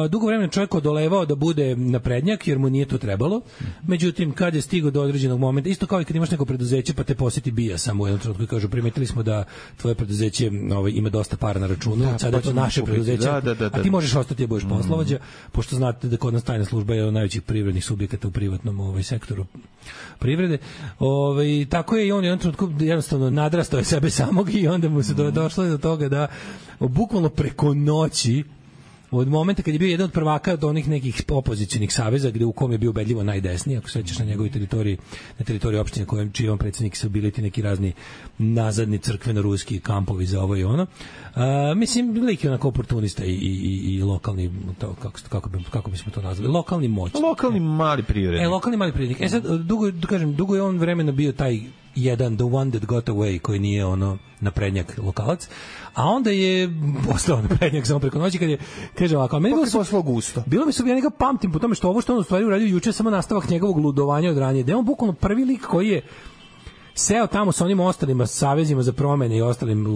Dugo vremena čovjek odolevao da bude naprednjak jer mu nije to trebalo. Međutim, kad je stigao do određenog momenta, isto kao i kad imaš neko preduzeće pa te poseti BIA samo u jednom trenutku i kažu primetili smo da tvoje preduzeće ima dosta para na računu, sada je to naše preduzeće, a ti možeš ostati da budeš poslovođa, pošto znate da kod nas tajna služba je jedan od najvećih privrednih subjekata u privatnom sektoru privrede. Tako je i on u jednom trenutku jednostavno nadrastao je sebe samog i onda mu se došlo do toga da bukvalno preko noći, od momenta kad je bio jedan od prvaka od onih nekih opozicionih saveza gde u kom je bio ubedljivo najdesniji, ako se sećaš, na njegovoj teritoriji, na teritoriji opštine čiji on predsjednik su bili ti neki razni nazadni crkveno-ruski kampovi za ovo i ono. Mislim, lik je onako oportunista i lokalni, kako bismo to nazvali, lokalni moćnik. Lokalni mali privrednik. Lokalni mali privrednik. Sad, dugo je on vremena bio taj jedan, the one that got away, koji nije naprednjak lokalac, a onda je postao naprednjak samo preko noći kad je, kaže ovako, meni bilo mi se, ja njega pamtim po tome što ovo što on u stvari uradio juče je samo nastavak njegovog ludovanja od ranije, da je on bukvalno prvi lik koji je seo tamo sa onim ostalima savezima za promene i ostalim,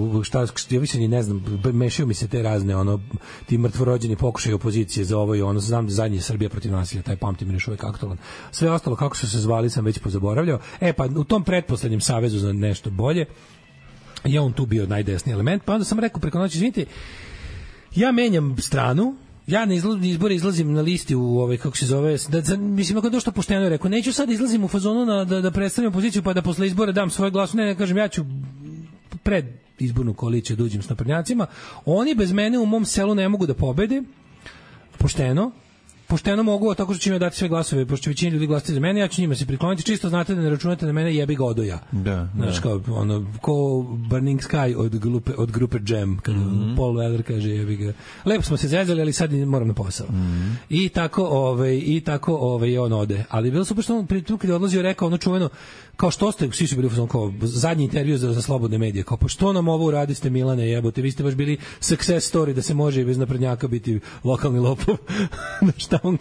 ja više ni ne znam, mešaju mi se te razne ti mrtvorođeni pokušaj opozicije za ovo i ono, znam da zadnji Srbija protiv nasilja, taj pamtim još uvijek aktualan. Sve ostalo kako su se zvali sam već pozaboravljao. Pa u tom pretposlednjem savezu za nešto bolje je on tu bio najdesniji element, pa onda sam rekao preko noći, izvinite, ja menjam stranu, ja na izbore izlazim na listi u kako se zove, mislim, ako došto pošteno je rekao, neću sad izlazim u fazonu da predstavljam opoziciju pa da posle izbora dam svoj glas, ne kažem, ja ću pred izbornu koaliciju da uđem s naprednjacima, oni bez mene u mom selu ne mogu da pobede, pošteno mogu, tako što će mi dati sve glasove, pošto će većina ljudi glasati za mene, ja ću njima se prikloniti, čisto znate da ne računate na mene, jebi ga odo ja. Znaš, kao ko Burning Sky od grupe Jam, kada Paul Weller kaže jebi ga. Lepo smo se zezali, ali sad moram na posao. I tako on ode. Ali bilo super što on pritom kad je odlazio rekao ono čuveno, kao što ste, svi su bili kao zadnji intervju za slobodne medije, kao pa što nam ovo uradiste Milane, jebote, vi ste baš bili success story da se može i bez naprednjaka biti lokalni lopov. Na šta on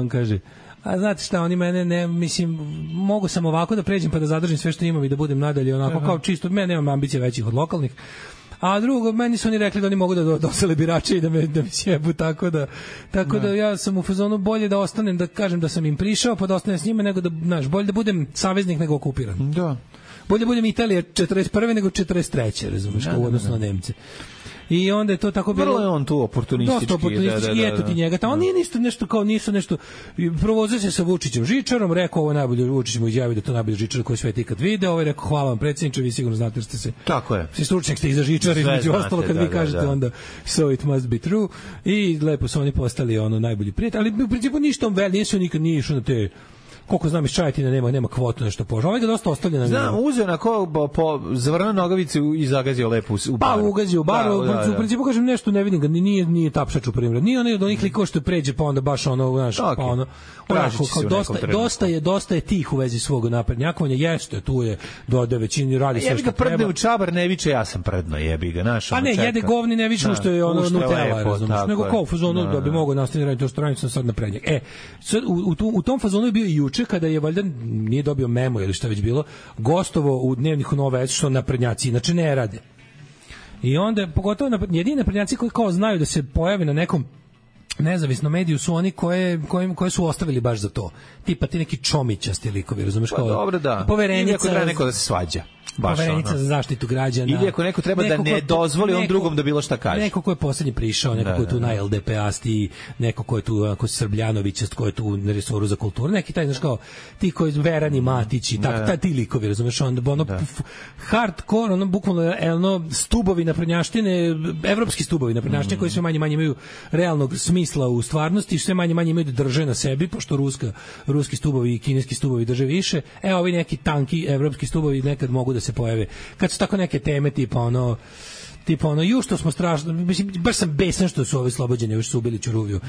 kaže? A znate šta, oni mene ne, mislim, mogu sam ovako da pređem pa da zadržim sve što imam i da budem nadalje onako kao čisto, mene nemam ambicije većih od lokalnih. A drugo, meni su oni rekli da oni mogu da dosele birače i da mi sjebu, tako da ja sam u fazonu bolje da ostanem, da kažem da sam im prišao, pa da ostanem s njima, nego da, znaš, bolje da budem saveznik nego okupiran. Da. Bolje da budem Italija 41. nego 43. razumiješ, kao u odnosu na Nemce. I onda je to tako bilo. Vrlo je on tu oportunistički. Dosta oportunistički, eto ti njega. Oni nisu nešto provozio se sa Vučićem Žičarom, rekao ovo najbolje, Vučić mu izjavio da to najbolje Žičar koji svet ikad video, ovaj rekao hvala vam predsjedniče, vi sigurno znate jer ste se. Tako je. Svi stručnjak ste i za Žičar, između ostalo kad vi kažete onda so it must be true. I lepo su oni postali najbolji prijatelji, ali u principu ništa on nisu nikad nije išao na te. Koliko znam iz Čajetina nema kvotu nešto poža. Ovaj ga dosta ostavlja na njemu. Znam, uzeo na po zavrnu nogavicu i zagazio lepo u baru. Pa ugazio u baru, u principu kažem nešto ne vidim ga, nije tapšač u primjer. Nije onaj od onih likova što pređe pa onda baš znaš, pa ono. Dosta je tih u vezi svog naprednjakovanja, jeste, tu je dode većini radi sve što treba. Prdne u čabar ne viče, ja sam prdno, jebi ga, naš. A ne, jede govni ne viče što je Nutella, razumiješ, nego kao u fazonu da bi mogao nastaviti raditi to što radim sam sad naprednjak. U tom fazonu je bio i juče kada je valjda nije dobio memo ili šta već bilo, gostovo u dnevniku Nova S što naprednjaci inače ne rade. I onda pogotovo jedini naprednjaci koji kao znaju da se pojave na nekom nezavisnom mediju su oni koje su ostavili baš za to. Tipa ti neki čomićasti likovi, razumeš, kao dobro, da. Poverenica, ili ako treba neko da se svađa. Poverenica za zaštitu građana. Ili ako neko treba da ne dozvoli on drugom da bilo šta kaže. Neko ko je poslednji prišao, neko ko je tu na LDP-asti, neko ko je tu ako Srbljanovićast, ko je tu na resoru za kulturu, neki taj, znaš, kao ti koji Verani Matić i tako, ti likovi, razumeš, onda hardcore, bukvalno stubovi naprednjaštine, evropski stubovi naprednjaštine koji sve manje imaju realnog smisla u stvarnosti, sve manje imaju da drže na sebi, pošto ruski stubovi i kineski stubovi drže više. Ovi neki tanki evropski stubovi nekad mogu da se pojave. Kad su tako neke teme tipa tipa ono, ju što smo strašno, mislim, baš sam besan što su ovi slobođeni, još su ubili Ćuruviju.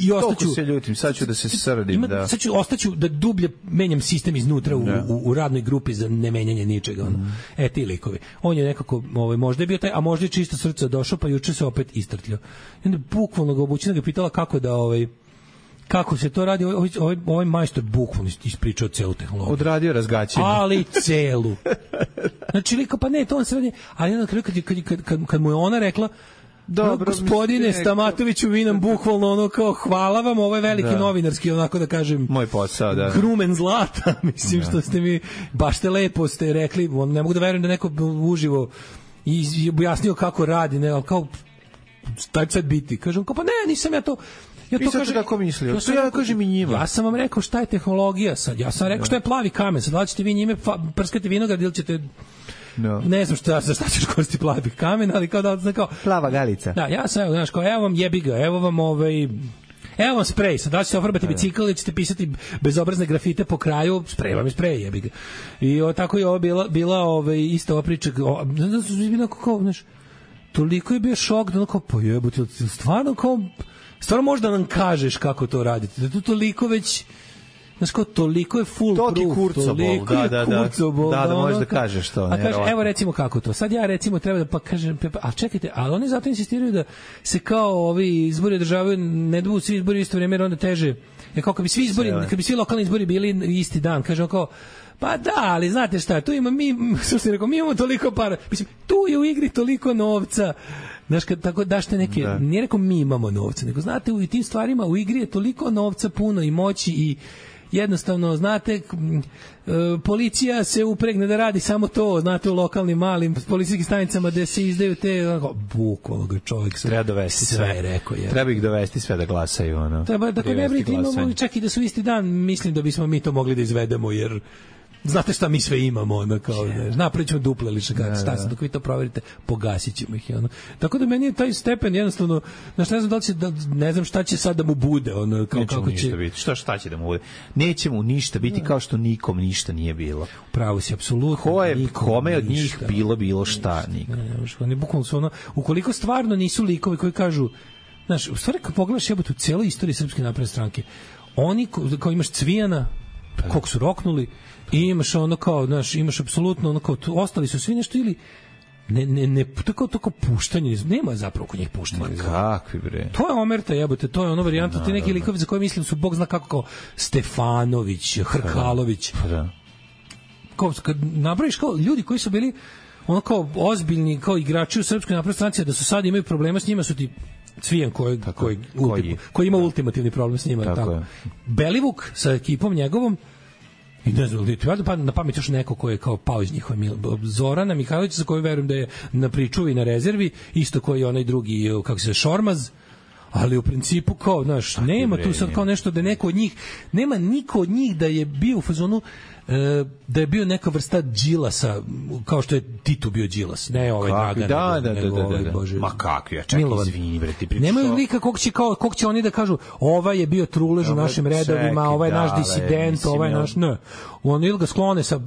I ostaću... Toliko se ljutim, sad ću da se srdim, da. Sad ću, ostaću da dublje menjam sistem iznutra u radnoj grupi za nemenjanje ničega. Ono. Ti likovi. On je nekako, možda je bio taj, a možda je čisto srce došao, pa juče se opet istrtljao. I onda bukvalno ga obučina ga pitala kako da kako se to radi, ovaj majstor bukvalno ispričao celu tehnologiju. Odradio razgaćenje. Ali celu. Znači, liko, pa ne, to on se radi, ali na kraju kad mu je ona rekla, dobro, gospodine Stamatoviću, vi nam bukvalno ono kao hvala vam, ovo je veliki novinarski, onako da kažem, moj posao, da. Grumen zlata, mislim što ste mi, baš te lepo ste rekli, ne mogu da verujem da neko uživo i objasnio kako radi, ne, ali kao, šta će sad biti? Kažem, kao, pa ne, nisam ja to... Ja to kažem kako mislio. Ja kažem i njima. Ja sam vam rekao šta je tehnologija sad. Ja sam rekao šta je plavi kamen. Sad da ćete vi njime prskati vinograd ili ćete ne znam šta ćeš koristiti plavi kamen, ali kao da kao plava galica. Da, ja sam znaš kao evo vam jebi ga, evo vam evo vam sprej, sad da ćete ofarbati bicikl ili ćete pisati bezobrazne grafite po kraju, sprej vam je sprej, jebi ga. I tako je ovo bila ista ova priča, znaš, toliko je bio šok da kao pa jebote, stvarno kao stvarno možda nam kažeš kako to radite. Da tu toliko već, znaš kao, toliko je full proof. To ti kurcobol, da možda kažeš to. A kaže, evo recimo kako to. Sad ja recimo treba da pa kažem, a čekajte, ali oni zato insistiraju da se kao ovi izbori održavaju, ne da budu svi izbori isto vrijeme, jer onda teže. Jer kao kad bi svi lokalni izbori bili isti dan, kaže kao, pa da, ali znate šta, tu ima mi imamo toliko para. Mislim, tu je u igri toliko novca. Znaš, tako dašte neke, nije rekao mi imamo novca, nego znate, u tim stvarima u igri je toliko novca puno i moći i jednostavno, znate, policija se upregne da radi samo to, znate, u lokalnim malim policijskim stanicama gde se izdaju te, bukvalno ga čovjek treba dovesti sve rekao je. Treba ih dovesti sve da glasaju, ono. Treba, dakle, ne brinite, imamo čak i da su isti dan, mislim da bismo mi to mogli da izvedemo, jer znate šta mi sve imamo, ono, kao, napravit ćemo duple lične šta se, dok vi to proverite, pogasit ćemo ih, ono. Tako da meni je taj stepen jednostavno, znaš, ne znam da li će, ne znam šta će sad da mu bude, ono, kako će... Biti. Šta će da mu bude? Neće mu ništa biti kao što nikom ništa nije bilo. Pravo si, apsolutno. Kome od njih bilo šta, nikom. Ne, bukvalno su ono, ukoliko stvarno nisu likovi koji kažu, znaš, u stvari kad pogledaš jebote u celoj istoriji Srpske napredne stranke, oni, kao imaš Cvijana, koliko su roknuli, i imaš ono kao, znaš, imaš apsolutno ono kao, ostali su svi nešto ili ne tako puštanje, nema zapravo kod njih puštanja. Kakvi bre? To je omerta jebote, to je ono varijanta, ti neki likovi za koje mislim su bog zna kako, kao Stefanović, Hrkalović. Kao, kad napraviš kao ljudi koji su bili ono kao ozbiljni, kao igrači u Srpskoj naprednoj stranci, da su sad imaju problema s njima, su ti Cvijan koji ima ultimativni problem s njima. Tako. Belivuk sa ekipom njegovom, i ne znam, pa na pamet još neko ko je kao pao iz njihove, Zorana Mihajlović, za koju verujem da je na pričuvi i na rezervi, isto koji je onaj drugi, kako se zove, Šormaz, ali u principu kao, znaš, nema tu sad kao nešto da neko od njih, nema niko od njih da je bio u fazonu, da je bio neka vrsta Đilasa, kao što je Tito bio Đilas, ne ovaj Dragan, da. Bože, ma kakvi, ja čekaj, izvini, bre, ti pričaš. Nemaju lika kog će oni da kažu, ovaj je bio trulež u našim redovima, ovaj je naš disident, ovaj je naš, ne. On ili ga sklone sa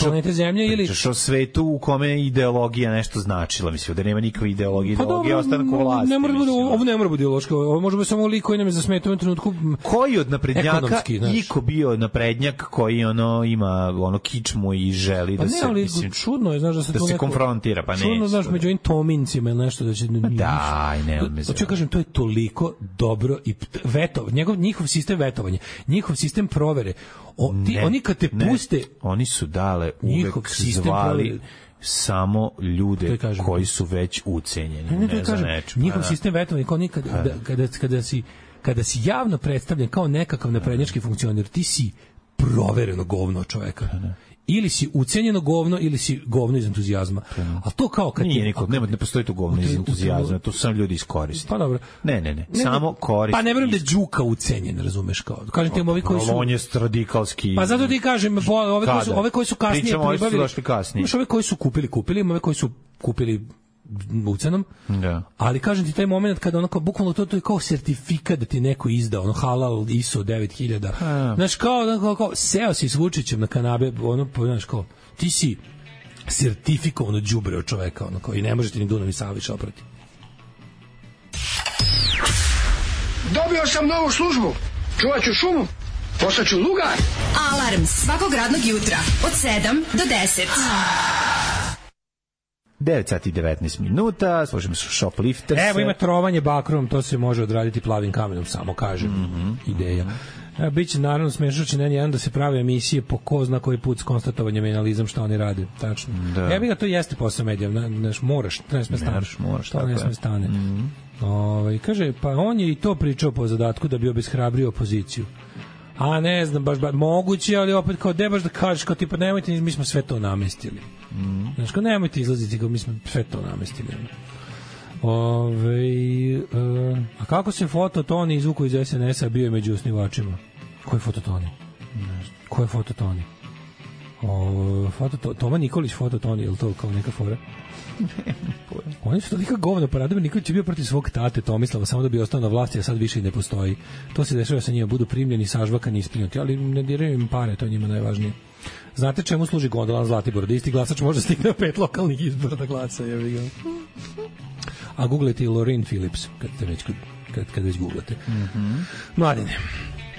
planete Zemlje, ili... Pričaš o svetu u kome ideologija nešto značila, mislim, da nema nikakve ideologije, ideologija ostanak u vlasti. Ovo ne mora biti ideološko, ovo može biti samo lik koji nam je zasmetao u trenutku. Koji od naprednjaka iko bio naprednjak koji ono ima ono kičmu i želi da se, mislim, čudno je, znaš, da se to konfrontira, pa ne. Čudno, znaš, među ovim Tomincima ili nešto da će... Daj, ne, hoću kažem, to je toliko dobro i njihov sistem vetovanja, njihov sistem provere, oni kad te puste... Oni su dale uvek zvali samo ljude koji su već ucenjeni. Ne kažem, njihov sistem vetovanja, kao kada si javno predstavljen kao nekakav naprednjački funkcioner, ti si provereno govno čoveka. Ili si ucenjeno govno, ili si govno iz entuzijazma. A to kao kad ne postoji to govno iz entuzijazma, to sam ljudi iskoriste. Pa dobro. Ne, samo koriste. Pa ne verujem da je Đuka ucenjen, razumeš, kao. Kažem ti ovi koji su... On je radikalski... Pa zato ti kažem, ove koji su kasnije pribavili... Pričamo, ovi su došli kasnije. Imaš ove koji su kupili, ove koji su kupili ucenom, ali kažem ti taj moment kada onako bukvalno to je kao sertifikat da ti neko izda, ono halal ISO 9000. Znaš, kao seo si s Vučićem na kanabe, ono, znaš, kao ti si sertifikovano đubre od čoveka, ono, koji ne možete ni Dunav i Savić oprati. Dobio sam novu službu. Čuvat ću šumu. Postaću lugar. Alarm svakog radnog jutra od 7 do 10. 9 sati i 19 minuta, slušamo se Shoplifters. Evo ima trovanje bakrom, to se može odraditi plavim kamenom, samo kažem. Ideja. Biće naravno smešno će N1 da se prave emisije po ko zna koji put s konstatovanjem i analizom šta oni rade. Tačno. Ja bih ga to jeste posao medija. Moraš, ne sme stane. Kaže, pa on je i to pričao po zadatku da bi obeshrabrio opoziciju. A ne znam, baš moguće, ali opet kao de baš da kažeš, kao tipa nemojte, mi smo sve to namestili. Znaš, kao nemojte izlaziti, kao mi smo sve to namestili. A kako se Fototoni izvuku iz SNS-a, bio je među osnivačima? Koji Fototoni? Ko je Fototoni? Toma Nikolić Fototoni, je li to kao neka fora? Oni su tolika govna, pa Radomir Nikolić je bio protiv svog tate Tomislava samo da bi ostao na vlasti, a sad više i ne postoji. To se dešava sa njima, budu primljeni, sažvakani, isprinjati, ali ne diraju im pare, to je njima najvažnije. Znate čemu služi gondola na Zlatiboru? Da isti glasač može stigne na 5 lokalnih izbora da glasa, je vi ga. A googlete i Laureen Phillips, kad već googlate. Mladine,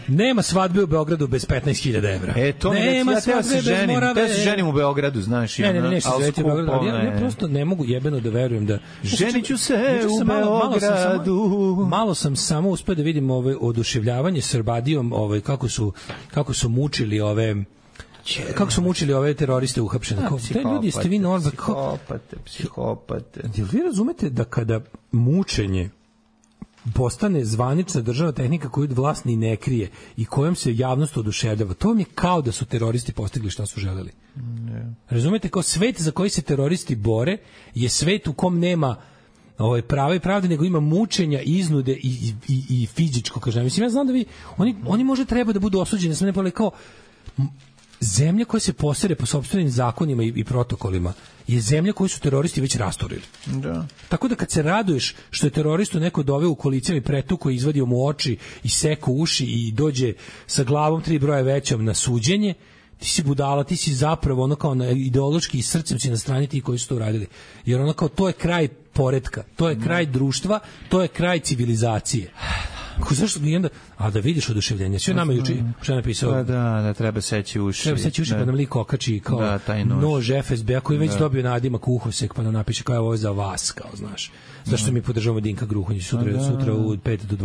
nema svadbe u Beogradu bez 15.000 evra. To nema svadbe bez Morave. Ja se ženim u Beogradu, znaš. Ne, se ženiti u Beogradu, ali ja prosto ne mogu jebeno da verujem da... Ženiću se u Beogradu. Malo sam samo uspeo da vidim oduševljavanje Srbadijom, kako su mučili ove teroriste uhapšene. Te ljudi ste vi normalni. Psihopate. Jel vi razumete da kada mučenje postane zvanična državna tehnika koju vlast ni ne krije i kojom se javnost oduševljava, to vam je kao da su teroristi postigli šta su želeli. Razumete, kao svet za koji se teroristi bore je svet u kom nema prava i pravde, nego ima mučenja, iznude i fizičko kažnjavanje. Mislim, ja znam da oni možda treba da budu osuđeni, sam ne pole kao zemlja koja se posere po sopstvenim zakonima i protokolima je zemlja koju su teroristi već rasturili. Da. Tako da kad se raduješ što je teroristu neko doveo u kolicama i pretuko i izvadio mu oči i seko uši i dođe sa glavom 3 broja većom na suđenje, ti si budala, ti si zapravo ono kao ideološki i srcem si na strani ti koji su to uradili. Jer ono kao to je kraj poretka, to je kraj društva, to je kraj civilizacije. Zašto bi onda, a da vidiš oduševljenje, sve nama juče što je napisao. Da treba seći uši. Treba seći uši pa nam lik okači kao nož FSB-a koji već dobio nadimak uhosek pa nam napiše kao ovo je za vas, kao znaš. Zašto mi podržavamo Dinka Gruhonjića sutra u 5 do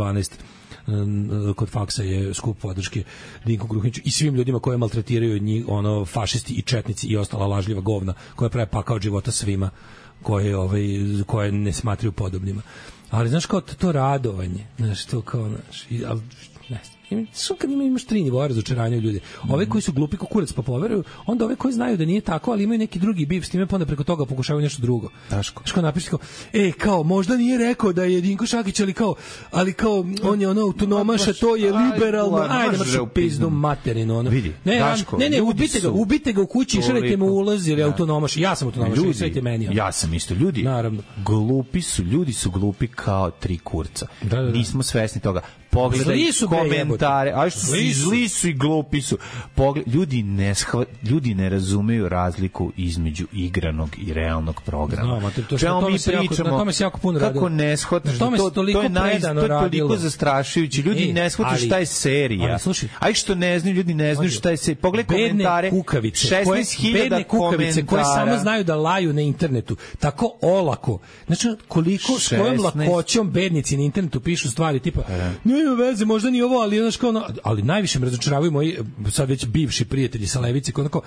12 kod faksa je skup podrške Dinku Gruhonjiću i svim ljudima koje maltretiraju njih, fašisti i četnici i ostala lažljiva govna koja prave pakao od života svima koje ne smatraju podobnima. Ali znaš kao to radovanje, znaš, to kao, znaš, ali, ne znam, kad imaš 3 nivoa razočaranja u ljudi. Ove koji su glupi kao kurac pa poveruju, onda ove koji znaju da nije tako, ali imaju neki drugi bif s time, pa onda preko toga pokušavaju nešto drugo. Daško. Znaš kao napiši kao, možda nije rekao da je Dinko Šakić, ali kao on je autonomaša, to je liberalno, ajde mršu pizdu materinu. Vidi, Daško. Ne, ubite ga u kući i šaljajte mu ulaz, jer je autonomaš. Ja sam autonomaš, šaljajte meni. Ja sam isto. Ljudi, glupi su, ljudi su glupi kao 3 kurca. Nismo svesni toga. Pogledaj komentare, a što zli su i glupi su. Ljudi ne razumeju razliku između igranog i realnog programa. Čemu mi pričamo? Kako ne shvataš? To je toliko zastrašujuće. Ljudi ne shvataju šta je serija. Aj što ne znaju, ljudi ne znaju šta je serija. Pogledaj komentare. 16.000 komentara koje samo znaju da laju na internetu. Tako olako. Znači, koliko s kojom lakoćom bednici na internetu pišu stvari tipa nema veze, možda ni ovo, ali ali najviše me razočaravaju moji sad već bivši prijatelji sa levice, kao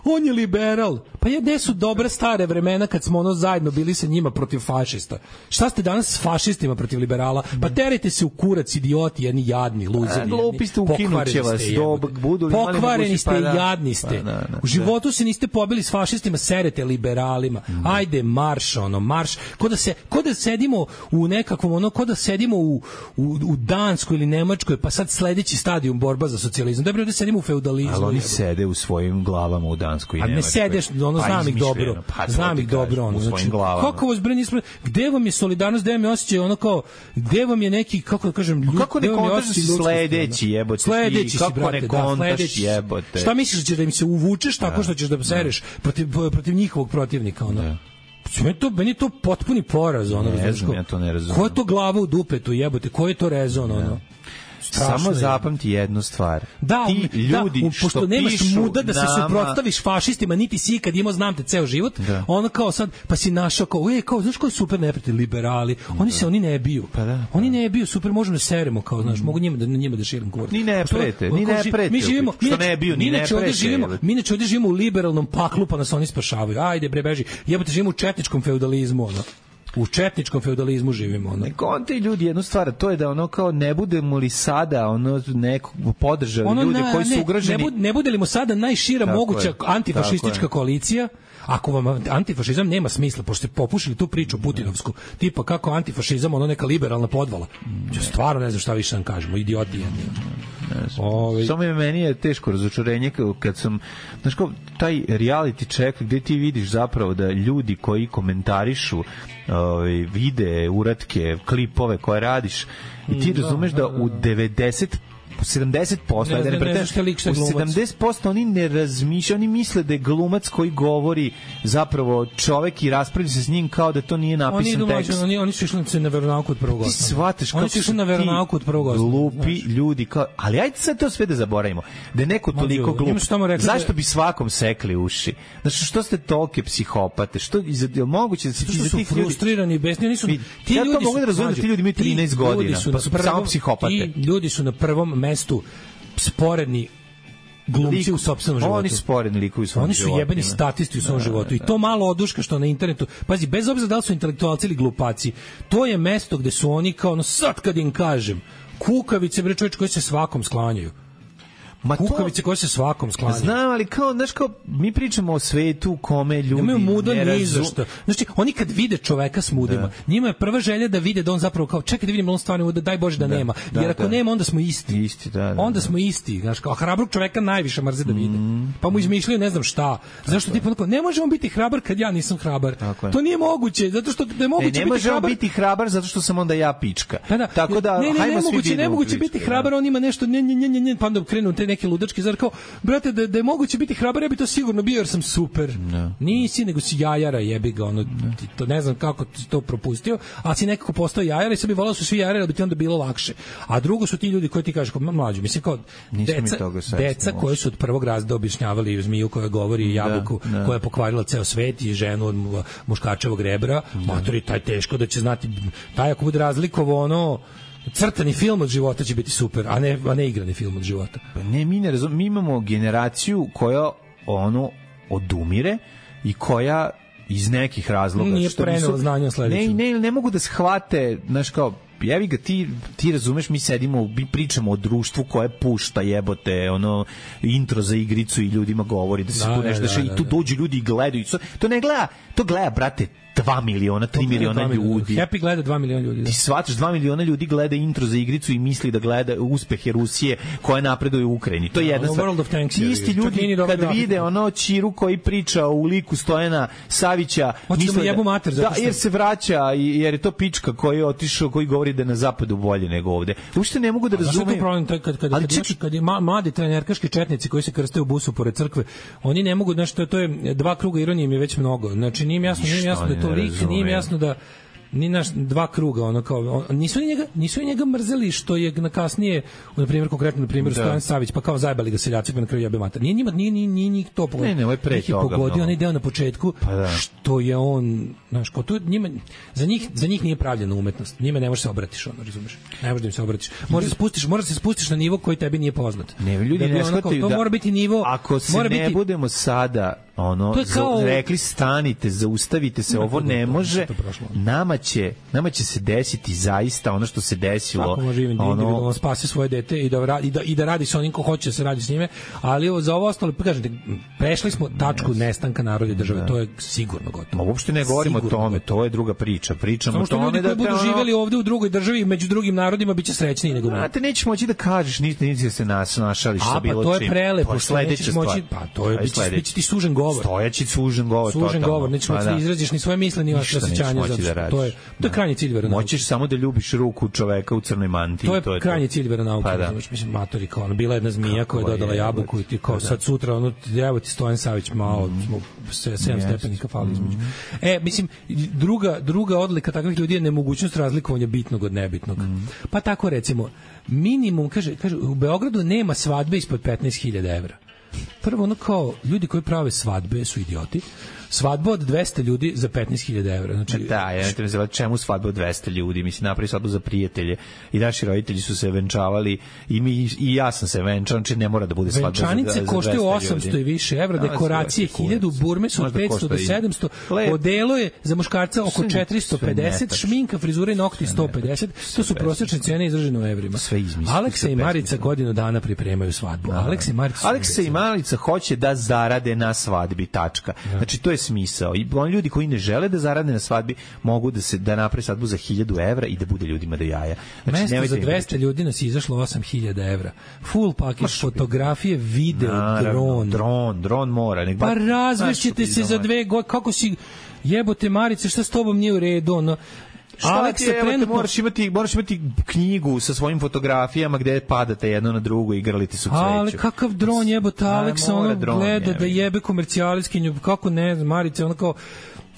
on je liberal. Pa gde su dobra stare vremena kad smo zajedno bili sa njima protiv fašista? Šta ste danas s fašistima protiv liberala? Pa terajte se u kurac, idioti, jedni jadni, luzeri. Glupi ste, ukinuće vas. Pokvareni ste i jadni ste. U životu se niste pobili s fašistima, serete liberalima. Ajde, marš. Ko da sedimo u nekakvom, ko da sedimo u Danskoj ili Nemačkoj, pa sad sledeći stadijum borba za socijalizam. Dobro, da sedimo u feudalizmu. Ali oni sede u svojim glavama u Danskoj i Nemačkoj. A ne sedeš, znam ih dobro. Znam ih dobro, ono. Znači, kako vas bre nismo, gde vam je solidarnost, gde vam je osjećaj, ono kao, gde vam je neki, kako da kažem, kako ne kontaš sledeći, jebote. Sledeći si, brate, kontaš, jebote. Šta misliš, da ćeš da im se uvučeš tako što ćeš da sereš protiv njihovog protivnika, ono? Meni je to potpuni poraz, ono, razumiješ. Ja to ne razumem. Ko je to glava u dupetu, jebote, ko je to rezon, ono? Samo zapamti jednu stvar. Da, ti ljudi što pošto nemaš pišu muda da se suprotstaviš fašistima, niti si ikad imao, znam te ceo život, ono kao sad, pa si našao kao, znaš ko je super neprijatelj, liberali, oni ne biju. Oni ne biju, super, možemo da seremo, kao, znaš, mogu njima da širim kurac. Ni ne prete. Što ne biju, ni ne prete. Mi neće ovde živimo u liberalnom paklu, pa nas oni spašavaju. Ajde, bre, beži. Jebote, živimo u četničkom feudalizmu, ono. U četničkom feudalizmu živimo, ono. Ne konte ljudi jednu stvar, to je da ono kao ne budemo li sada ono nekog podržali ljude koji su ugroženi. Ne bude li mu sada najšira moguća antifašistička koalicija, ako vam antifašizam nema smisla, pošto ste popušili tu priču putinovsku, tipa kako antifašizam ono neka liberalna podvala. Ja stvarno ne znam šta više da kažemo, idioti jedni. Samo meni je teško razočarenje kad sam, znaš kao, taj reality check gde ti vidiš zapravo da ljudi koji komentarišu videe, uratke, klipove koje radiš i ti razumeš da u 70% u 70% oni ne razmišljaju, oni misle da je glumac koji govori zapravo čovek i raspravlja se s njim kao da to nije napisan tekst. Oni su išli na veronauku od prvog osnovnog. Ti shvataš kako su na veronauku od prvog osnovnog. Glupi ljudi kao, ali ajde sad to sve da zaboravimo. Da je neko toliko glup. Zašto bi svakom sekli uši? Znači što ste tolike psihopate? Što je moguće da se ti su frustrirani, besni, oni su ti ljudi. Ja to mogu da razumem da ti ljudi imaju 13 godina, pa su samo psihopate. Ti ljudi su na prvom mestu sporedni glumci u sopstvenom životu. Oni su sporedni likovi u svom životu. Oni su jebeni statisti u svom životu. I to malo oduška što na internetu, pazi, bez obzira da li su intelektualci ili glupaci, to je mesto gde su oni kao, no sad kad im kažem, kukavice, bre, čovječ, koji se svakom sklanjaju. Kukavice koje se svakom sklanjaju. Znam, ali kao, znaš, kao, mi pričamo o svetu kome ljudi ne razumeju. Znači, oni kad vide čoveka s mudima, njima je prva želja da vide da on zapravo kao, čekaj da vidim da on stvarno muda, daj Bože da nema. Jer ako nema, onda smo isti. Onda smo isti. Znaš, kao, hrabrog čoveka najviše mrze da vide. Pa mu izmišljaju ne znam šta. Zašto ti ponako, ne možemo biti hrabar kad ja nisam hrabar. To nije moguće, zato što ne moguće biti hrabar. Ne možemo biti hrabar zato što sam onda ja pička. Tako da, hajmo svi biti. Ne moguće biti hrabar, on ima nešto, pa onda krenu neki ludački, zar kao, brate, da je moguće biti hrabar, ja bi to sigurno bio jer sam super. Nisi, nego si jajara, jebi ga, ono, to ne znam kako ti to propustio, ali si nekako postao jajara i sad bi volao su svi jajara, da bi ti onda bilo lakše. A drugo su ti ljudi koji ti kažeš, kao mlađi, mislim kao, deca koji su od prvog razreda objašnjavali zmiju koja govori jabuku, koja je pokvarila ceo svet i ženu od muškačevog rebra, matori, taj teško da će znati, taj ako bude razlikovo ono, crtani film od života će biti super, a ne igrani film od života. Pa ne, mi imamo generaciju koja ono odumire i koja iz nekih razloga nije prenela znanja sledeću. Ne mogu da shvate, znaš kao, jevi ga, ti razumeš, mi pričamo o društvu koje pušta jebote, ono, intro za igricu i ljudima govori da se tu nešto dešava i tu dođu ljudi i gledaju. To gleda, brate, 2 miliona, 3 miliona ljudi. Happy gleda 2 miliona ljudi. Ti shvataš, 2 miliona ljudi gleda intro za igricu i misli da gleda uspehe Rusije koja napreduje u Ukrajini. To je jedna stvar. Isti ljudi kad vide ono Ćiru koji priča u liku Stojana Savića, misle da jer se vraća, jer je to pička koji je otišao, koji govori da je na zapadu bolje nego ovde. Uopšte ne mogu da razumem. Kad je mladi trenerkaški četnici koji se krste u busu pored crkve, oni ne mogu, znači to je dva kruga ironije mi je već mnogo. Znači nije jasno da je to lik, nije mi jasno da ni naš dva kruga, ono kao nisu njega mrzeli što je na kasnije, na primjer konkretno na primjer Stojan Savić, pa kao zajebali ga seljaci pa na kraju jebe mater. Nije njih to pogodio. Ne, ovo je pre toga. Pogodio onaj deo na početku što je on, znaš, kao to njima za njih nije pravljena umetnost. Njima ne možeš se obratiš, ono, razumeš? Ne možeš da im se obratiš. Možeš se spustiš na nivo koji tebi nije poznat. Ne, ljudi ne shvataju to mora biti nivo. Ako se ne budemo sada ono, kao... rekli stanite, zaustavite se, ovo ne može, nama će se desiti zaista ono što se desilo. Svako može individualno spasi svoje dete i da radi sa onim ko hoće da se radi s njime, ali za ovo ostalo, kažete, prešli smo tačku nestanka naroda i države, to je sigurno gotovo. Uopšte ne govorimo o tome, to je druga priča. Pričamo o tome ljudi koji budu živjeli ovde u drugoj državi među drugim narodima biće srećniji nego mi. Znate, nećeš moći da kažeš, niti se našališ sa bilo čim. A, pa to je prelepo, što nećeš moći, pa to je, biće ti sužen govor. Stojaći sužen govor. Sužen govor, nećeš moći da izraziš ni svoje misle, ni vaše osjećanja, to je krajnji cilj veronauke. Moćeš samo da ljubiš ruku čoveka u crnoj mantiji. To je krajnji cilj veronauke. Mislim, matori, kao ono, bila jedna zmija koja je dodala jabuku i ti kao sad sutra, ono, evo ti Stojan Savić, malo, 7 stepenika fali između. Mislim, druga odlika takvih ljudi je nemogućnost razlikovanja bitnog od nebitnog. Pa tako recimo, minimum, kaže, u Beogradu nema svadbe ispod 15.000 evra. Prvo, ono kao, ljudi koji prave svadbe su idioti. Svadba od 200 ljudi za 15.000 evra. Znači, da, ja ne te nazivati čemu svadba od 200 ljudi. Mislim, napravi svadbu za prijatelje i naši roditelji su se venčavali i ja sam se venčao, znači ne mora da bude svadba za 200 ljudi. Venčanice koštaju 800 i više evra, dekoracije 1000, burme su od 500 do 700, odelo je za muškarca oko 450, šminka, frizura i nokti 150, to su prosječne cene izražene u evrima. Aleksa i Marica godinu dana pripremaju svadbu. Aleksa i Marica hoće da zarade na svadbi, tačka. Znači, to je smisao. I oni ljudi koji ne žele da zarade na svadbi mogu da naprave svadbu za 1000 evra i da bude ljudima do jaja. Znači, mesto za 200 ljudi nas je izašlo 8000 evra. Full package, fotografije, video, dron mora. Pa razvešćete se za 2 godine. Kako si jebote Marice, šta s tobom nije u redu? Ono, Aleksa trenutno... moraš imati knjigu sa svojim fotografijama gde padate jedno na drugo i igralite su cveću. Ali kakav dron jebote, Aleksa ono gleda da jebe komercijaliskinju, kako ne znam, Marice, ono kao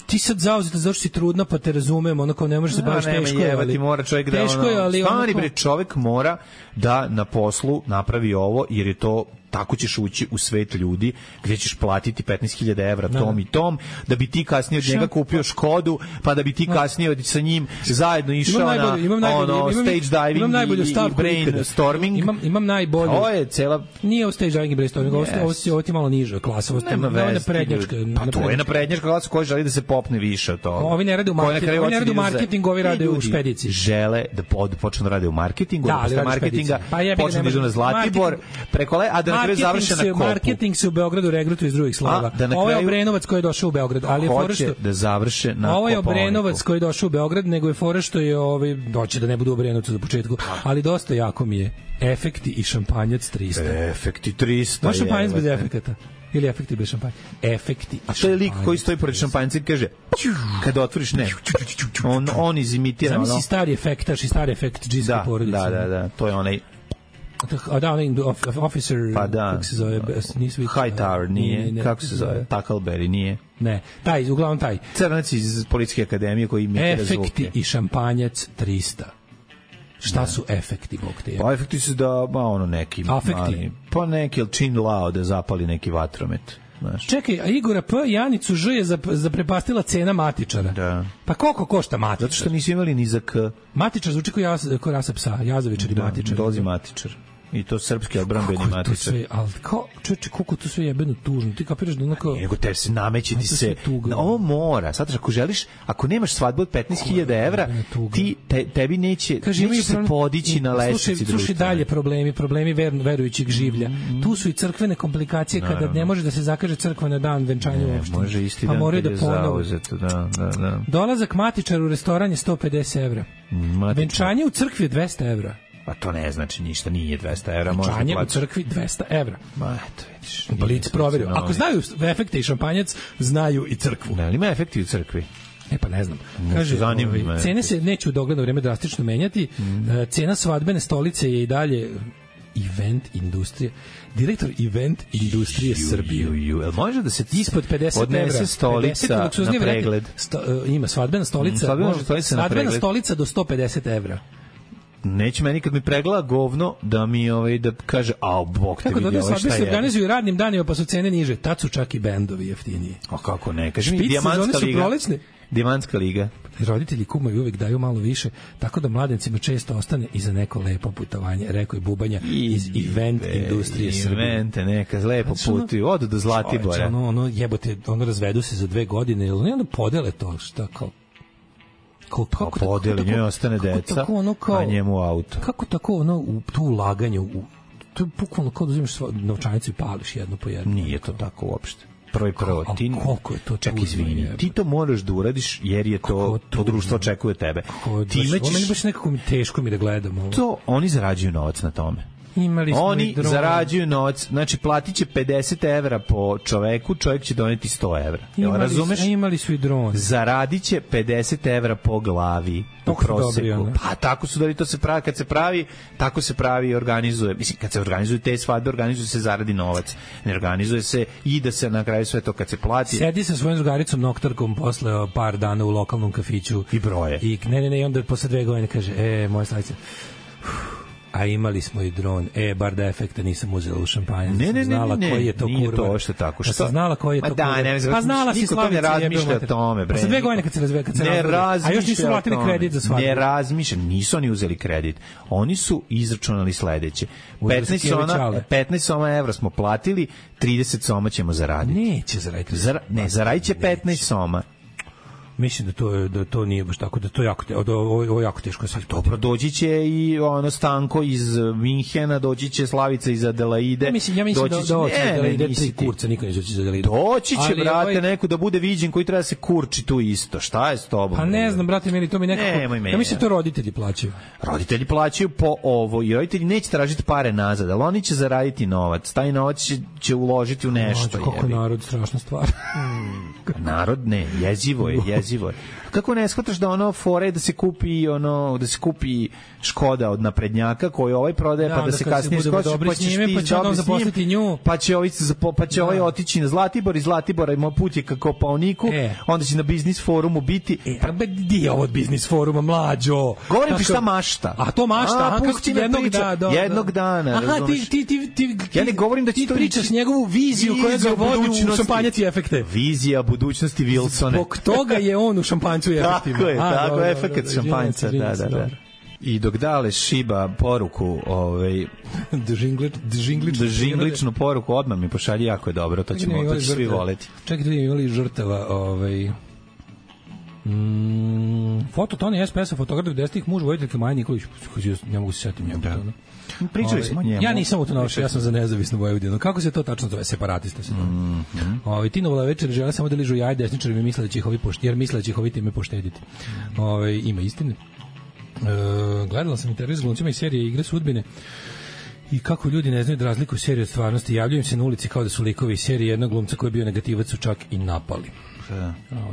ti sad zauzeta zašto si trudna pa te razumem, ono kao ne možeš se baviš teško je, ali mora čovjek da stani bre, čovjek mora da na poslu napravi ovo jer je to tako ćeš ući u svet ljudi gdje ćeš platiti 15.000 evra tom i tom, da bi ti kasnije od njega kupio Škodu, pa da bi ti kasnije sa njim zajedno išao na stage diving i brainstorming. Imam najbolje. Ovo je cela... Nije u stage diving i brainstorming, ovo ti malo niže klasa. Nema veze. Pa to je naprednjačka klasa koja želi da se popne više od toga. Ovi ne rade u marketingu, ovi rade u špediciji. Žele da počnu da rade u marketingu, da posle marketinga počnu da idu na Zlatibor, preko marketing se u Beogradu regrutuje iz drugih slova. Ovo je Obrenovac koji je došao u Beograd, ali je fora što da završe na Kopaoniku. Ovo je Obrenovac koji je došao u Beograd, nego je fora što je doće da ne bude u Obrenovcu za početku, ali dosta jako mi je efekti i šampanjac 300. Efekti 300. Može šampanjac bez efekata. Ili efekti bez šampanja. Efekti. A to je lik koji stoji pored šampanjca i kaže kada otvoriš ne. On izimitira. Zamisli stari efektaš i stari efekt džinske porodice. Da, to je onaj officer, pa da, kako se zove, Hightower nije, kako se zove, Tackleberry nije. Ne, uglavnom taj. Crnac iz Policijske akademije koji imitira zvuke. Efekti i šampanjac 300. Šta su efekti, bog te je? Pa efekti su da, neki. Afekti? Pa neki, ili čin lao da zapali neki vatromet. Znaš. Čekaj, a Igora P. Janicu Ž je zaprepastila cena matičara. Da. Pa koliko košta matičar? Zato što nisu imali ni za K. Matičar zvuči kao rasa psa, jazavičar i matičar. Dolazi matičar. I to srpski odbrambeni matičar. Ali koliko to sve jebeno tužno. Ti kapiraš da onako... Nego te se nameće ti se... Ovo mora. Sad, ako želiš, ako nemaš svadbu od 15.000 evra, tebi neće se podići na lestvici društva. Slušaj dalje problemi verujućeg življa. Tu su i crkvene komplikacije kada ne može da se zakaže crkva na dan venčanja uopšte. Može isti dan kad je zauzeto. Da. Dolazak matičaru u restoran je 150 evra. Venčanje u crkvi je 200 evra. Pa to ne znači ništa, nije 200 evra. Venčanje u crkvi 200 evra. Ma eto, vidiš. Blic proverio. Ako znaju efekte i šampanjac, znaju i crkvu. Ne, ali ima efekti u crkvi. Pa ne znam. Kaže, cene se neće u dogledno vreme drastično menjati. Cena svadbene stolice je i dalje event industrije. Direktor event industrije Srbije. Može da se ispod 50 odnese stolica na pregled? Ima svadbena stolica. Svadbena stolica do 150 evra. neće meni kad mi pregleda govno da mi da kaže bog te vidi ovo šta je. Se organizuju radnim danima pa su cene niže, tad su čak i bendovi jeftiniji. A kako ne? Kaži mi Dijamantska liga. Dijamantska liga. Roditelji kumovi uvek daju malo više, tako da mladencima često ostane i za neko lepo putovanje, rekao je Bubanja iz event industrije Srbije. Evente, neka lepo putuju, odu do Zlatibora. Ono jebote, razvedu se za 2 godine, ili onda podele to, šta kao kako podeli, njoj ostane deca, a njemu auto. Kako tako u to ulaganje, to je bukvalno kao da uzimaš novčanicu i pališ jednu po jednu. Nije to tako uopšte. Prvo, koliko je to čak izvini, ti to moraš da uradiš jer je to društvo očekuje tebe. Meni baš nekako teško mi da gledam. To oni zarađuju novac na tome. Oni zarađuju novac, znači platit će 50 evra po čoveku, čovjek će doneti 100 evra. Razumeš? Imali su i dron. Zaradit će 50 evra po glavi u proseku. Pa tako su da to se pravi, kad se pravi, tako se pravi i organizuje. Mislim, kad se organizuju te svadbe, organizuje se zaradi novac. Ne organizuje se i da se na kraju sve to kad se plati. Sedi sa svojom drugaricom noktarkom posle par dana u lokalnom kafiću. I broje. I ne, onda posle 2 godine kaže, moja slavica, a imali smo i dron. Bar da efekta nisam uzela u šampanjac. Ne, koji je to nije kurva. To što tako. Što? Znala koji je to kurva. Pa znala si Slavica. Ne razmišlja o tome, bre. Sa 2 godine kad se razvela. A još nisu platili kredit za svadbu. Ne razmišlja, nisu oni uzeli kredit. Oni su izračunali sledeće. 15 soma evra smo platili, 30 soma ćemo zaraditi. Neće zaraditi. Zaradit će 15 soma. Mislim da to nije baš tako, da to ovo jako teško se isplati. Dobro, doći će i Stanko iz Minhena, doći će Slavica iz Adelaide. Ja mislim da doći Adelaide i kurca, niko neće doći iz Adelaide. Doći će, brate, neko da bude viđen koji treba se kurči tu isto. Šta je s tobom? Pa ne znam, brate, meni to mi nekako... Ja mislim to roditelji plaćaju. Roditelji plaćaju po ovo i roditelji neće tražiti pare nazad, ali oni će zaraditi novac. Taj novac će uložiti u nešto. Kako narod, strašna stvar. Narod ne, jezivo je. Kako ne shvataš da fore da se kupi Škoda od naprednjaka koju ovaj prodaje, pa da se kasnije skoči, pa ćeš ti dobro zaposliti nju, pa će ovaj otići na Zlatibor, iz Zlatibora ima put je ka Kopaoniku, onda će na biznis forumu biti. Pa di je ovo od biznis foruma, mlađo? Govorim ti šta mašta. A to mašta, kako ti jednog dana, razumeš? Ja ne govorim da ti pričaš njegovu viziju koja ga vodi u šampanjac i efekte. Vizija budućnosti Wilsone. Zbog toga je on u šampanjcu i efektima. Tako je, efekt šampanjca, da. I dok dale šiba poruku, džingličnu poruku, odmah mi pošalji, jako je dobro, to ćemo svi voleti. Čekaj, da imali žrtava, foto Toni SPS-a, fotograf 10-ih, muž vojiteljke Maja Nikolić, ne mogu se setiti njemu. Pričali smo o njemu. Ja nisam u to naučio, ja sam za nezavisnu Vojvodinu. Kako se to tačno zove? Separatista se to. Tinovola večer žele samo da ližu jaj desničari, misle da će ih ovi jer misle da će ih ovi time poštediti. Ima istine. Gledala sam intervju s glumcima iz serije Igre sudbine i kako ljudi ne znaju da razlikuju seriju od stvarnosti. Javljaju se na ulici kao da su likovi iz serije. Jednog glumca koji je bio negativac su čak i napali.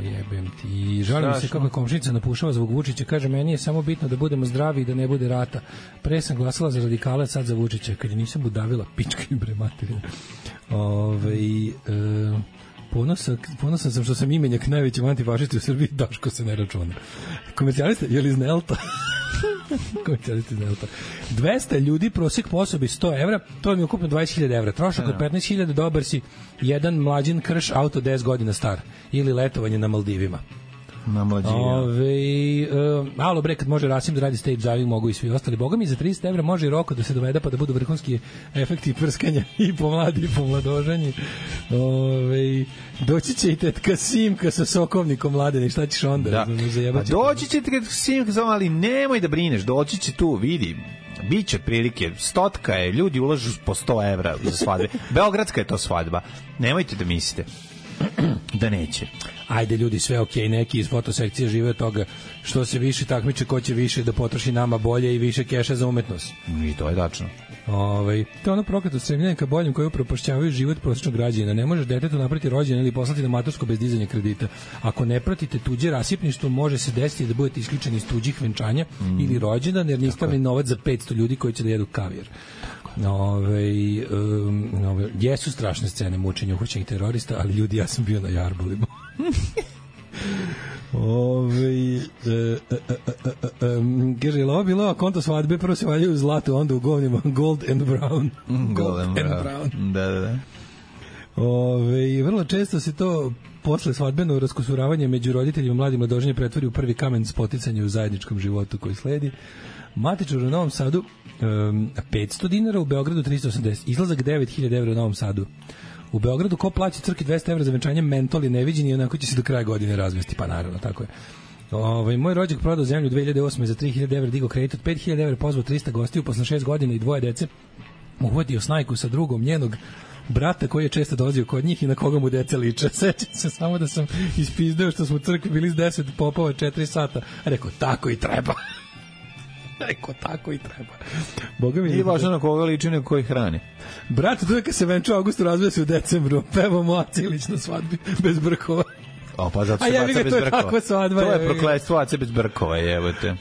Jebem ti. Žalim se kako je komšinica napušava zbog Vučića. Kaže, meni je samo bitno da budemo zdravi i da ne bude rata. Pre sam glasala za radikale, sad za Vučića. Kad je nisam budavila, pička im bre materina. Ponosan sam što sam imenjak najvećem antifašisti u Srbiji. Daško se ne računa. Komercijaliste, je li iz Nelta? 200 ljudi, prosjek po osobi 100 evra, to mi je ukupno 20.000 evra. Trošak od 15.000, dobar si jedan mlađin krš, auto 10 godina star. Ili letovanje na Maldivima. Na mlađine. Alo bre, kad može Rasim da radi stage diving, mogu i svi ostali. Boga mi za 300 evra može i Roko da se dovede pa da budu vrhunski efekti prskanja i pomladi i pomladožanje. Doći će i tetka Simka sa sokovnikom Mladene, šta ćeš onda? Da. Pa doći će tetka Simka, ali nemoj da brineš, doći će tu, vidi. Biće prilike, stotka je, ljudi ulažu po 100 evra za svadbe. Beogradska je to svadba. Nemojte da mislite da neće. Ajde ljudi, sve okej, neki iz fotosekcije žive od toga što se više takmiče, ko će više da potroši nama bolje i više keša za umetnost. I to je tačno. To je ono prokleto stremljenje ka boljem koje upropašćavaju život prosječnog građanina. Ne možeš detetu napraviti rođendan ili poslati na matursko bez dizanja kredita. Ako ne pratite tuđe rasipništvo, može se desiti da budete isključeni iz tuđih venčanja ili rođendan, jer niste imali novac za 500 ljudi koji će da jedu kavijer. Jesu strašne scene mučenja uhoćenih terorista, ali ljudi, ja sam bio na jarbulima. Kaže, je li ovo bilo konto svadbe, prvo se valjaju u zlatu, onda u govnima Gold and Brown. Gold and Brown. Da. Vrlo često se to posle svadbeno raskosuravanje među roditeljima mladim mladoženje pretvori u prvi kamen spoticanja u zajedničkom životu koji sledi. Matičar u Novom Sadu 500 dinara, u Beogradu 380, izlazak 9.000 evra u Novom Sadu. U Beogradu ko plaća crkvi 200 evra za venčanje, mentol je neviđen i onako će se do kraja godine razvesti, pa naravno, tako je. Moj rođak prodao zemlju 2008. za 3.000 evra, digo kredit od 5.000 evra, pozvao 300 gostiju, posle 6 godina i 2 dece, uhvatio snajku sa drugom njenog brata koji je često dolazio kod njih i na koga mu deca liče. Sećam se samo da sam ispizdeo što smo u crkvi bili s 10 popova 4 sata. Rekao, tako i treba. Boga mi nije važno na koga liči, nego koji hrani. Brat, tu je kad se venčao Augustu, razveo se u decembru. Pevao Moa Cilić na svadbi bez brkova. Pa zato se Aca bez brkova. To je prokletstvo Ace bez brkova, jebote.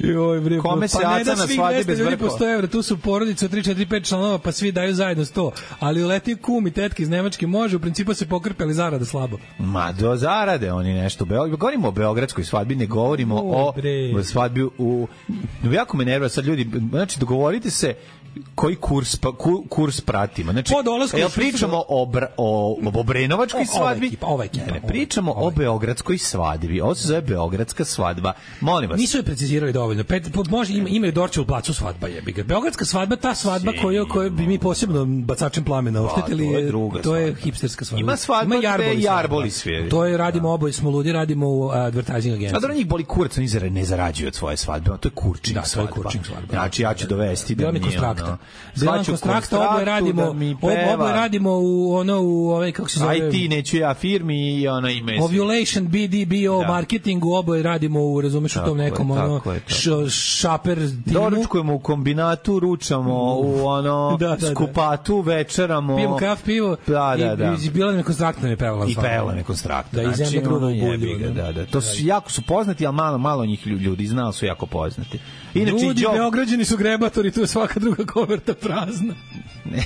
Kome se Aca na svadbi bez brkova? Po 100 evra, tu su porodice od 3, 4, 5 članova, pa svi daju zajedno 100. Ali uleti kum i tetke iz Nemačke može, u principu se pokrpe, ali zarada slabo. Ma, do zarade oni nešto. Govorimo o beogradskoj svadbi, ne govorimo o svadbi u... Jako me nervira sad ljudi, znači dogovorite se koji kurs pratimo. Znači, pričamo o obrenovačkoj svadbi, ne pričamo o beogradskoj svadbi. Ovo se zove beogradska svadba. Molim vas. Nisu je precizirali dovoljno. Može imaju Dorčevu placu svadba, jebi ga. Beogradska svadba, ta svadba koju bi mi posebno bacačem plamena oštetili, to je hipsterska svadba. Ima svadba gde jarboli sviri. To je, radimo oboje, smo ludi, radimo u advertising agenciji. A da njih boli kurac, oni ne zarađuju od svoje svadbe. To je kurčing svadba. Znači, ja ću dovesti da mi Bilan Konstrakta, oboje radimo u ovaj, kako se zove, IT, neću ja firmi i ona ime Ovulation, BDBO, marketingu, oboje radimo u, razumeš, u tom nekom šaper timu. Doručkujemo u kombinatu, ručamo u skupatu, večeramo. Pijemo kafu, pivo. I Bilan je Konstrakta me pevala. I pevala me Konstrakta. Da, i zemlja grubo u bulju. To su jako su poznati, ali malo njih ljudi znali su jako poznati. Ljudi, Beograđani su grebatori, tu je svaka druga koverta prazna. Ne.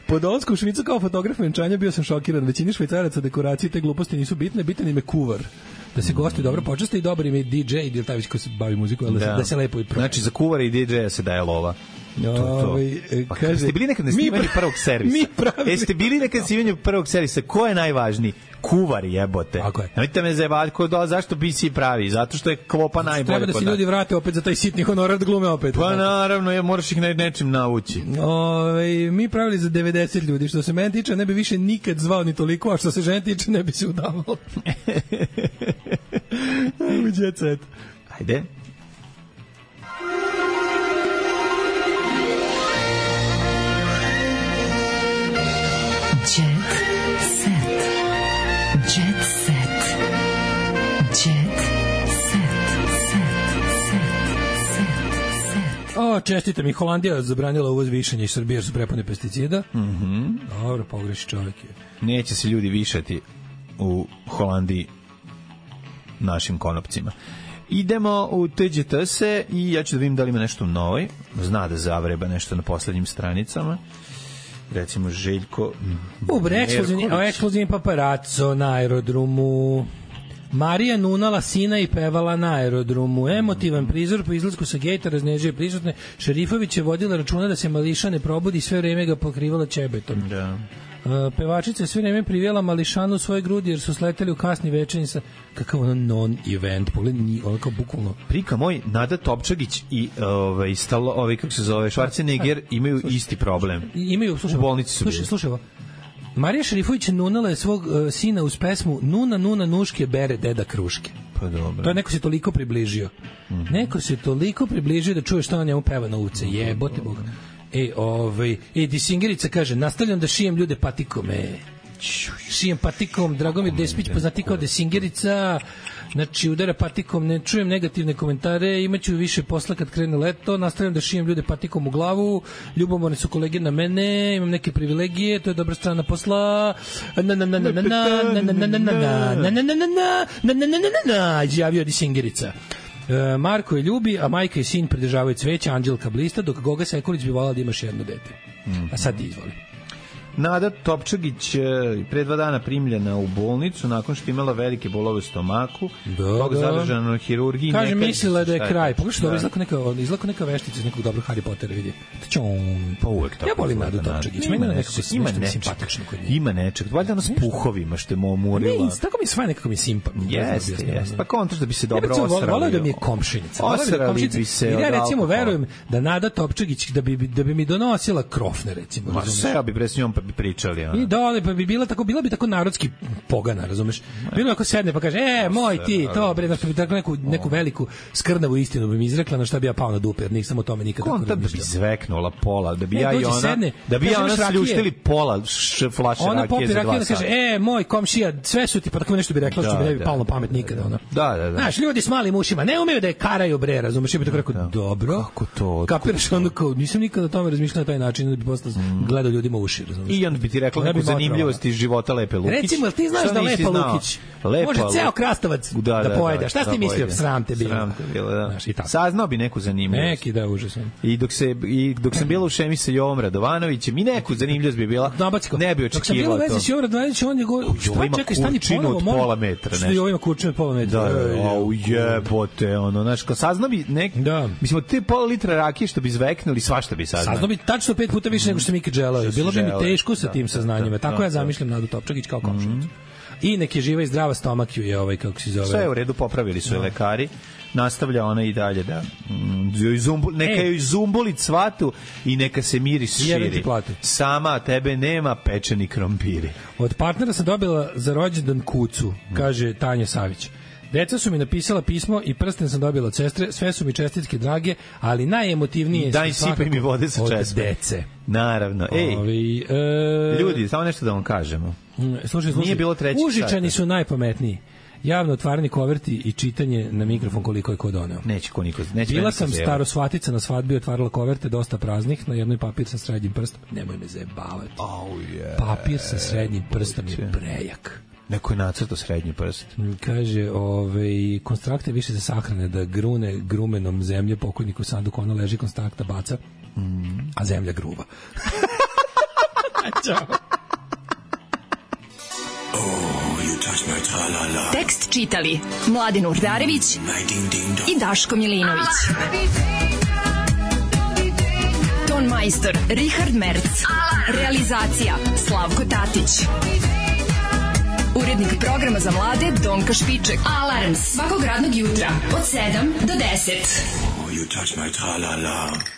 Po dolasku u Švicu kao fotograf venčanja bio sam šokiran. Većini Švajcaraca dekoracije te gluposti nisu bitne, bitan im je kuvar. Da se gosti dobro počaste i dobar im je DJ ili taj već ko se bavi muziku, ali da se lepo i pravi. Znači za kuvara i DJ-a se daje lova. Kaže, ste bili nekad na snimanju prvog servisa? Jeste bili nekad na snimanju prvog servisa? Ko je najvažniji? Kuvar, jebote. Nemojte me zajebati, zašto BC pravi? Zato što je klopa najbolje. Treba da se ljudi vrate opet za taj sitni honorar da glume opet. Pa naravno, moraš ih nečim navući. Mi pravili za 90 ljudi. Što se mene tiče, ne bi više nikad zvao ni toliko, a što se žene tiče, ne bi se udavalo. Ajmo, jet set. Ajde. Čestite mi, Holandija zabranila uvoz višanja iz Srbije jer su prepune pesticida. Dobro, pogreši čovjek je. Neće se ljudi višati u Holandiji našim konopcima. Idemo u TGTS i ja ću da vidim da li ima nešto novoj. Zna da zavreba nešto na poslednjim stranicama. Recimo Željko ekskluzivni paparazzo na aerodromu. Marija nunala sina i pevala na aerodromu. Emotivan prizor po izlasku sa gejta raznežuje prisutne. Šerifović je vodila računa da se Mališa ne probudi, sve vreme ga pokrivala ćebetom. Da. Pevačica sve vreme privijela Mališanu u svoje grudi jer su sleteli u kasni večernji sa kakav ono non-event. Pogledaj, ono kao bukvalno. Prika moj, Nada Topčagić i kako se zove, Schwarzenegger imaju isti problem. Imaju, u bolnici su bili. Slušaj, Marija Šerifović nunala je svog sina uz pesmu Nuna, nuna, nuške, bere deda kruške. Pa dobro. To je neko se toliko približio. Neko se toliko približio da čuje što on njemu peva na ulici. Jebote Bog. Disingerica kaže, nastavljam da šijem ljude patikom. Šijem patikom, Dragomir Despić, poznati kao Disingerica. Znači, udara patikom, ne čujem negativne komentare, imaću više posla kad krene leto, nastavljam da šijem ljude patikom u glavu, ljubomorne su kolege na mene, imam neke privilegije, to je dobra strana posla. Izjavio Disingerica. Marko je ljubi, a majka i sin pridržavaju cveća, Anđelka blista, dok Goga Sekulić bi volala da imaš jedno dete. A sad ti izvoli. Nada Topčagić pre 2 dana primljena u bolnicu nakon što imala velike bolove u stomaku. Toga zadržana na hirurgiji. Kaže, mislila da je kraj. Pogledaj što izlako neka veštica iz nekog dobrog Harry Pottera, vidi. Pa uvek tako. Ja volim Nadu Topčagić. Meni je nekako simpatično kod nje. Ima nečeg. Valjda ono s puhovima što je umorila. Ne, tako mi svaj nekako mi simpatično. Jeste. Pa kontraš da bi se dobro osrali. Voleo da mi je komšinica. Osrali bi se. Ja recimo verujem da Nada Topčagić da bi mi donosila krofne, recimo. Ma sve bi pre s njom pa bi pričali. I dole pa bi bila bi tako narodski pogana, razumeš? Bilo ako sedne pa kaže, moj ti, to bre, znači bi tako neku veliku skrnavu istinu bi mi izrekla, na šta bi ja pao na dupe, jer nisam o tome nikad tako razmišljao. Da bi zveknula pola, da bi ja i ona, da bi ja ona sljuštili pola flaše ona rakije za 2 sata. Ona kaže, moj komšija, sve su ti, pa tako nešto bi rekla, što bi ne bi palo na pamet nikada. Ona. Da. Znaš, ljudi s malim ušima ne umeju da je karaju bre, razumeš? Ja bih tako rekao, dobro. Kako to? Kapiraš onda kao, nisam nikada o tome razmišljao na taj način, da bi posle gledao ljudima uši, razumeš? I on bi ti rekla neku zanimljivost iz života Lepe Lukić. Recimo, ti znaš da Lepa Lukić može ceo krastavac da pojede. Šta si ti mislio? Sram te bilo. Saznao bi neku zanimljivost. Neki da, užasno. I dok sam bila u šemi sa Jovom Radovanovićem, i neku zanimljivost bi bila. Ne bi očekivao to. Dok sam bila u vezi s Jovom Radovanovićem, on je čekaj, stani ponovo. Od pola metra. Što Jovo ima kurčinu od pola metra. Jebote, ono, znaš, kao saznao bi mislim, od te pola litra rakije što bi zveknuli, svašta bi saznao. Saznao bi tačno 5 puta više nego što sam ikad želeo. Bilo bi mi teško sa tim saznanjima. Tako ja zamišljam Nadu Topčagić kao komšinicu. I nek je živa i zdrava, stomak ju je kako se zove. Sve je u redu, popravili su je lekari. Nastavlja ona i dalje da neka joj zumboli cvatu i neka se miris širi. Sama tebe nema, pečeni krompiri. Od partnera sam dobila za rođendan kucu, kaže Tanja Savić. Deca su mi napisala pismo i prsten sam dobila od sestre, sve su mi čestitke drage, ali najemotivnije daj sipaj mi vode sa česme. Od dece. Naravno. Ljudi, samo nešto da vam kažemo. Slušaj, nije bilo trećeg sata. Užičani su najpametniji. Javno otvarani koverti i čitanje na mikrofon koliko je ko doneo. Neće ko niko. Bila sam starosvatica na svadbi, otvarala koverte, dosta praznih, na jednoj papir sa srednjim prstom. Nemoj me zajebavati. Papir sa srednjim prstom je prejak. Neko je nacrtao srednji prst. Kaže, konstrakte više za sahrane, da grune grumenom zemlje pokojniku u sanduku, ona leži, konstrakta baca, a zemlja gruva. Ćao. Tekst čitali Mladin Urdarević i Daško Milinović. Ton majstor Richard Merc. Realizacija Slavko Tatić. Urednik programa za mlade Donka Špiček. Alarms svakog radnog jutra od 7 do 10. You touch my tra-la-la.